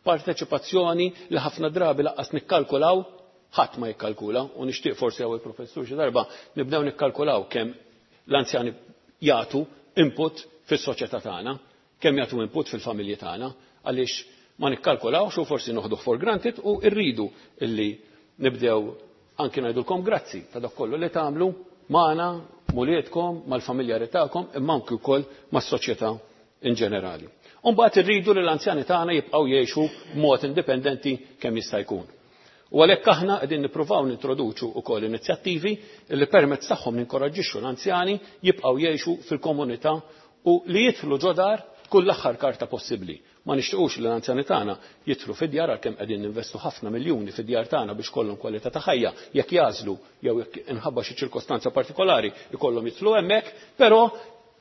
Parteċipazzjoni li ħafna drabi laqqas nikkalkulaw, ħadd ma jikkalkula, u nixtieq forsi hawn il-professur xi darba nibdew nikkalkulaw kemm l-anzjani jagħtu input fis-soċjetà tagħna, kemm jagħtu input fil-familji tagħna, għaliex ma nikkalkulawx u forsi noħduh for granted u rridu illi nibdew anki ngħidulkom grazzi ta' dak kollu li tagħmlu magħna, mulietkom, mal-familjari tagħkom, imma anki wkoll mas-soċjetà in ġenerali. U mbagħad irridu li l-anzjani tagħna jibqgħu jgħixu b'mod indipendenti kemm jista' jkun. U għalhekk aħna qegħdin nippruvaw nintroduċu wkoll inizjattivi li permezz tagħhom ninkoraġġixxu l-anzjani jibqgħu jgħixu fil-komunità u li jidħlu ġo dar tkun l-aħħar karta possibbli. Ma nixtiequx li l-anzjani tagħna jidħlu fid-djar għalkemm qegħdin ninvestu ħafna miljuni fid-djar tagħna biex kollhom kwalità ta' ħajja, jekk jażlu jew jekk inħabba xi ċirkostanza partikolari jkollhom jidħlu hemmhekk, però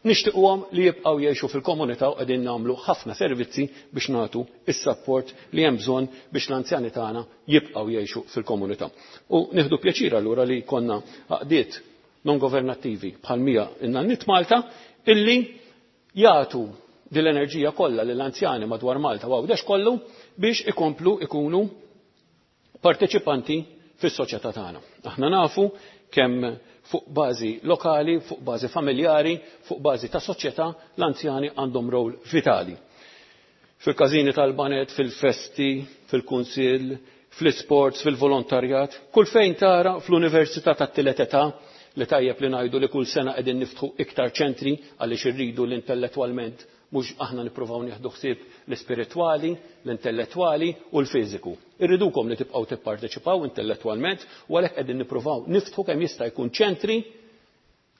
nixtiequhom li jibqgħu jgħixu fil-komunità u qegħdin nagħmlu ħafna servizzi biex nagħtu is-sapport li hemm bżonn biex l-anzjani tagħna jibqgħu jgħixu fil-komunità. U nieħdu pjaċir allura li jkollna għaqdiet non governattivi bħal mija in-Nanniet Malta illi jagħtu din l-enerġija kollha lill-anzjani madwar Malta u Għawdex kollu biex ikomplu ikunu parteċipanti fis-soċjetà tagħna. Aħna nafu kemm fuq bażi lokali, fuq bażi familjari, fuq bażi ta' soċjetà l-anzjani għandhom rol vitali. Fil-każini tal-banet, fil-festi, fil-kunsill, fl-isports, fil-volontarjat, kull fejn tara fl-università tat-tielet età li tajjeb li ngħidu li kull sena qegħdin niftħu iktar ċentri għaliex irridu l-intellettwalment mhux aħna nippruvaw nieħdu ħsieb l-ispiritwali, l-intellettwali u l-fiżiku. Irridukom li tibqgħu tipparteċipaw intellettwalment u għalhekk qegħdin nippruvaw niftħu kemm jista' jkun ċentri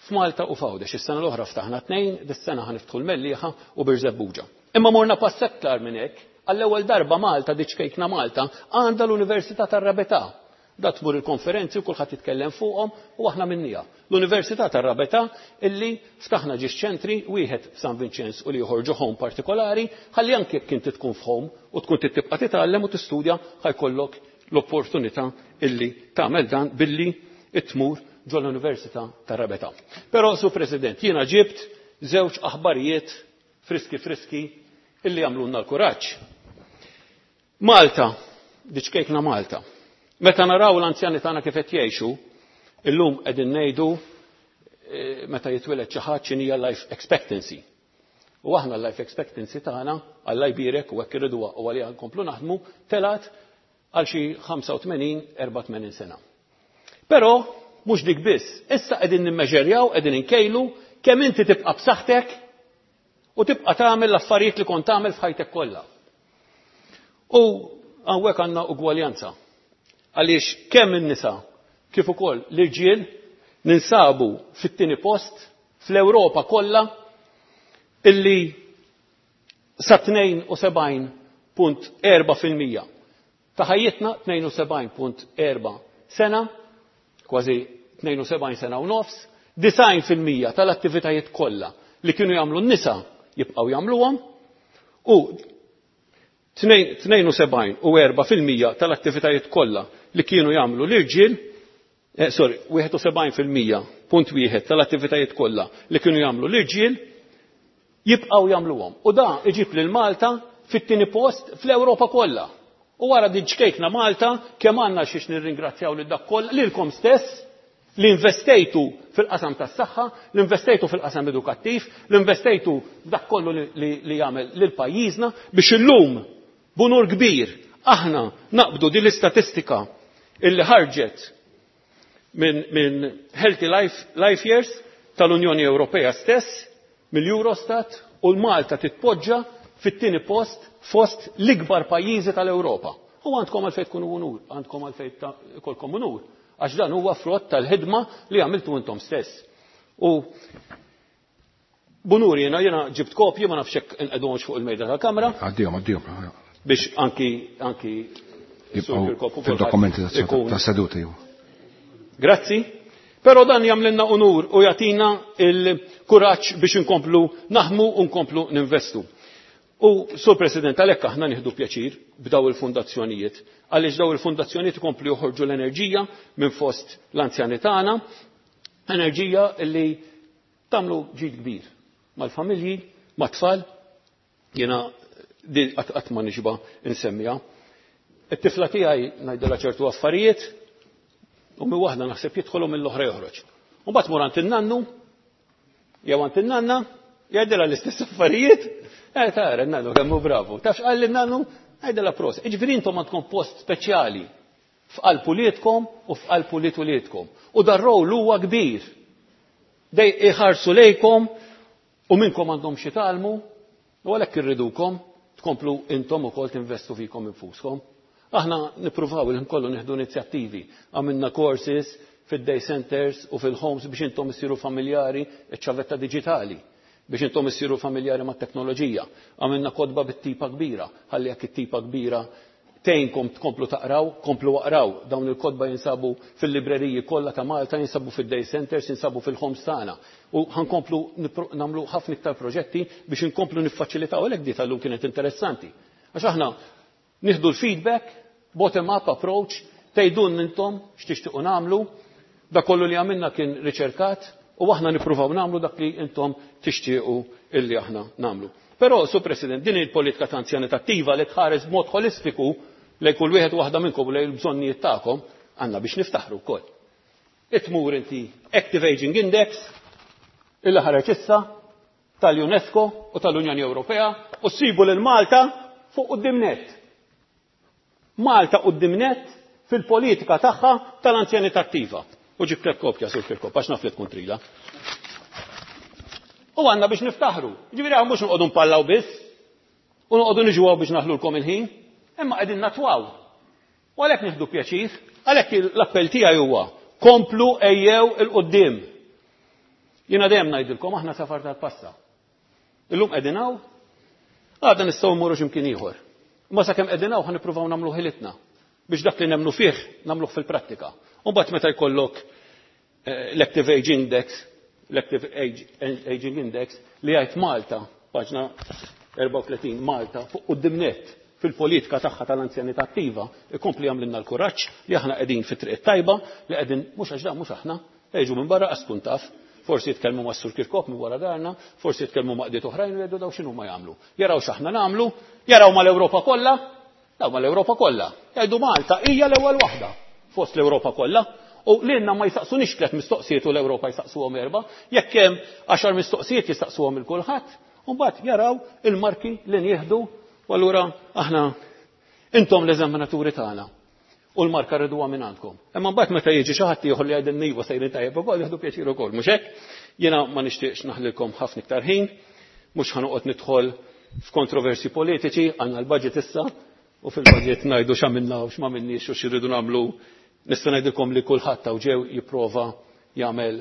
f'Malta u f'Għawdex. Is-sena l-oħra ftaħna 2, dis-sena ħaniftħu l-Mellieħa u Birżebbuġa. Imma morna pass aktar minn hekk, għall-ewwel darba Malta, diċkejkna Malta, għandha l-Università tar-Rabetà. Da tmur il-konferenzi u kulħadd jitkellem fuqhom u aħna minnija. L-Università tar-Rabetà illi ftaħna ġiex ċentri, wieħed f'San Vinċenz u l-ieħor ġo home partikolari, ħalli anke jekk inti tkun f'home u tkun tibqa' titgħallem u tistudja ħajkollok l-opportunità illi tagħmel dan billi tmur ġo l-Università tar-Rabetà. Però, Sur President, jiena ġibt żewġ aħbarijiet friski friski illi jagħmlulna l-kuraġġ. Malta, diċkejkna Malta. Meta naraw l-anzjani tagħna kif qed jgħixu, illum qegħdin ngħidu eh, meta jitwieled xi ħadd x'inhija life expectancy. U aħna l-life expectancy tagħna Alla jbierek u hekk irriduha u għaliha nkomplu naħdmu telgħet għal xi 85-84 sena. Però mhux dik biss, issa qegħdin nimmeġerjaw, qegħdin inkejlu kemm inti tibqa' b'saħħtek u tibqa' tagħmel l-affarijiet li kont tagħmel f'ħajtek kollha. U hawnhekk għandna ugwaljanza. Għaliex kemm in-nisa kif ukoll l-irġiel ninsabu fit-tieni post fl-Ewropa kollha illi sa 72.4% ta' ħajjitna 72.4 sena, kważi 72 sena u nofs, 90% tal-attivitajiet kollha li kienu jagħmlu n-nisa jibqgħu jagħmluhom u 72 u 4% tal-attivitajiet kollha li kienu jagħmlu l-irġiel eh, sorry, 71% punt wieħed tal-attivitajiet kollha li kienu jagħmlu l-irġiel jibqgħu jagħmluhom. U da iġib lil Malta fit-tieni post fl-Ewropa kollha. U wara din ċkejkna Malta kemm għandna xiex nirringrazzjaw lil dak kollha lilkom stess li investejtu fil-qasam tas-saħħa, li investejtu fil-qasam edukattiv, li investejtu dak kollu li, li jagħmel lil pajjiżna biex illum b'unur kbir aħna naqbdu din l-istatistika illi ħarġet minn min Healthy Life, Life Years tal-Unjoni Ewropea stess, mill-Eurostat u l-Malta titpoġġa fit-tieni post fost l-ikbar pajjiżi tal-Ewropa. U għandkom għalfejn tkunu unur, għandkom għalfejn kolkom unur, għax dan huwa frott tal-ħidma li għamiltu intom stess. U bunur jena, jena ġibt kopji, ma nafx hekk inqegħduhomx fuq il-mejda tal-kamra. Għaddihom, għaddihom. Biex anki anki Jibqgħu fil-dokumenti tas-seduta jew. Grazzi. Però dan jagħmlilna unur u jagħtina il-kuraġġ biex inkomplu naħmu u nkomplu ninvestu. U, Sur President, għalhekk aħna nieħdu pjaċir b'daw il-fundazzjonijiet, għaliex daw il-fundazzjonijiet ikomplu joħorġu l-enerġija minn fost l-anzjani tagħna, enerġija li tagħmlu ġid kbir mal-familji, mat-tfal, jiena di qatt ma nixba insemmiha. It-tifla tiegħi ngħidilha ċertu affarijiet u minn waħda naħseb jidħol u mill-oħra joħroġ. U mbagħad mur għand in-nannu jew għand in-nanna jgħidilha l-istess affarijiet, eh tara n-nannu kemm hu bravu. Taf x'qal lin-nannu? Għidilha proset. Jiġifieri intom għandkom post speċjali f'qalb uliedkom u f'qalb ulied uliedkom. U dar-rol huwa kbir. Dej iħarsu lejkom u minnkom għandhom xi tgħallmu u għalhekk irridukom tkomplu intom ukoll tinvestu fikom infuskom. Aħna nippruvaw il kollu nieħdu inizjattivi. Għamilna courses fid-day centers u fil-homes biex intom issiru familjari iċ-ċavetta diġitali biex intom issiru familjari mat-teknoloġija. Għamilna kotba bit-tipa kbira, ħalli jekk it-tipa kbira tgħinkom tkomplu taqraw, komplu aqraw. Dawn il-kotba jinsabu fil-libreriji kollha ta' Malta, jinsabu fid-day centers, jinsabu fil-homes tagħna. U ħankomplu nagħmlu ħafna iktar proġetti biex inkomplu niffaċilitaw għalhekk di tal-lum kienet interessanti. Għax aħna nieħdu l-feedback, bottom-up approach, tgħidulna intom x'tixtiequ nagħmlu, dak kollu li għamilna kien riċerkat u aħna nippruvaw nagħmlu dak li intom tixtiequ illi aħna nagħmlu. Però, Sur President, din il-politika ta' anzjanità attiva li tħares b'mod holistiku lejn kull wieħed u waħda minnkom u lejn il-bżonnijiet tagħkom, għandna biex niftaħru wkoll. Itmur inti Active Aging Index illi ħareġ issa tal-UNESCO u tal-Unjoni Ewropea u ssibu lil Malta fuq quddiem nett. Malta quddiem nett fil-politika tagħha tal-anzjanità attiva. U ġibtlek kopja Sur Kirkop għax naf li tkun trila. U għandna biex niftaħru. Ġifieri hawn mhux noqogħdu npallaw biss u noqogħdu niġu biex naħlulkom il-ħin, imma qegħdin natwaw. U għalhekk nieħdu pjaċir, għalhekk l-appell tiegħi huwa komplu ejjew 'il quddiem. Jiena dejjem ngħidilkom aħna safar tal-passa. Illum qegħdin hawn, għada nistgħu mmorru x'imkien ieħor. Imma sakemm qegħdin hawn ħa nippruvaw nagħmlu ħilitna biex dak li nemmnu fih nagħmluh fil-prattika. U mbagħad meta jkollok l-Active Age Index, l-Active Aging Index li jgħid Malta, paġna 34, Malta fuq quddiem nett fil-politika tagħha tal-anzjanità attiva, ikompli jagħmlilna l-kuraġġ li aħna qegħdin fit-triq tajba, li qegħdin mhux għax dan mhux aħna, jiġu minn barra qas tkun taf, forsi jitkellmu ma' Sur Kirkop minn wara darna, forsi jitkellmu ma' qdiet oħrajn u jgħidu daw x'inhu ma jagħmlu. Jaraw x'aħna nagħmlu, jaraw mal-Ewropa kollha, daw mal-Ewropa kollha. Jgħidu Malta hija l-ewwel waħda. fost l-Ewropa kollha. U lilna ma jsaqsunix tliet mistoqsijiet u l-Ewropa jsaqsuhom erba', jekk hemm għaxar mistoqsijiet jistaqsuhom il kulħadd, u mbagħad jaraw il-marki li nieħdu u allura aħna intom l-eżaminaturi tagħna u l-marka rriduha minn għandkom. Imma mbagħad meta jiġi xi ħadd ieħor li jgħidilna iva sejrin tajjeb ukoll jieħdu pjaċir ukoll, mhux hekk? Jiena ma nixtieqx naħlilkom ħafna iktar ħin, mhux ħa noqgħod nidħol f'kontroversi politiċi, għandna l-budget issa, u fil-budget ngħidu x'għamilna u x'ma minniex u x'irridu nagħmlu. Nista' ngħidilkom li kulħadd hawn ġew jipprova jagħmel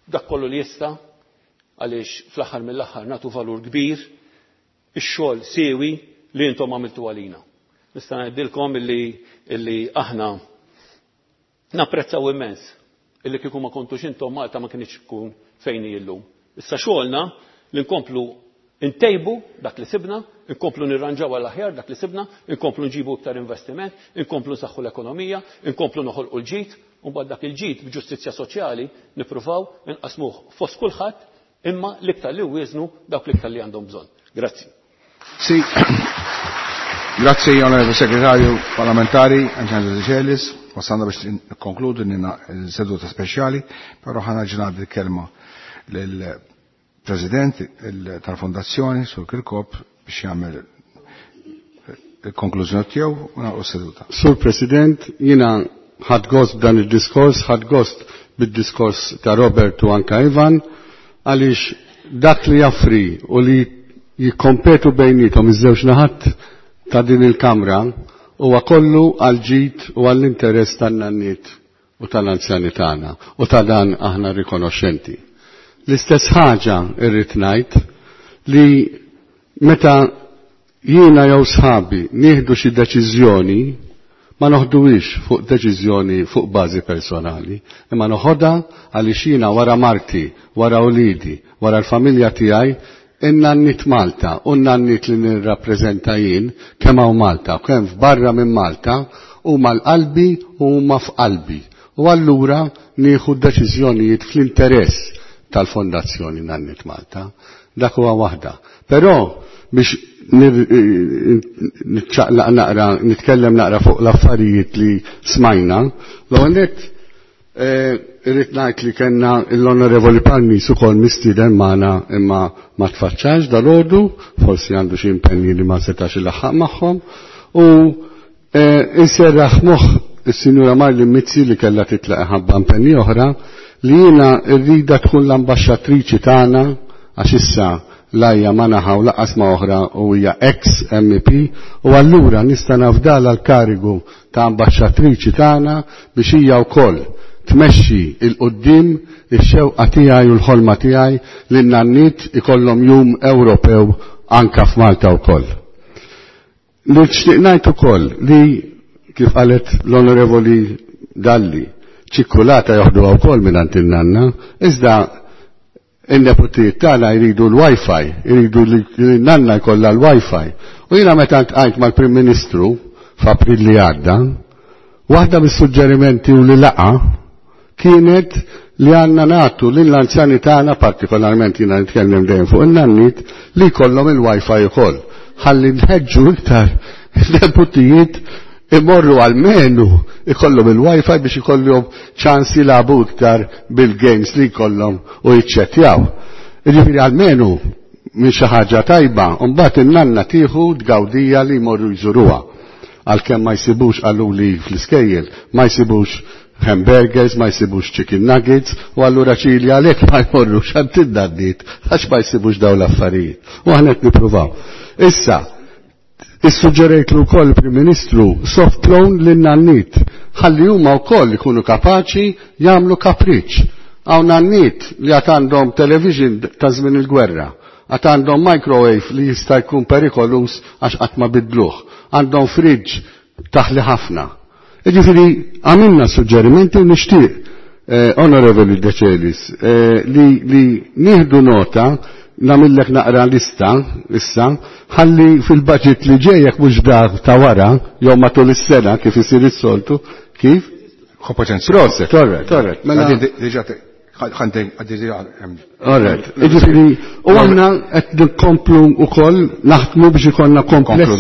dak kollu li jista' għaliex fl-aħħar mill-aħħar nagħtu valur kbir ix-xogħol siewi li intom għamiltu għalina. Nista' ngħidilkom illi, illi aħna napprezzaw immens illi kieku ma kontux intom Malta ma kienx tkun fejn hi llum. Issa xogħolna li nkomplu ntejbu dak li sibna, nkomplu nirranġaw għal aħjar dak li sibna, nkomplu nġibu iktar investiment, nkomplu nsaħħu l-ekonomija, nkomplu noħolqu l-ġid, u mbagħad dak il-ġid b'ġustizzja soċjali nippruvaw inqasmuh fost kulħadd imma l-iktar li wieżnu dawk l-iktar li għandhom bżonn. Grazzi. Sì. Grazzi onorevole segretario parlamentari Anġelo Decelis. Wasalna biex nikkonkludu nina seduta speċjali, però ħa nerġa' ngħaddi l-kelma lill-President tal-Fondazzjoni Sur Kirkop biex jagħmel il-konklużjoni tiegħu u nagħlqu s-seduta. Sur President, jiena ħadt gost b'dan il-diskors, ħadt gost bid-diskors ta' Robert u anka Ivan, għaliex dak li jaffri u li jikkompetu bejnietom iż-żewġ naħat ta' din il-Kamra huwa kollu għal ġid u għall-interess tan-nanniet u tal-anzjani tagħna u ta' dan aħna rikonoxxenti. L-istess ħaġa irrid ngħid li meta jiena jew sħabi nieħdu xi deċiżjoni ma noħduwix fuq deċiżjoni fuq bażi personali, imma noħodha għaliex jiena wara marti, wara ulidi, wara l-familja tiegħi in-nanniet Malta u n-nanniet li nirrappreżenta jien kemm hawn Malta u kemm f'barra minn Malta huma l-qalbi u huma f'qalbi. U allura nieħu deċiżjonijiet fl-interess tal-Fondazzjoni Nanniet Malta. Dak huwa waħda. Però biex nitċaqlaq naqra, nitkellem naqra fuq l-affarijiet li smajna, l-ewwel nett irrid ngħid li kellna l-Onorevoli Palmis ukoll mistieden magħna imma ma tfaċċax dalgħodu, forsi għandu xi impenji li ma setax ilaħħaq magħhom, u inserraħ moħħ is-Sinjura Marlene Mizzi li kellha titlaq ħabba impenji oħra li jiena rrida tkun l-ambaxxatriċi tagħna għax issa lajja ma naħa u laqas ma oħra u hija ex MEP u allura nista' nafdala l-karigu ta' ambaxxatriċi tagħna biex hija wkoll tmexxi il qudiem ix-xewqa tiegħi u l-ħolma tiegħi li n-nanniet ikollhom jum Ewropew anka f'Malta wkoll. Nixtieq ngħid ukoll li kif qalet l-Onorevoli Dalli, ċikkulata joħduha wkoll mingħand in-nanna, iżda in-neputijiet tagħna jridu l-Wi-Fi, jridu li n-nanna jkollha l-Wi-Fi. U jiena meta ntqajt mal-Prim Ministru f'April li għadda, waħda mis-suġġerimenti u li laqa kienet li għandna nagħtu lill-anzjani tagħna, partikolarment jiena nitkellem dejjem fuq in-nanniet, li jkollhom il-Wi-Fi ukoll. Ħalli nħeġġu iktar neputijiet imorru għalmenu ikollhom il-Wi-Fi biex ikollhom ċans jilagħbu iktar bil-games li jkollhom u jiċċettjaw. Jiġifieri għalmenu minn xi ħaġa tajba, u mbagħad in-nanna tieħu tgawdija li jmorru jżuruha. Għalkemm ma jsibux qaluli fl-iskejjel, ma jsibux hamburgers, ma jsibux chicken nuggets, u allura ċili għalhekk ma jmorrux għand in-nanniet għax ma jsibux dawn l-affarijiet. U aħna qed nippruvaw. Issa, issuġġerejtlu wkoll il-Prim Ministru soft loan lin-nanniet ħalli huma wkoll ikunu kapaċi jagħmlu kapriċ. Hawn nanniet li għad għandhom television ta' żmien il-gwerra, għad għandhom microwave li jista' jkun perikolus għax qatt ma bidluh, għandhom fridge taħli ħafna. Jiġifieri għamilna suġġerimenti u nixtieq, Onorevoli Decelis, li, li nieħdu nota nagħmillek naqra lista issa, ħalli fil-budget li ġejjek mhux dar ta' wara, jew matul is-sena kif isir is-soltu, kif? Kompetenzi. Proset, torret, torret. Mela Diġà All right. Jiġifieri, u aħna qed nkomplu wkoll naħdmu biex ikollna komplessi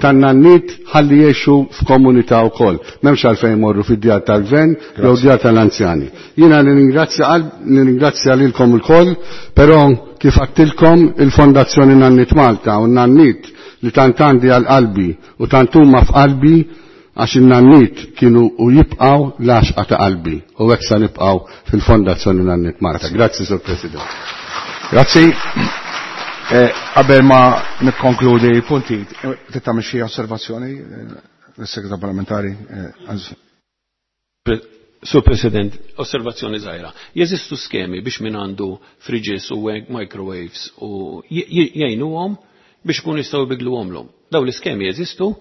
tan-nanniet ħalli jgħixu f'komunità wkoll. M'hemmx għalfejn imorru fid-djar tal-gvern jew djar tal-anzjani. Jiena nirringrazzja lilkom ilkoll, però kif għedtilkom il-Fondazzjoni Nanniet Malta u n-nanniet li tant għandi għal qalbi u tant huma f'qalbi għax in-nanniet kienu u jibqgħu l-għaxqa ta' qalbi u hekk sa nibqgħu fil-Fondazzjoni Nanniet Malta. Grazzi, Sur President. Grazzi. Qabel ma nikkonkludi l-punti, trid tagħmel xi osservazzjoni l-Segretar Parlamentari? Sur President, osservazzjoni żgħira. Jeżistu skemi biex min għandu fridges u microwaves u jgħinuhom biex ikunu jistgħu jbidluhomlhom. Dawn l-iskemi jeżistu,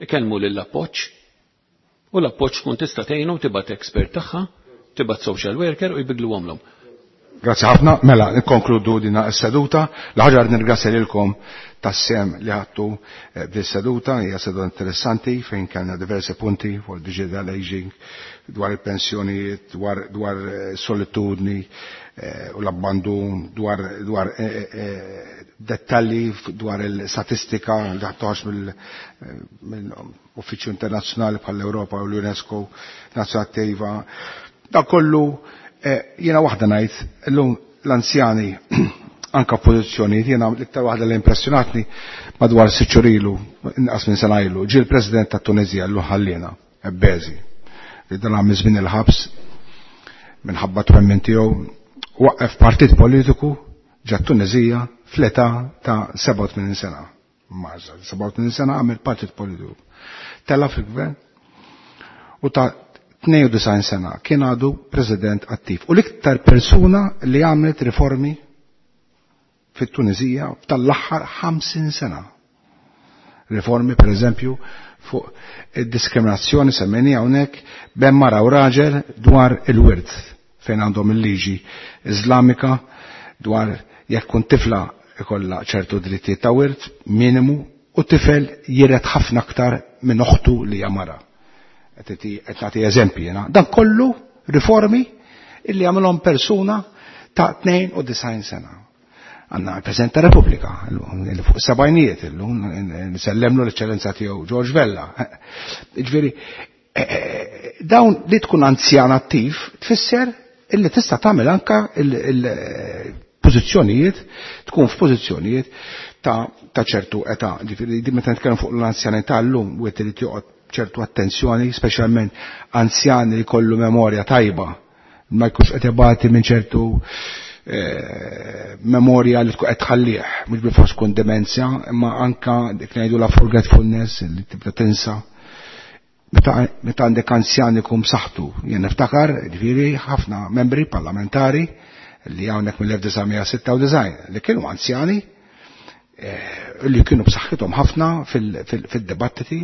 ikellmu lill-appoġġ u l-appoġġ tkun tista' tgħinhom tibgħat expert tagħha, tibgħat social worker u jbidluhomlhom. Grazzi ħafna, mela nikkonkludu din is-seduta. L-ħaġa nirringrazzja lilkom tas-sem li ħadtu b'din seduta, hija seduta interessanti fejn kellna diversi punti fuq digital aging, dwar il-pensjonijiet, dwar solitudni u l-abbandun, dwar dettalji dwar il-statistika li ħadtuħax mill-Uffiċċju Internazzjonali bħall-Ewropa u l-UNESCO, Nazzjonali Attiva. Da kollu jiena waħda ngħid, illum l-anzjani anka pożizzjonijiet, jiena l-iktar waħda li impressjonatni madwar sitt xhur ilu, inqas minn sena ilu, ġie l-President tat-Tuneżija llum ħalliena, Ebbezi, li dan għamil żmien il-ħabs minħabba twemmin tiegħu, waqqef partit politiku ġa Tuneżija fl-età ta' 87 sena. Maża, 87 sena għamil partit politiku. Tella fil-gvern u ta' 92 sena kien għadu president attiv. U l-iktar persuna li għamlet riformi fit-Tunizija tal-aħħar 50 sena. Riformi, per eżempju, fuq id-diskriminazzjoni semmejni hawnhekk bejn mara u raġel dwar il-wirt fejn għandhom il-liġi Iżlamika dwar jekk kun tifla ikollha ċertu drittijiet ta' wirt minimu u tifel jiret ħafna aktar minn oħtu li hija mara. Qed nagħti eżempji jiena. Dan kollu riformi illi għamilhom persuna ta' 92 sena. Għanna il-President ta' Repubblika, li fuq sebgħinijiet illum, nsellemlu l-eċċellenza tiegħu George Vella. Ġifieri, dawn li tkun anzjan attiv tfisser illi tista' tagħmel anka il-pożizzjonijiet, tkun f'pożizzjonijiet ta' ċertu età. Ġifieri, meta nitkellem fuq l-anzjanità llum, wieħed irid joqgħod ċertu attenzjoni, speċjalment anzjani li kollu memorja tajba, ma jkunx qed ibati minn ċertu memorja li tkun qed tħallih, mhux bilfors tkun demenzja, imma anka dik ngħidu la forgetfulness li tibda tinsa. Meta għandek anzjan ikun b'saħħtu, jien niftakar, ġifieri ħafna membri parlamentari li hawnhekk mill-1996 li kienu anzjani li kienu b'saħħithom ħafna fil-dibattiti.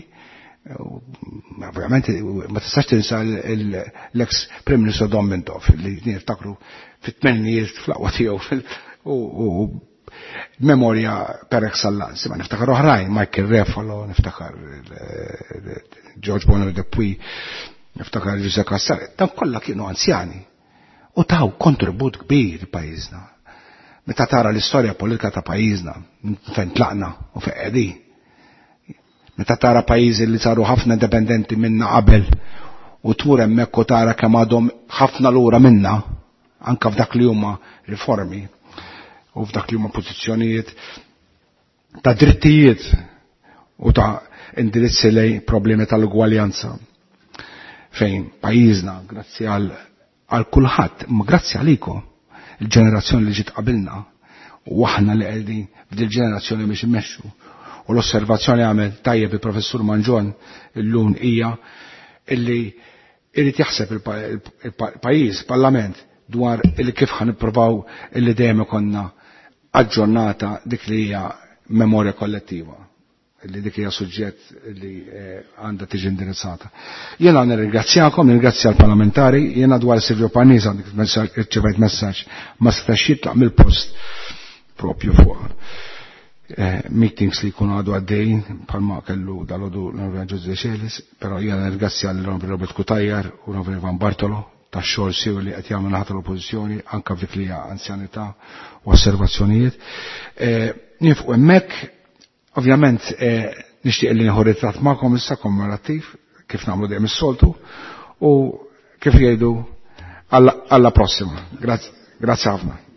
Ovvjament ma tistax tinsa l-ex Prim Ministru Dom Mintoff li niftakru fit-tmennijiet fl-aqwa tiegħu u memorja per excellence. Ma niftakar oħrajn, Michael Refalo, niftakar George Bonner Depuy, niftakar Giuseppe Cassar, dan kollha kienu anzjani u taw kontribut kbir pajjiżna. Meta tara l-istorja politika ta' pajjiżna, fejn tlaqna u fejn qegħdin. Meta tara pajjiżi li saru ħafna indipendenti minna qabel u tmur hemmhekk u tara kemm għadhom ħafna lura minna, anka f'dak li huma riformi u f'dak li huma pożizzjonijiet ta' drittijiet u ta' indirizzi lej problemi tal-ugwaljanza. Fejn pajjiżna, grazzi għal kulħadd, ma grazzi għalikom, il-ġenerazzjoni li ġiet qabilna u aħna li qegħdin f'dil ġenerazzjoni biex immexxu. U l-osservazzjoni għamel tajjeb il-professur Mangion illum hija illi irid jaħseb il-pajjiż, il-parlament, dwar illi kif ħan nippruvaw illi dejjem ikonna aġġornata dik li hija memorja kollettiva, illi dik hija suġġett li għandha tiġi indirizzata. Jiena nirringrazzjakom, nirringrazzja l-parlamentari, jiena dwar Silvio Parnis għandek irċevejt messaġġ ma setax jitlaq mill-post propju fuq meetings li jkunu għadu għaddejjin bħalma kellu dal-għodu l-Onorevoli Jose Celis, però jiena nirringrazzja l-Onorevoli Robert Cutajar u l-Onorevoli Ivan Bartolo tax-xogħol siewi li qed jagħmel naħa tal-Oppożizzjoni anke f'dik li hija anzjanità u osservazzjonijiet. Nifqu hemmhekk, ovvjament nixtieq li nieħu ritratt magħkom issa kommemorattiv kif nagħmlu dejjem is-soltu u kif jgħidu alla prossima. Grazzi ħafna.